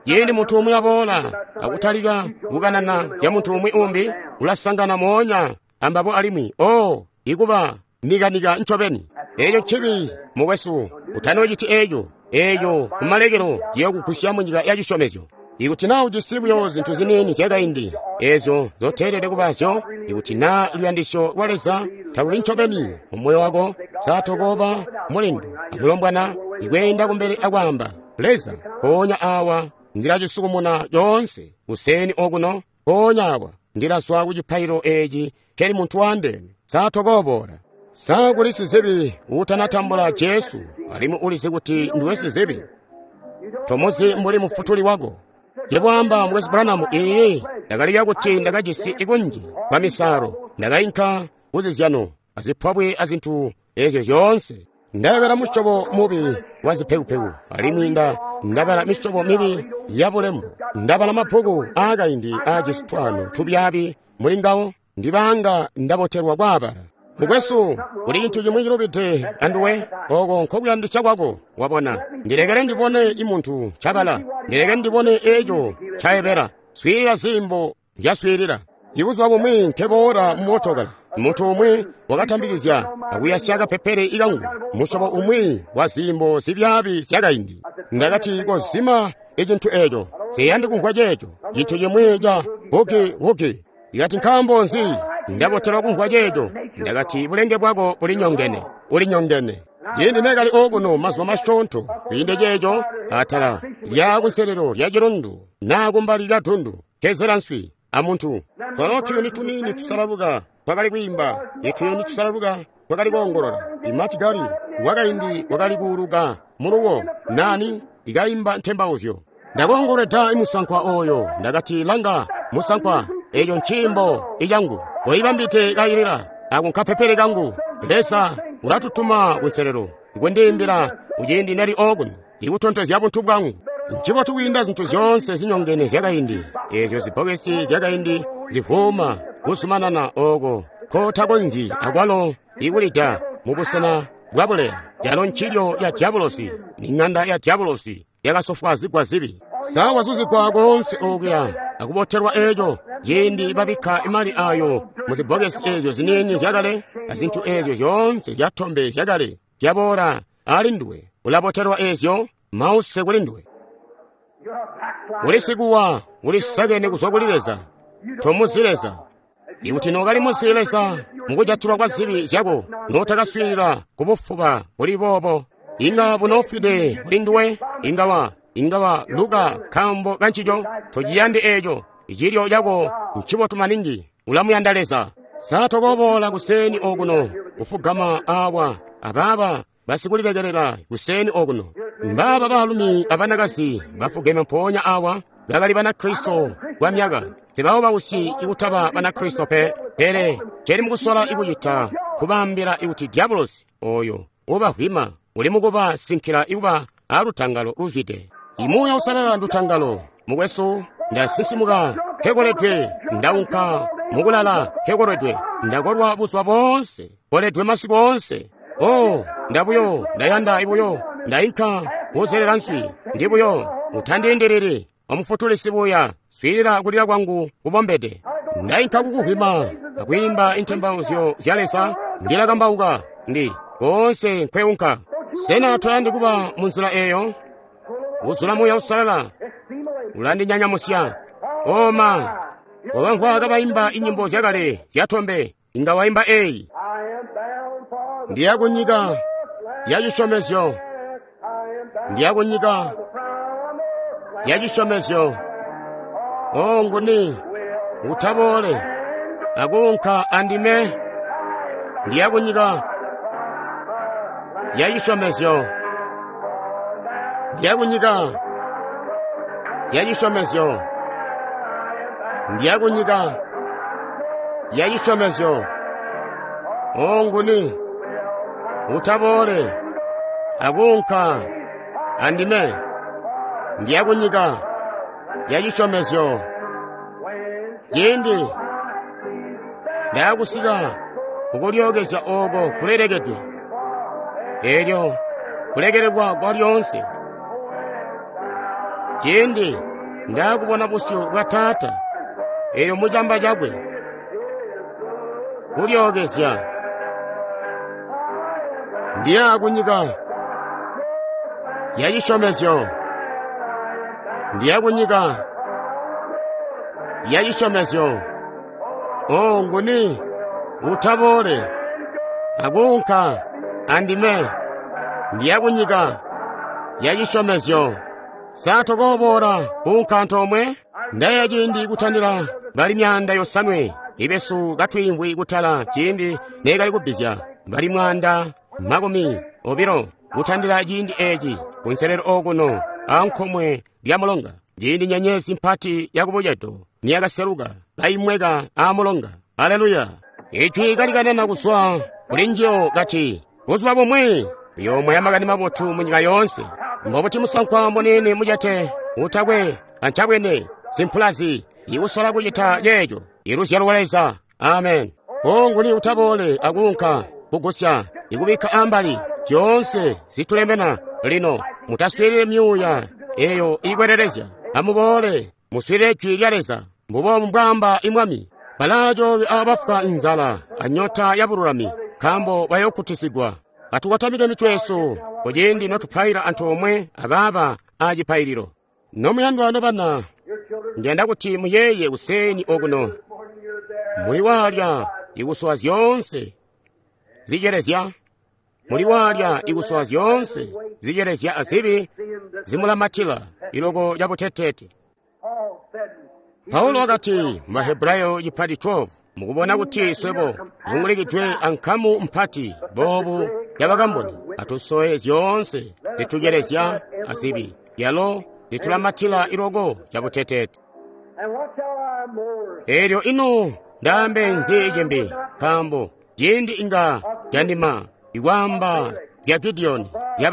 Ciindi muntu umwi aboola akutalika kukanana zya muntu umwi umbi, ulasangana moonya ambabo alimwi o ikuba nikanika ncobeni. Eeco ncibi, mukwesu, utanoociti eeco. Eeco kumalekelo ciyokugusya munyika ya cisyomezyo. Ikuti naa ujisi buyo zintu ziniini zyakaindi eezyo nzoteelede kubazyo, ikuti naa luyandisyo lwa Leza taluli ncobeni mu moyo wako, saatokooba mulindu amulombwana ikweenda kumbele akwaamba, Leza, mpoonya awa ndilacisukumuna coonse kuseeni okuno, mpoonya awa ndilazwa ku cipaililo eeci nkeli muntu waandeene. Saatokooboola. Sa kuli sizibi uutanatambula Jesu alimwi ulizi kuti ndiwe sizibi? Tomuzi mbuli mufutuli wako. Yebo amba, Mukwesu Branham, iiyi, ndakaliya kuti ndakajisi ikunji kwa misalo, ndakainka kuzizyano azipwabwe azintu ezyo zyoonse. Ndabala musyobo mubi wa zipekupeku, alimwi ndabala misyobo mibi ya bulembo. Ndabala mabbuku aakaindi aajisi twaano tubyaabi muli ngawo, ndibanga ndabotelwa kwaabala. Mukwesu, kuli cintu cimwi cilubide anduwe, oko nkokuyandisya kwako, wabona. Ndilekele ndibone imuntu ncabala, ndilekele ndibone eco ncaebela. Swiilila ziimbo nzyaswiilila. Ibuzuba bumwi nkeboola mu mootokala, muntu umwi wakatambikizya akuyasya kapepele ikangu, musyobo umwi wa ziimbo zibyaabi zyakaindi. Ndakati, kozima icintu eco, nsiyandi kumvwa ceeco, cintu cimwi ca bugi-wugi. Ndikati, nkaambo nzi ndabotelwa kumvwa ceeco? Ndakati, bulenge bwako bulinyongene, ulinyongene. Ciindi nekali okuno mazuba masyoonto kwiinde ceeco, atala lya kunselelo lya cilundu naa kumbali lya dundu, kezela nswi amuntu. Twalo tuyuni tuniini tusalaluka twakali kwiimba, ituyuni tusalaluka twakali koongolola. Imatigari wakaindi wakali kuuluka muluwo nani ikaimba ntembauzyo. Ndakoongolweda imusankwa oyo, ndakati, langa musankwa, eco nciimbo icangu, koibambite kailila ako nkapepele kangu. Leza ulatutuma kunselelo ikundiimbila kuciindi nali okuno, ikutontozya buntu bwangu. Ncibotu kwiinda zintu zyoonse zinyongene zyakaindi, ezyo zibbokesi zyakaindi zivuuma kuzumanana oko kotakonzyi akwalo ikulida mubusena bwabuleya. Calo ncilyo ya dyabulosi, ni ng'anda ya dyabulosi yakasofwaazigwa zibi. Sa wazuzigwa koonse okuya akubotelwa eco ciindi babikka imali ayo muzibbokesi ezyo ziniini zyakale azintu ezyo zyoonse zyatombe zyakale zyaboola ali nduwe, ulabotelwa ezyo, mause kuli nduwe. Uli sikuwa, ulisakene kuzwa kuli Leza, tomuzi Leza. Ikuti nookali muzi Leza mukujatilwa kwa zibi zyako, nootakaswiilila kubufuba buli boobo, inga bunoofwide kuli nduwe, inga wa luka nkaambo kancico. Tociyandi eco, icilyo cako ncibotu maningi, ulamuyanda Leza. Sa tokoboola kuseeni okuno kufugama awa abaaba basikulilekelela kuseeni okuno? Mbaaba baalumi abanakazi bafugeme mpoonya awa bakali Banakristo kwa myaka. Tebabo bausyi ikutaba Banakristo pe, pele celi mukusola ikucita kubaambila ikuti dyabulosi oyo ubavwima uli mukuba sinkila ikuba alutangalo luzwide. Imuuya usalala ndutangalo, mukwesu. Ndasisimuka nkekoledwe, ndaunka mukulala nkekoledwe, ndakolwa buzuba boonse, koledwe masiku oonse. Oh, ndabuyo, ndayanda ibuyo, ndainka kuzelela nswi, ndibuyo, utandiindilili. Omufutuli sibuya, swiilila kulila kwangu kubombede. Ndainka kukuvwima akwiimba intembauzyo zya Leza, ndilakambauka ndi koonse nkweunka. Sena toyandi kuba munzila eeyo? Uzula Muuya Uusalala ulandinyanyamusya. Oma wabamvwa kabaimba inyimbo zyakale zyatombe, inga waimba eyi. Ndiya kunyika ya cisyomezyo, ndiya kunyika ya cisyomezyo. O nguni utaboole akuunka andime? Ndiya kunyika ya cisyomezyo, ndiya kunyika ya cisyomezyo, ndiya kunyika ya cisyomezyo. O nguni utaboole akuunka andime? Ndiya kunyika ya cisyomezyo. Ciindi ndaakusika kukulyookezya ooko kulelekedwe, eelyo kulekelelwa kwa lyoonse. Ciindi ndaakubona busyu bwa Taata, eelyo mucamba cakwe kulyookezya. Ndiya kunyika ya cisyomezyo, ndiya kunyika ya cisyomezyo. O nguni utaboole akuunka andime? Ndiya kunyika ya cisyomezyo. Sa tokooboola kuunka antoomwe? Ndayeeya ciindi kutandila bali 700 ibesu katwiimvwi kutala ciindi neekali kubbizya bali 120 kutandila ciindi eeci kunselelo okuno ankomwe lya mulonga, ciindi nyenyezi mpati yakubucedo niyakaseluka kaimweka aamulonga. Aleluya! Ijwi kalikanana kuzwa kuli njiyo kati, buzuba bumwi uyoomwaya makani mabotu munyika yoonse. Mbobuti musankwa muniini mucete utakwe ancabwene simpulazi ikusola kucita ceeco? Iluzyalo lwa Leza. Amen. O nguni utaboole akuunka kugusya ikubikka ambali zyoonse zitulemena lino. Mutaswiilile myuuya eyo iikwelelezya. Amuboole muswiilile jwi lya Leza. Mbuboobu mbwaamba Imwami. Balaacoolwe abafwa inzala anyota ya bululami, nkaambo bayookutisigwa. Atukotamike mitwe yesu kuciindi notupaila antoomwe abaaba acipaililo. Nomuyandwa nobana, ndiyanda kuti muyeeye kuseeni okuno. Muli waalya ikusowa zyoonse zicelezya, muli waalya ikusowa zyoonse zicelezya azibi zimulamatila iloko cabuteteete. Paulo wakati mu Bahebrayo cipati 12, mukubona kuti swebo zungulikidwe ankamu mpati boobu yabakamboni, atusowe zyoonse zitucelezya azibi yalo zitulamatila iloko cabuteteete. Eelyo ino ndaambe nzi cimbi? Nkaambo ciindi inga candima ikwaamba zya Gidiyoni, zya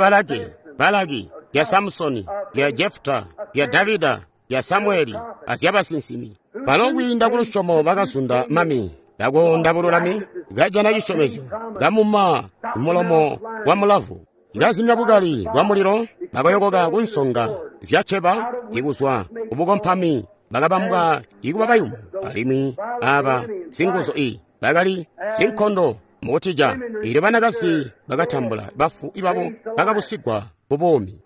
Balaki, zya Samusoni, zya Jefuta, zya Davida, zya Samueli azyabasinsimi. Balo kwiinda kulusyomo bakazunda mami, bakoonda bululami, kajana cisyomezyo, kamuma mulomo wa mulavu, kazimya bukali bwa mulilo, bakayokoka kunsonga zya ceba ikuzwa kubukompami, bakabambwa ikuba bayumu, alimwi aba singuzu i bakali sinkondo mukutija. Eelyo banakazi bakatambula bafu ibabo bakabusigwa kubuumi.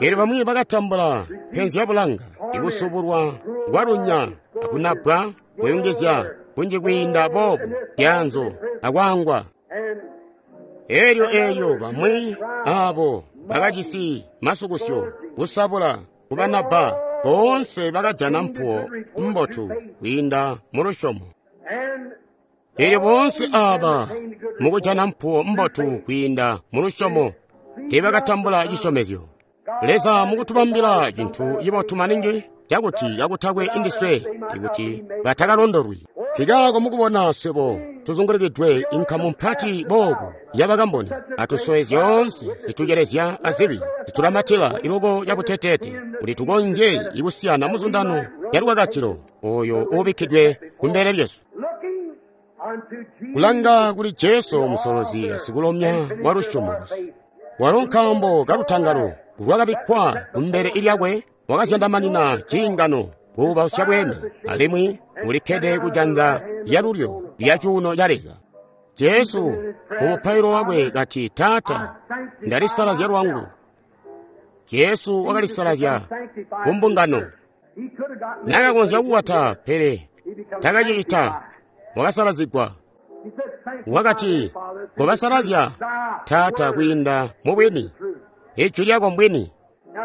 Eelyo bamwi bakatambula penzi ya bulanga, ikusubulwa kwalunya akunabwa, kuyungizya kunji kwiinda boobu byaanzo akwaangwa. Eelyo bamwi aabo bakajisi masukusyo, kusabula, kubanabba, boonse bakajana mpuwo mbotu kwiinda mulusyomo. Eelyo boonse aaba mukujana mpuwo mbotu kwiinda mulusyomo teebakatambula cisyomezyo. Leza mukutubambila cintu cibotu maningi cakuti kakutakwe indiswe ikuti batakalondolwi. Nkaako mukubona swebo tuzungulikidwe inkamu mpati boobu yabakamboni, atusowe zyoonse zitucelezya azibi zitulamatila iloko cabuteteete, kuti tukonzye ikusiyana muzundano ya lukakatilo oyo uubikkidwe kumbele lyesu. Kulanga kuli Jesu musolozi sikulomya wa lusyomo lwesu. Walo nkaambo kalutangalo lwakabikkwa kumbele lyakwe wakazyandamanina ciingano kuubausya bweeme, alimwi ulikkede kujanza lyalulyo lya cuuno ca Leza. Jesu mu mupailo wakwe kati, Taata, ndalisalazya lwangu. Jesu wakalisalazya ku mbungano. Nakakonzya kukwata, pele takacicita. Wakasalazigwa. Wakati, kobasalazya, Taata, kwiinda mu bwini. Ijwi lyako mbwini.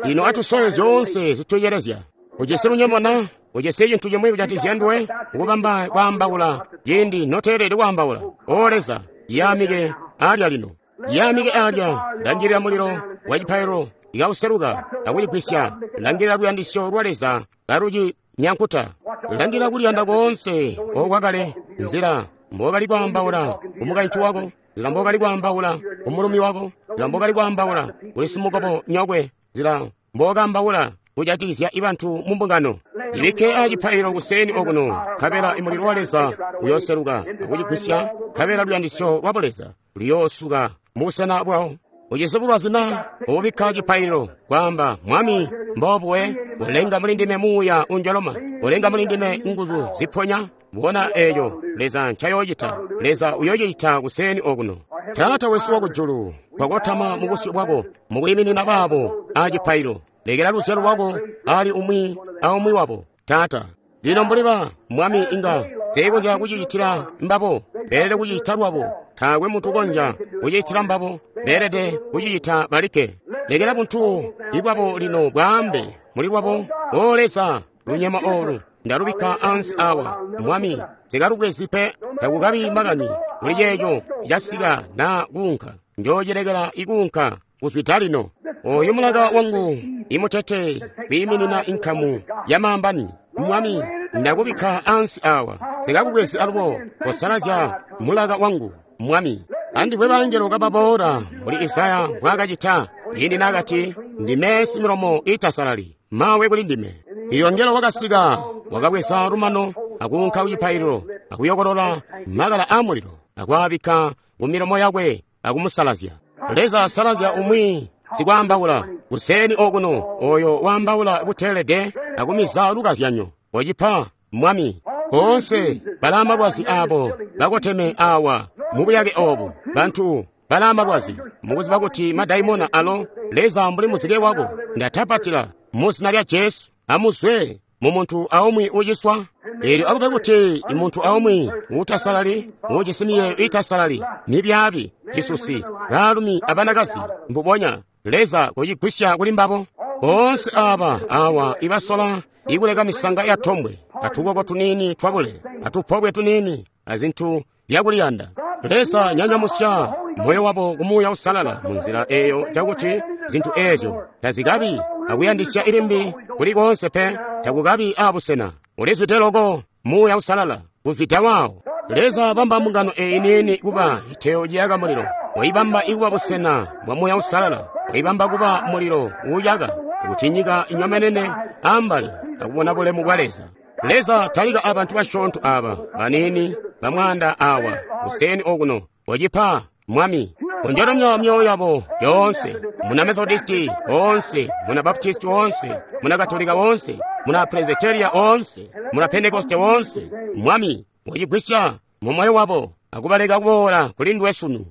Lino atusowe zyoonse zituyeelezya. Ujisi lunyemo na? Ujisi cintu cimwi kujatikizya nduwe? Ukubamba kwaambaula ciindi noteelede kwaambaula. O Leza, yaamike alya lino. Yaamike alya, langilila mulilo wa cipaililo ikauseluka akucigwisya. Langilila luyandisyo lwa Leza kalucinyankuta. Langilila kuliyanda koonse okwakale, nzila mbokali kwaambaula kumukaintu wako, nzila mbokali kwaambaula kumulumi wako, nzila mbokali kwaambaula kuli simukobo nyokwe, nzila mbokambaula kujatikizya ibantu mu mbungano. Cibikke acipaililo kuseeni okuno, nkabela imulilo wa Leza uyooseluka akucigwisya, nkabela luyandisyo lwa Buleza luyoosuka mubusena bwawo. Ujisi bulwazi na? Ubikka cipaililo, kwaamba, Mwami, mbobuwe, ulenga muli ndime muuya unjoloma, ulenga muli ndime nguzu ziponya. Bona eeco Leza ncayoocita. Leza uyoocita kuseeni okuno. Taata wesu wakujulu, twakotama mu busyu bwako mukwiiminina baabo acipaililo. Lekela luzyalo lwako ali umwi aumwi wabo, Taata. Lino mbuli ba Mwami inga teekonzya kucicitila mbabo, beelede kucicita lwabo. Taakwe muntu ukonzya kucicitila mbabo, beelede kucicita balikke. Lekela buntu ibwabo lino bwaambe muli lwabo, O Leza, lunyemo olu ndalubikka ansi awa. Mwami, sikalubwezi pe, takukabi makani kuli ceeco casika naa kuunka. Njoocilekela ikuunka kuzwida lino. Oyu mulaka wangu imutete kwiiminina inkamu ya maambani. Mwami, ndakubikka ansi awa, sikakubwezi alubo. Kosalazya mulaka wangu, Mwami. Andipwe bangelo kababoola mbuli Isaya mbwaakacita ciindi naakati, ndime similomo iitasalali, mawe kuli ndime. Ilyo ngelo wakasika, wakabweza lumano akuunka kucipaililo akuyokolola makala aamulilo akwaabikka kumilomo yakwe akumusalazya. Leza asalazya umwi sikwaambaula kuseeni okuno, oyo waambaula buteelede akumiza lukazyanyo. Wocipa, Mwami. Boonse balaa malwazi aabo bakoteme awa mubuyake oobu, bantu balaa malwazi, mukuziba kuti madaimona alo. Leza, mbuli muzike wako ndatapatila mu zina lya Jesu, amuzwe mu muntu aumwi uciswa. Eelyo akube kuti muntu aumwi uutasalali, uujisi miyeeyo iitasalali, mibyaabi, cisusi, baalumi abanakazi, mbubonya Leza kucigwisya kuli mbabo. Boonse aaba awa ibasola ikuleka misanga ya tombwe, atukoko tuniini twabule, atupobwe tuniini, azintu zyakuliyanda. Leza, nyanyamusya moyo wabo ku Muuya Uusalala munzila eeyo cakuti zintu eezyo tazikabi akuyandisya ilimbi kuli koonse pe, takukabi abusena. Ulizwide loko Muuya Uusalala kuzwida waawo. Leza, bamba mbungano eeyi niini kuba citeo ciyaka mulilo. Waibamba ikuba busena bwa Muuya Uusalala. Waibamba kuba mulilo uuyaka, kuti nyika inyomenene ambali akubona bulemu bwa Leza. Leza, talika abantu basyoonto aaba baniini bamwaanda awa kuseeni okuno. Wacipa, Mwami. Kunjolomya myoyo yabo yoonse, muna Methodisti woonse, muna Baptisti woonse, muna Katolika woonse, muna Presbyteria woonse, muna Pentekoste woonse. Mwami, wacigwisya mu moyo wabo akubaleka kuboola kuli nduwe sunu.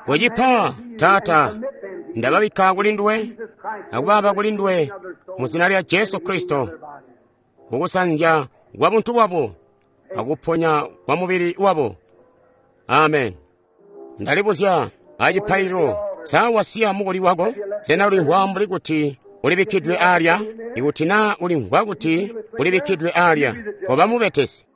Wacipa, Taata, ndababikka kuli nduwe akubaaba kuli nduwe mu zina lya Jesu Kristo, kukusanzya kwa buntu bwabo akuponya kwa mubili wabo. Amen. Ndalibuzya acipaililo, sa wasiya mukuli wako? Sena ulimvwa mbuli kuti ulibikkidwe alya? Ikuti naa ulimvwa kuti ulibikkidwe alya, koba mubetesi.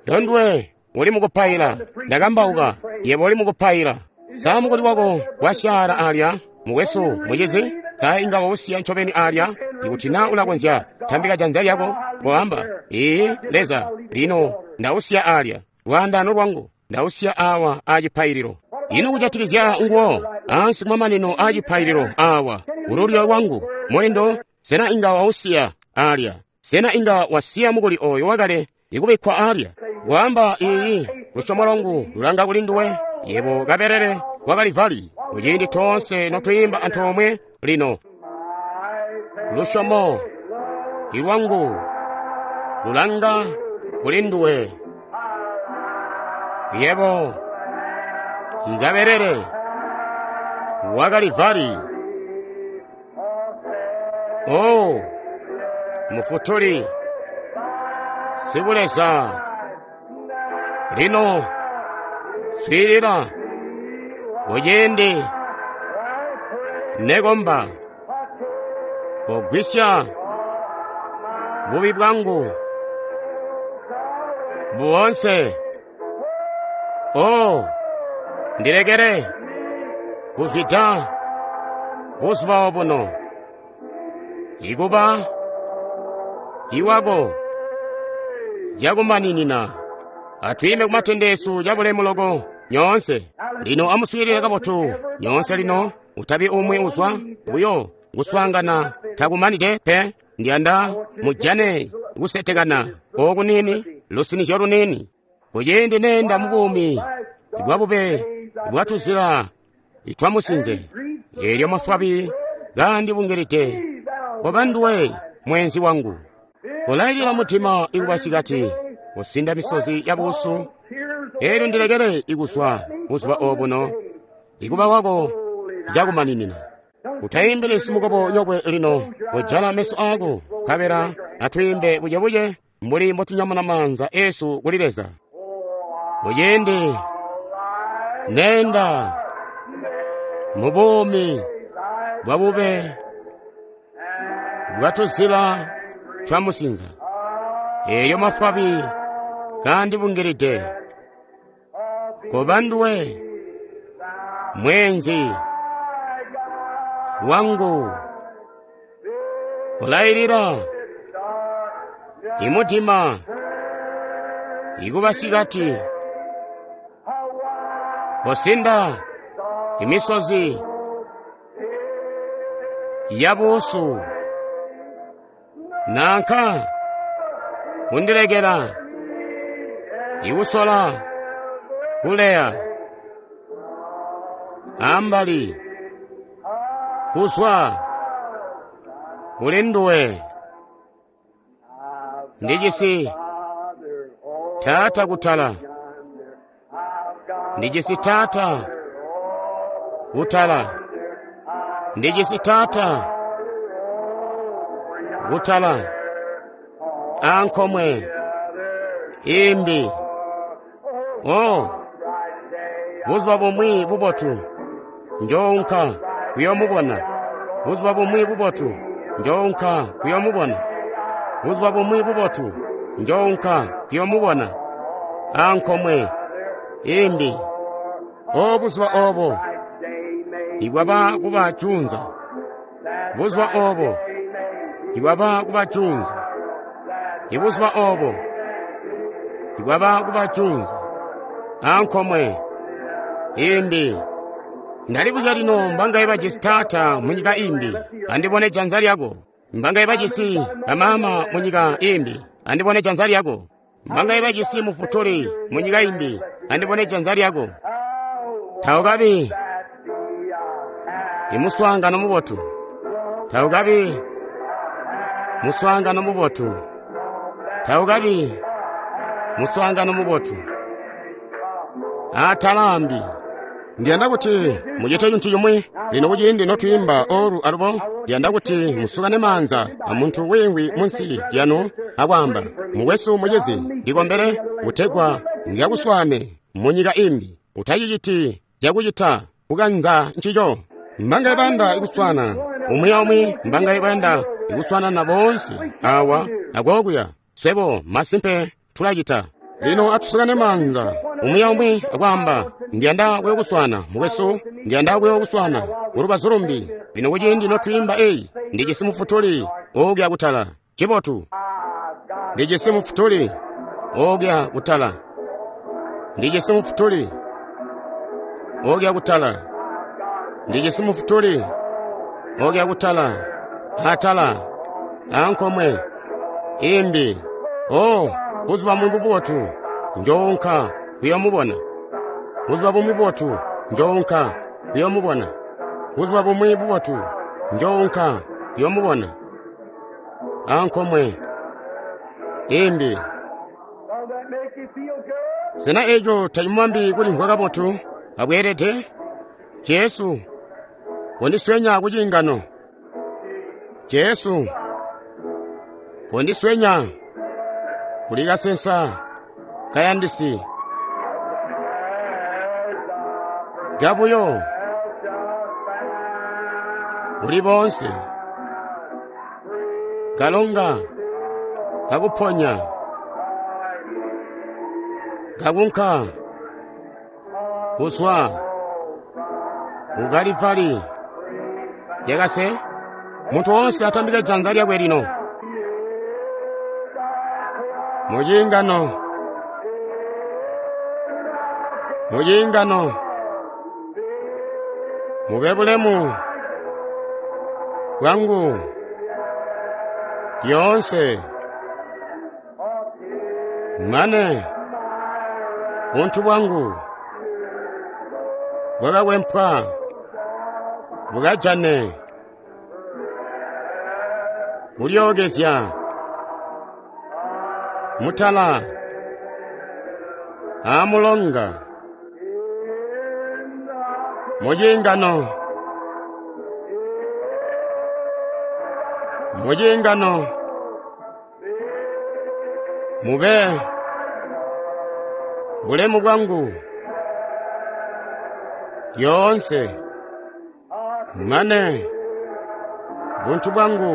Ndondwe uli mukupaila, ndakambauka, yebo uli mukupaila. Sa mukuli wako wasyaala alya, mukwesu, mucizi? Sa inga wausiya ncobeni alya? Ikuti naa ulakonzya, tambika janza lyako, koamba, Ee, Leza, lino ndausiya alya, lwaandaano lwangu ndausiya awa acipaililo. Ino kujatikizya nguwo ansi kumamanino aacipaililo awa, ululyo lwangu, mulindo, sena inga wausiya alya? Sena inga wasiya mukuli oyo wakale ikubikkwa alya? Kwaamba, Iiyi, lusyomo lwangu lulanga kuli nduwe, yebo kabelele wa Kalivali. Kuciindi toonse notwiimba antoomwe lino. Lusyomo lwangu lulanga kuli nduwe. Yebo ikabelele wa Kalivari. Oh, Mufutuli Sikuleza, lino swiilila kuciindi nekomba, kogwisya bubi bwangu boonse. Oh, ndilekele kuzwida buzuba obuno ikuba iwako cakumaninina. Atwiime kumatende esu cabulemu loko nyoonse. Lino amuswiilile kabotu nyoonse lino, utabi umwi uzwa buyo kuswaangana takumanide pe. Ndiyanda mujane kusetekana okunini, lusinizyo lunini. Kuciindi nenda mubuumi bwabube bwatuzila itwamusinze, elyo mafwabi gandibungilide, koba nduwe mwenzi wangu. Kolailila mutima ikubasikati, kusinda misozi ya buusu, elyo ndilekele ikuzwa buzuba obuno ikuba wako cakumaninina. Utaimbili simukobo nyokwe lino, kujala meso ako, nkabela atwiimbe bucebuce mbuli mbotunyamuna maanza esu kuli Leza. Kuciindi nenda mubuumi bwabube bwatuzila twamusinza, elyo mafwabi gandibungilide, koba nduwe mwenzi wangu. Kolailila imutima ikubasikati, kosinda imisozi ya buusu, nanka kundilekela ikusola kuleya ambali kuzwa kuli nduwe. Ndijisi Taata kutala, ndijisi Taata kutala, ndijisi Taata kutala, ankomwe imbi. Oh, buzuba bumwi bubotu njounka kuyomubona. Buzuba bumwi bubotu njounka kuyomubona. Buzuba bumwi bubotu njounka kuyomubona. Ankomwe imbi. O buzuba obo ibwaba kuba junza. Buzuba obo ibwaba kuba junza. Ibuzuba obo ibwaba kuba junza. Ankomwe imbi. Ndalibuzya lino mbangaye bajisi taata munyika imbi, andibone janza lyako. Mbangaye bajisi bamama munyika imbi, andibone janza lyako. Mbangaye bajisi mufutuli munyika imbi, andibone janza lyako. Taukabi imuswaangano mubotu. Taukabi muswaangano mubotu. Taukabi muswaangano mubotu. Atalambi. Ndiyanda kuti mucite cintu cimwi lino kuciindi notwiimba olu alubo. Ndiyanda kuti musukane maanza amuntu wiimvwi munsi lyanu akwaamba, mukwesu mucizi, ndikombele kutegwa ndikakuswaane munyika imbi. Utaciciti cakucita kukanza ncico. Mbangaye bayanda ikuswana umwi aumwi, mbangaye bayanda ikuswanana boonse awa akokuya. Swebo masimpe tulacita. Lino atusukane maanza umwi aumwi akwaamba, ndiyanda kuyokuswana mukwesu, ndiyanda kuyokuswana kulubazu lumbi. Lino kuciindi notwiimba eyi, ndijisi mufutuli okuya kutala. Cibotu, ndijisi mufutuli okuya kutala. Ndijisi mufutuli okuya kutala. Ndijisi mufutuli okuya kutala, atala ankomwe imbi. Oh, buzuba bumwi bubotu njounka kuyomubona. Buzuba bumwi bubotu njounka kuyomubona. Buzuba bumwi bubotu njounka kuyomubona. ankomwe imbi. Sena eco tacimwambi kulimvwa kabotu abweelede? Jesu kondiswenya ku ciingano. Jesu kondiswenya kuli kasensa kayandisi gabuyo kuli bonse kalonga kakuponya kakunka kuzwa ku Kalivali. Yakase munthu wonse atambike dzanja lyakwe lino muchingano, muchingano mube bulemu bwangu lyonse mane buntu bwangu bwakakwempwa bukajane kulyookezya mutala amulonga muchingano, muchingano mube bulemu bwangu lyonse mane buntu bwangu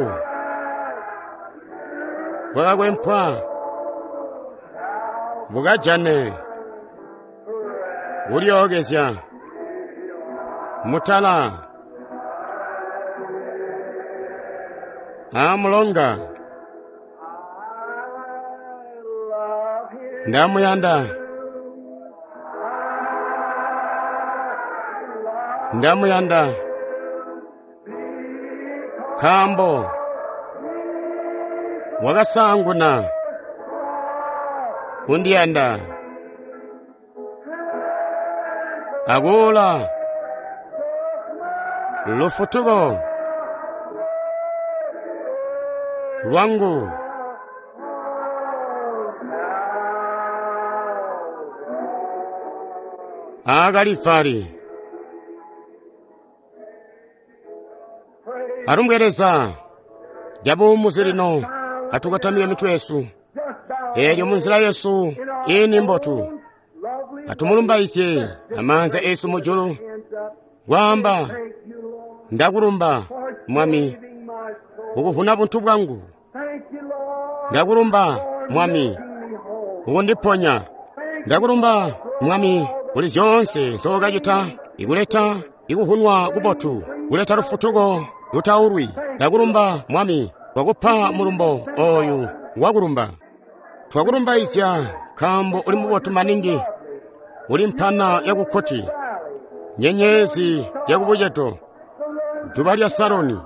bwakakwempwa bukajane kulyookezya mutala amulonga. Ndamuyanda, ndamuyanda nkaambo wakasanguna kundiyanda akuula lufutuko lwangu a Kalivali. Alumbwe lyabuumuzi lino atukatamike mitwe yesu elyo munzila yesu ini mbotu atumulumbaisye amanza esu mujulu kwaamba ndakulumba Mwami kukuvuna buntu bwangu, ndakulumba Mwami kukundiponya, ndakulumba Mwami kuli zyoonse nzookacita ikuleta ikuvunwa kubotu kuleta lufutuko lutaulwi. Ndakulumba Mwami wakupa mulumbo oyu wakulumba. Twakulumbaizya nkaambo uli mubotu maningi, uli mpana yakukkoti, nyenyezi yakubucedo, duba lya Saroni,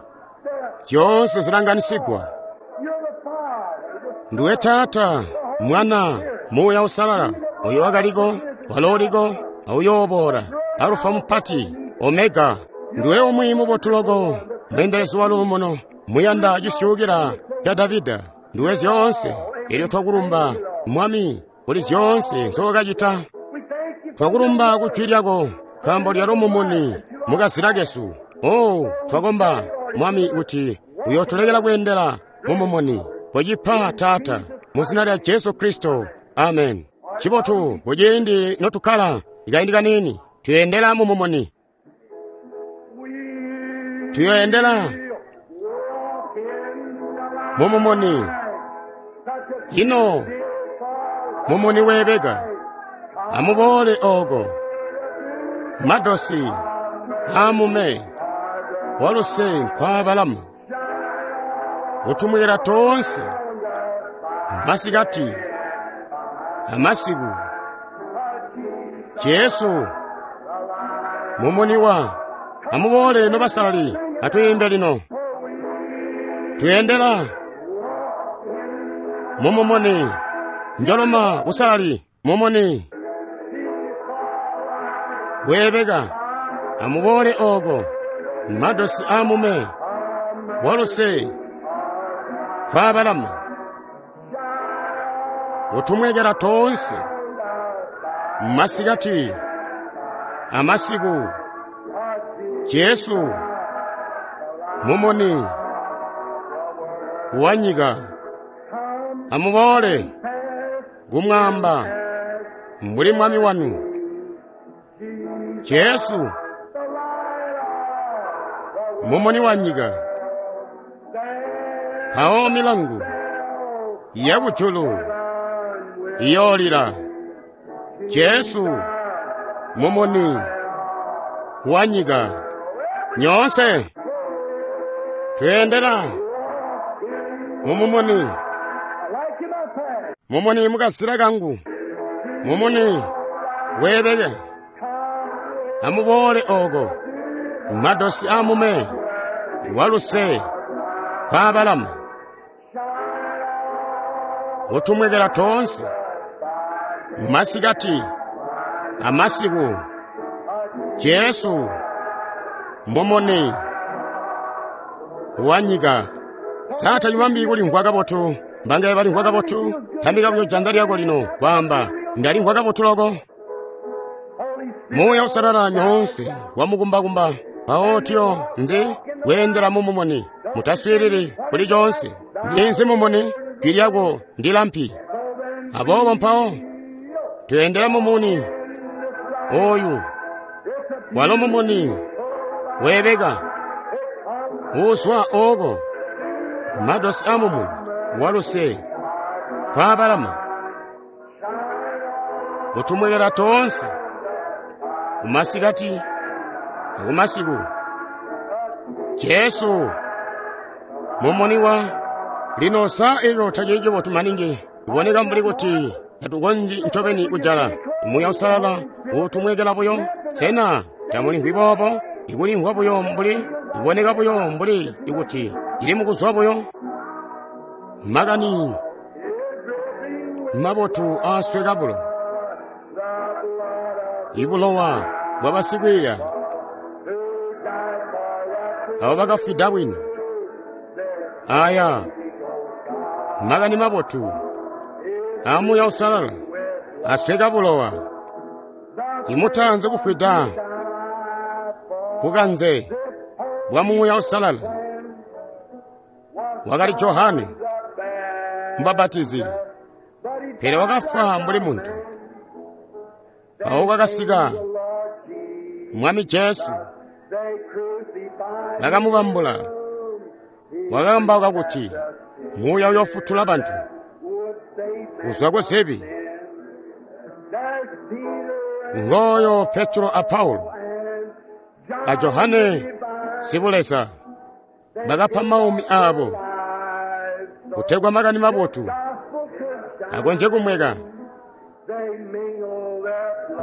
zyoonse zilanganisigwa. Nduwe Taata, Mwana, Muuya Usalala, oyo wakaliko, walooliko, auyooboola, Alufa mupati, Omega. Nduwe umwi mubotu loko, mweendelezi wa luumuno, muyanda cisyuukila ca Davida. Nduwe zyoonse, elyo twakulumba Mwami kuli zyoonse nzookacita. Twakulumba ku jwi lyako, nkaambo lyalo mumuni mukazila kesu. Oh, twakomba Mwami kuti uyootulekela kweendela mumumuni. Kocipa Taata, mu zina lya Jesu Kristo, amen. Cibotu kuciindi notukkala ikaindi kaniini tuyendela mumumuni, tuyoendela mumumuni. Ino mumuni weebeka, amuboole oko madosi amume waluse nkwaabalama kutumwira toonse masikati amasiku. Jesu mumuni wa amuboole nobasalali atwiimbe lino. Tuyendela mumumuni, njoloma busalali mumuni weebeka. Amuboole oko madosi amume waluse Kwabalama kutumwekela toonse masikati amasiku. Jesu mumuni wa nyika. Amuboole kumwamba mbuli mwami wanu Jesu mumuni wa nyika. Mpawo milangu yakujulu iyoolila. Jesu mumuni wa nyika. Nyoonse tweendela mumumuni, mumuni mukazila kangu, mumuni weebeke. Amuboole oko madosi amume waluse kwabalama kutumwekela toonse masikati amasiku. Jesu mumuni wa nyika. Sa tacibambi kulimvwa kabotu? Mbangaye balimvwa kabotu? Tambika buyo janza lyako lino kwaamba, ndalimvwa kabotu loko. Muuya Uusalala nyoonse wamukumbakumba. Mpawo tiyo nzi kweendela mumumuni. Mutaswiilili kuli coonse. Ninzi mumuni? Jwi lyako ndi lampi. Aboobo mpawo tweendela mumuni oyu walo mumuni weebeka uuzwa ooko madosi amumuni waluse kwabalama kutumwekela toonse kumasikati akumasiku. Jesu mumuni wa lino. Sa eco tacili cibotu maningi? Iboneka mbuli kuti tatukonzyi ncobeni kujala. Muuya Uusalala uutumwekela buyo. Sena tamulimvwi boobo? Ikulimvwa buyo mbuli, iboneka buyo mbuli ikuti cili mukuzwa buyo. Makani mabotu aasweka bulo, ibulowa bwa basikwiiya abo bakafwida bwino. Aya makani mabotu a Muuya Uusalala asweka bulowa. Imutanze kufwida bukanze bwa Muuya Uusalala wakali Johane Mubapatizi, pele wakafwa mbuli muntu. Mpawo kwakasika Mwami Jesu, bakamubambula. Wakakambauka kuti Muuya uyoofutula bantu kuzwa ku zibi. Ngooyo Petro a Paulo a Johane Sibuleza bakapa maumi aabo kutegwa makani mabotu akonzye kumweka.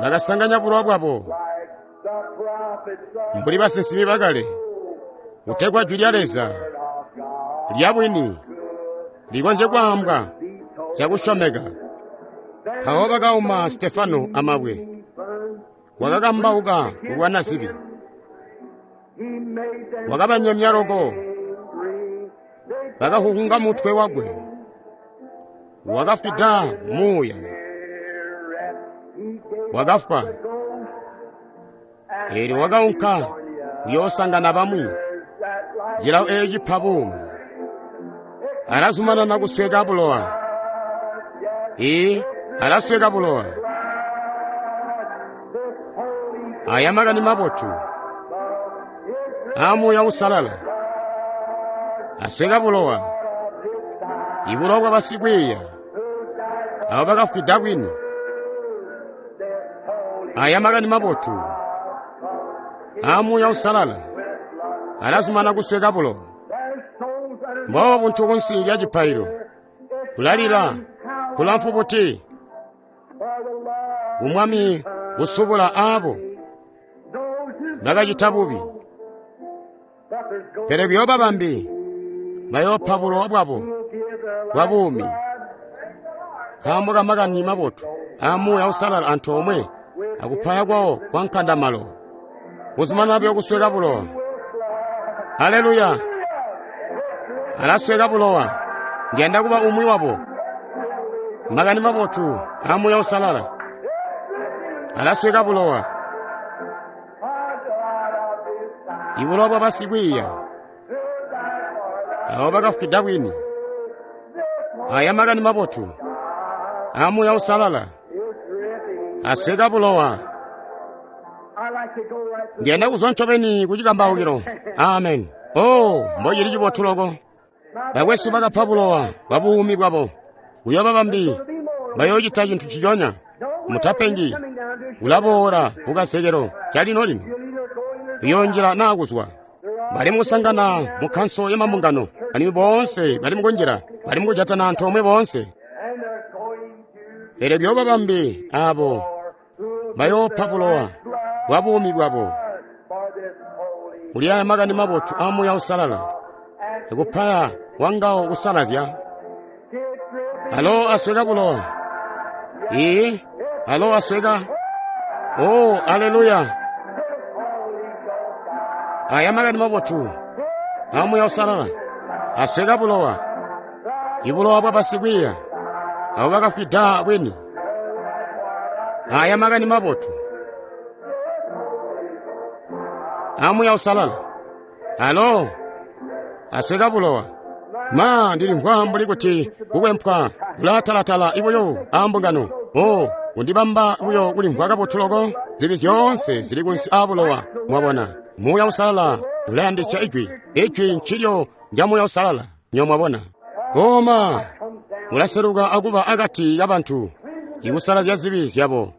Bakasanganya bulowa bwabo mbuli basinsimi bakale kutegwa jwi lya Leza lya bwini likonzye kwaambwa cakusyomeka. Mpawo bakauma Stefano amabwe, wakakambauka kulwana zibi, wakabanyemya loko. Bakahuhunga mutwe wakwe, wakafwida muuya, wakafwa. Eelyo wakaunka kuyoosangana bamwi. Cilawo eeci cipa buumi. Alazumanana kusweka bulowa. Ee, alasweka bulowa. Aya makani mabotu a Muuya Uusalala asweka bulowa, ibulowa bwa basikwiiya abo bakafwida bwini. Aya makani mabotu a Muuya Uusalala alazumana kusweka bulowa. Mboobo buntu kunsi lya cipaililo kulalila kulamfu buti kumwami kusubula aabo bakacita bubi, pele kuyooba bambi bayoopa bulowa bwabo bwa buumi nkaambo ka makani mabotu a Muuya Uusalala antoomwe akupaya kwawo kwa nkandamalo. Kuzumanana buyo kusweka bulowa. Haleluya! Alasweka bulowa. Ndi yanda kuba umwi wabo. Makani mabotu aa Muuya Uusalala alasweka bulowa. I bulowa bwa basikwiiya abo bakafwida bwini. Aya makani mabotu aa Muuya Uusalala asweka bulowa. Ndi yanda kuzwa ncobeni ku cikambaukilo. Amen. Oh, mbocili cibotu loko. Bakwesu bakapa bulowa bwa buumi bwabo. Kuyooba bambi bayoocita cintu nciconya. Mutapengi. Ulaboola ku kazekelo calino lino. Uyoonjila naa kuzwa. Bali mukusangana mu kkanso ya mambungano, alimwi boonse bali mukunjila, bali mukujatana antoomwe boonse. Pele kuyooba bambi abo bayoopa bulowa bwa buumi bwabo. Kuli aya makani mabotu aa Muuya Uusalala, ikupaya wangawo kusalazya. Alo asweka bulowa. Ii, alo asweka. Oh, aleluya. Aya makani mabotu aa Muuya Uusalala asweka bulowa. Ibulowa bwa basikwiiya abo bakafwida bwini. Aya makani mabotu aa Muuya Uusalala alo asweka bulowa. Ma, ndilimvwa mbuli kuti kukwempwa kulatalatala ibuyo aa mbungano. Oh, kundibamba buyo kulimvwa kabotu loko. Zibi zyoonse zili kunsi aa bulowa. Mwabona, Muuya Uusalala ulayandisya Ijwi. Ijwi ncilyo nja Muuya Uusalala. Nyo mwabona. Oh ma, ulaseluka akuba akati kabantu, ikusalazya zibi zyabo,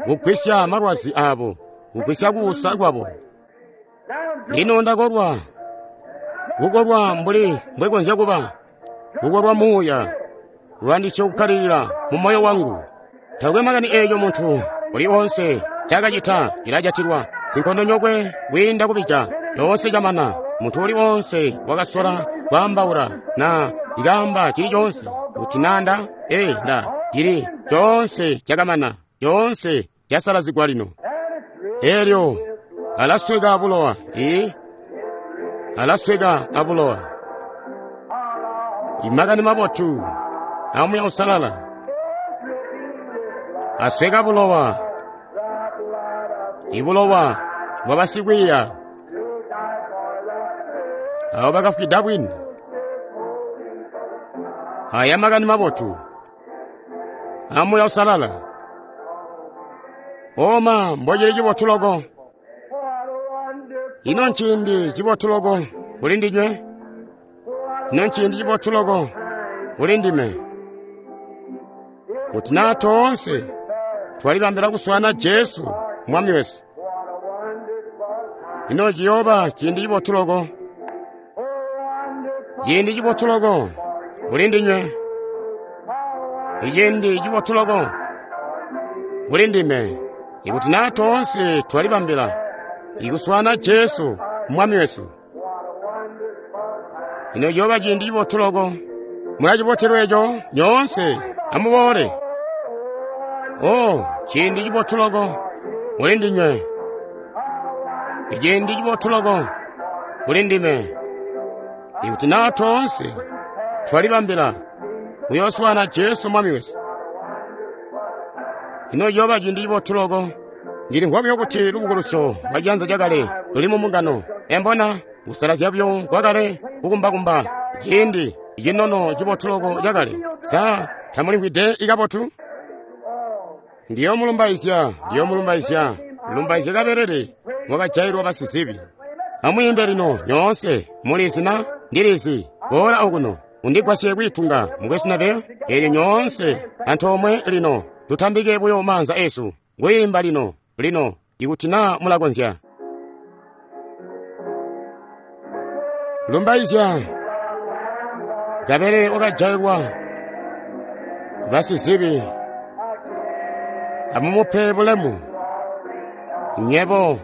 kugwisya malwazi abo, kugwisya kuusa kwabo. Lino ndakolwa, kukolwa mbuli mbwekonzya kuba, kukolwa Muuya, lwandisyo kukkalilila mu moyo wangu. Takwe makani eeco muntu uli onse cakacita cilajatilwa. Sinkondonyokwe kwiinda kubija, coonse camana. Muntu uli onse wakasola kwaambaula na ikaamba cili coonse kuti nanda ee nda cili coonse cakamana, coonse casalazigwa lino. Elyo alasweka abulowa. Ii, alasweka abulowa. Imakani mabotu aa Muuya Uusalala asweka bulowa. Ibulowa bwa basikwiiya abo bakafwida bwini. Aya makani mabotu aa Muuya Uusalala. Oma, mbocili cibotu loko. Ino nciindi cibotu loko kuli ndinywe. Ino nciindi cibotu loko kuli ndime. Kuti naa toonse twalibambila kuswaana Jesu Mwami wesu. Ino ciyooba ciindi cibotu loko. Ciindi cibotu loko kuli ndinywe. Iciindi cibotu loko kuli ndime. Ikuti naa toonse twalibambila ikuswaana Jesu Mwami wesu. Ino ciyooba ciindi cibotu loko. Mulacibotelwa eco nyoonse, amuboole. Oh, ciindi cibotu loko kuli ndinywe. Iciindi cibotu loko kuli ndime. Ikuti naa toonse twalibambila kuyooswaana Jesu Mwami wesu. Ino ciyooba ciindi cibotu loko. Ndilimvwa buyo kuti lubukulusyo lwa ciyanza cakale luli mu mbungano. Embona kusalazya buyo kwakale kukumbakumba ciindi cinono cibotu loko cakale. Sa tamulimvwide ikabotu? Ndiyomulumbaizya, ndiyomulumbaizya, lumbaizya kabelele mwakajailwa basizibi. Amwiimbe lino nyoonse, mulizi na ndilizi. Boola okuno undigwasye kwiitunga mukwesu Neville. Eelyo nyoonse antoomwe lino tutambike buyo maanza esu kwiimba lino lino ikuti naa mulakonzya. Lumbaizya kabelele wakajailwa basizibi. Amumupe bulemu nyebo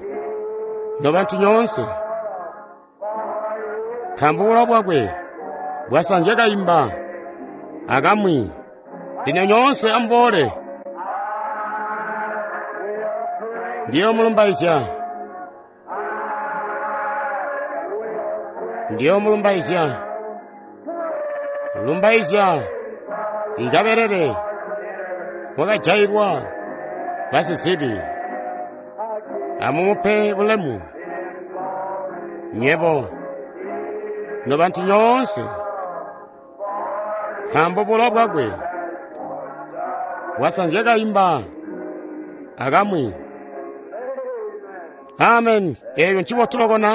nobantu nyoonse, nkaambo bulowa bwakwe bwasanzya kaimba akamwi. Lino nyoonse amuboole. Ndiyomulumbaizya, ndiyomulumbaizya, Lumbaizya Kabelele wakajailwa basizibi. Amumupe bulemu nywebo nobantu nyoonse, nkaambo bulowa bwakwe bwasanzya kaimba akamwi. Amen. Eeyo ncibotu loko na?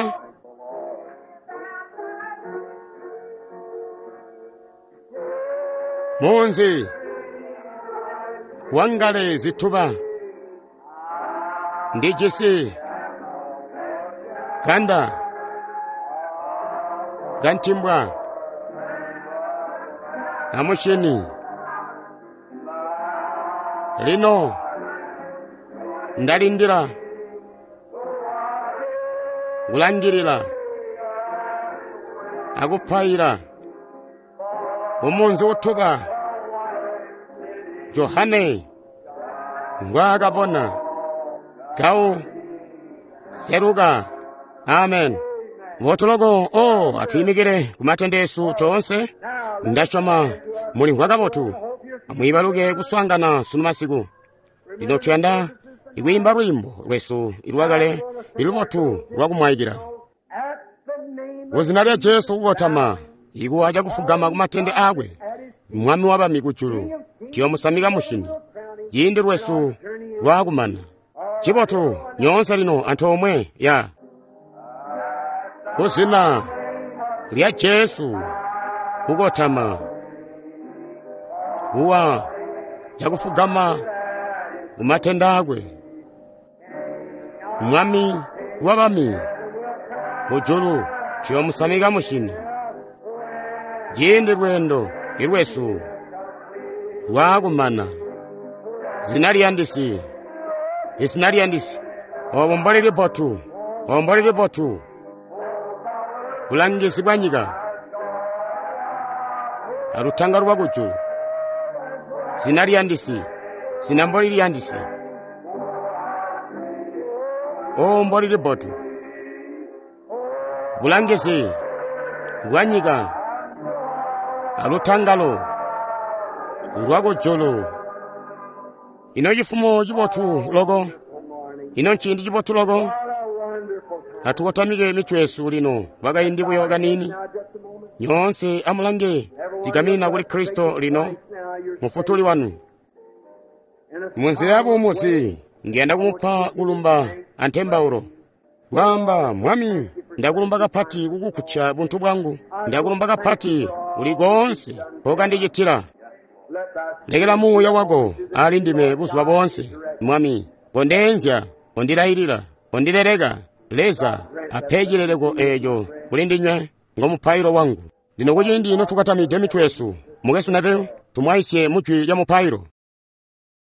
Munzi wangale zituba ndijisi ganda gantimbwa amushini. Lino ndalindila kulangilila akupaila kumunzi utuba Johane ngwaakabona gawu seluka. Amen. Botuloko o atwiimikile kumatende esu toonse. Ndasyoma mulimvwa kabotu. Amwiibaluke kuswaangana sunu masiku. Lino tuyanda ikwiimba lwiimbo lwesu ilwakale ilubotu lwakumwaikila kuzina lya Jesu kukotama ikuwa cakufugama kumatende aakwe Mwami wabami kujulu. Tuyomusamika mushini ciindi lwesu lwakumana. Cibotu nyoonse lino antoomwe ya kuzina lya Jesu kukotama kuwa cakufugama kumatende aakwe Mwami wabami kujulu. Tuyomusamika mushini ciindi lweendo ilwesu lwakumana. Zina liyandisi, izina liyandisi, obo mboli libotu, obo mboli libotu, bulangizi bwa nyika alutanga lwa kujulu. Zina liyandisi, zina mboli liyandisi, obo mboli libotu, bulangizi bwa nyika alutangalo lwa kujulu. Ino cifumo cibotu loko, ino nciindi cibotu loko. Atukotamike mitwe yesu lino kwakaindi buyo kaniini. Nyoonse amulange cigamina kuli Kristo lino mufutuli wanu. Munzila yabuumuzi ndiyanda kumupa kulumba antembaulo. Kwaamba, Mwami, ndakulumba kapati kukukkutya buntu bwangu. Ndakulumba kapati kuli koonse nkokandicitila. Lekela muuya wako ali ndime buzuba boonse. Mwami, kondeenzya, kondilailila, kondileleka. Leza ape cileleko eeco kuli ndinywe ngomupailo wangu. Lino kuciindi notukatamide mitwe yesu, mukwesu Neville, tumwaisye mujwi lya mupailo.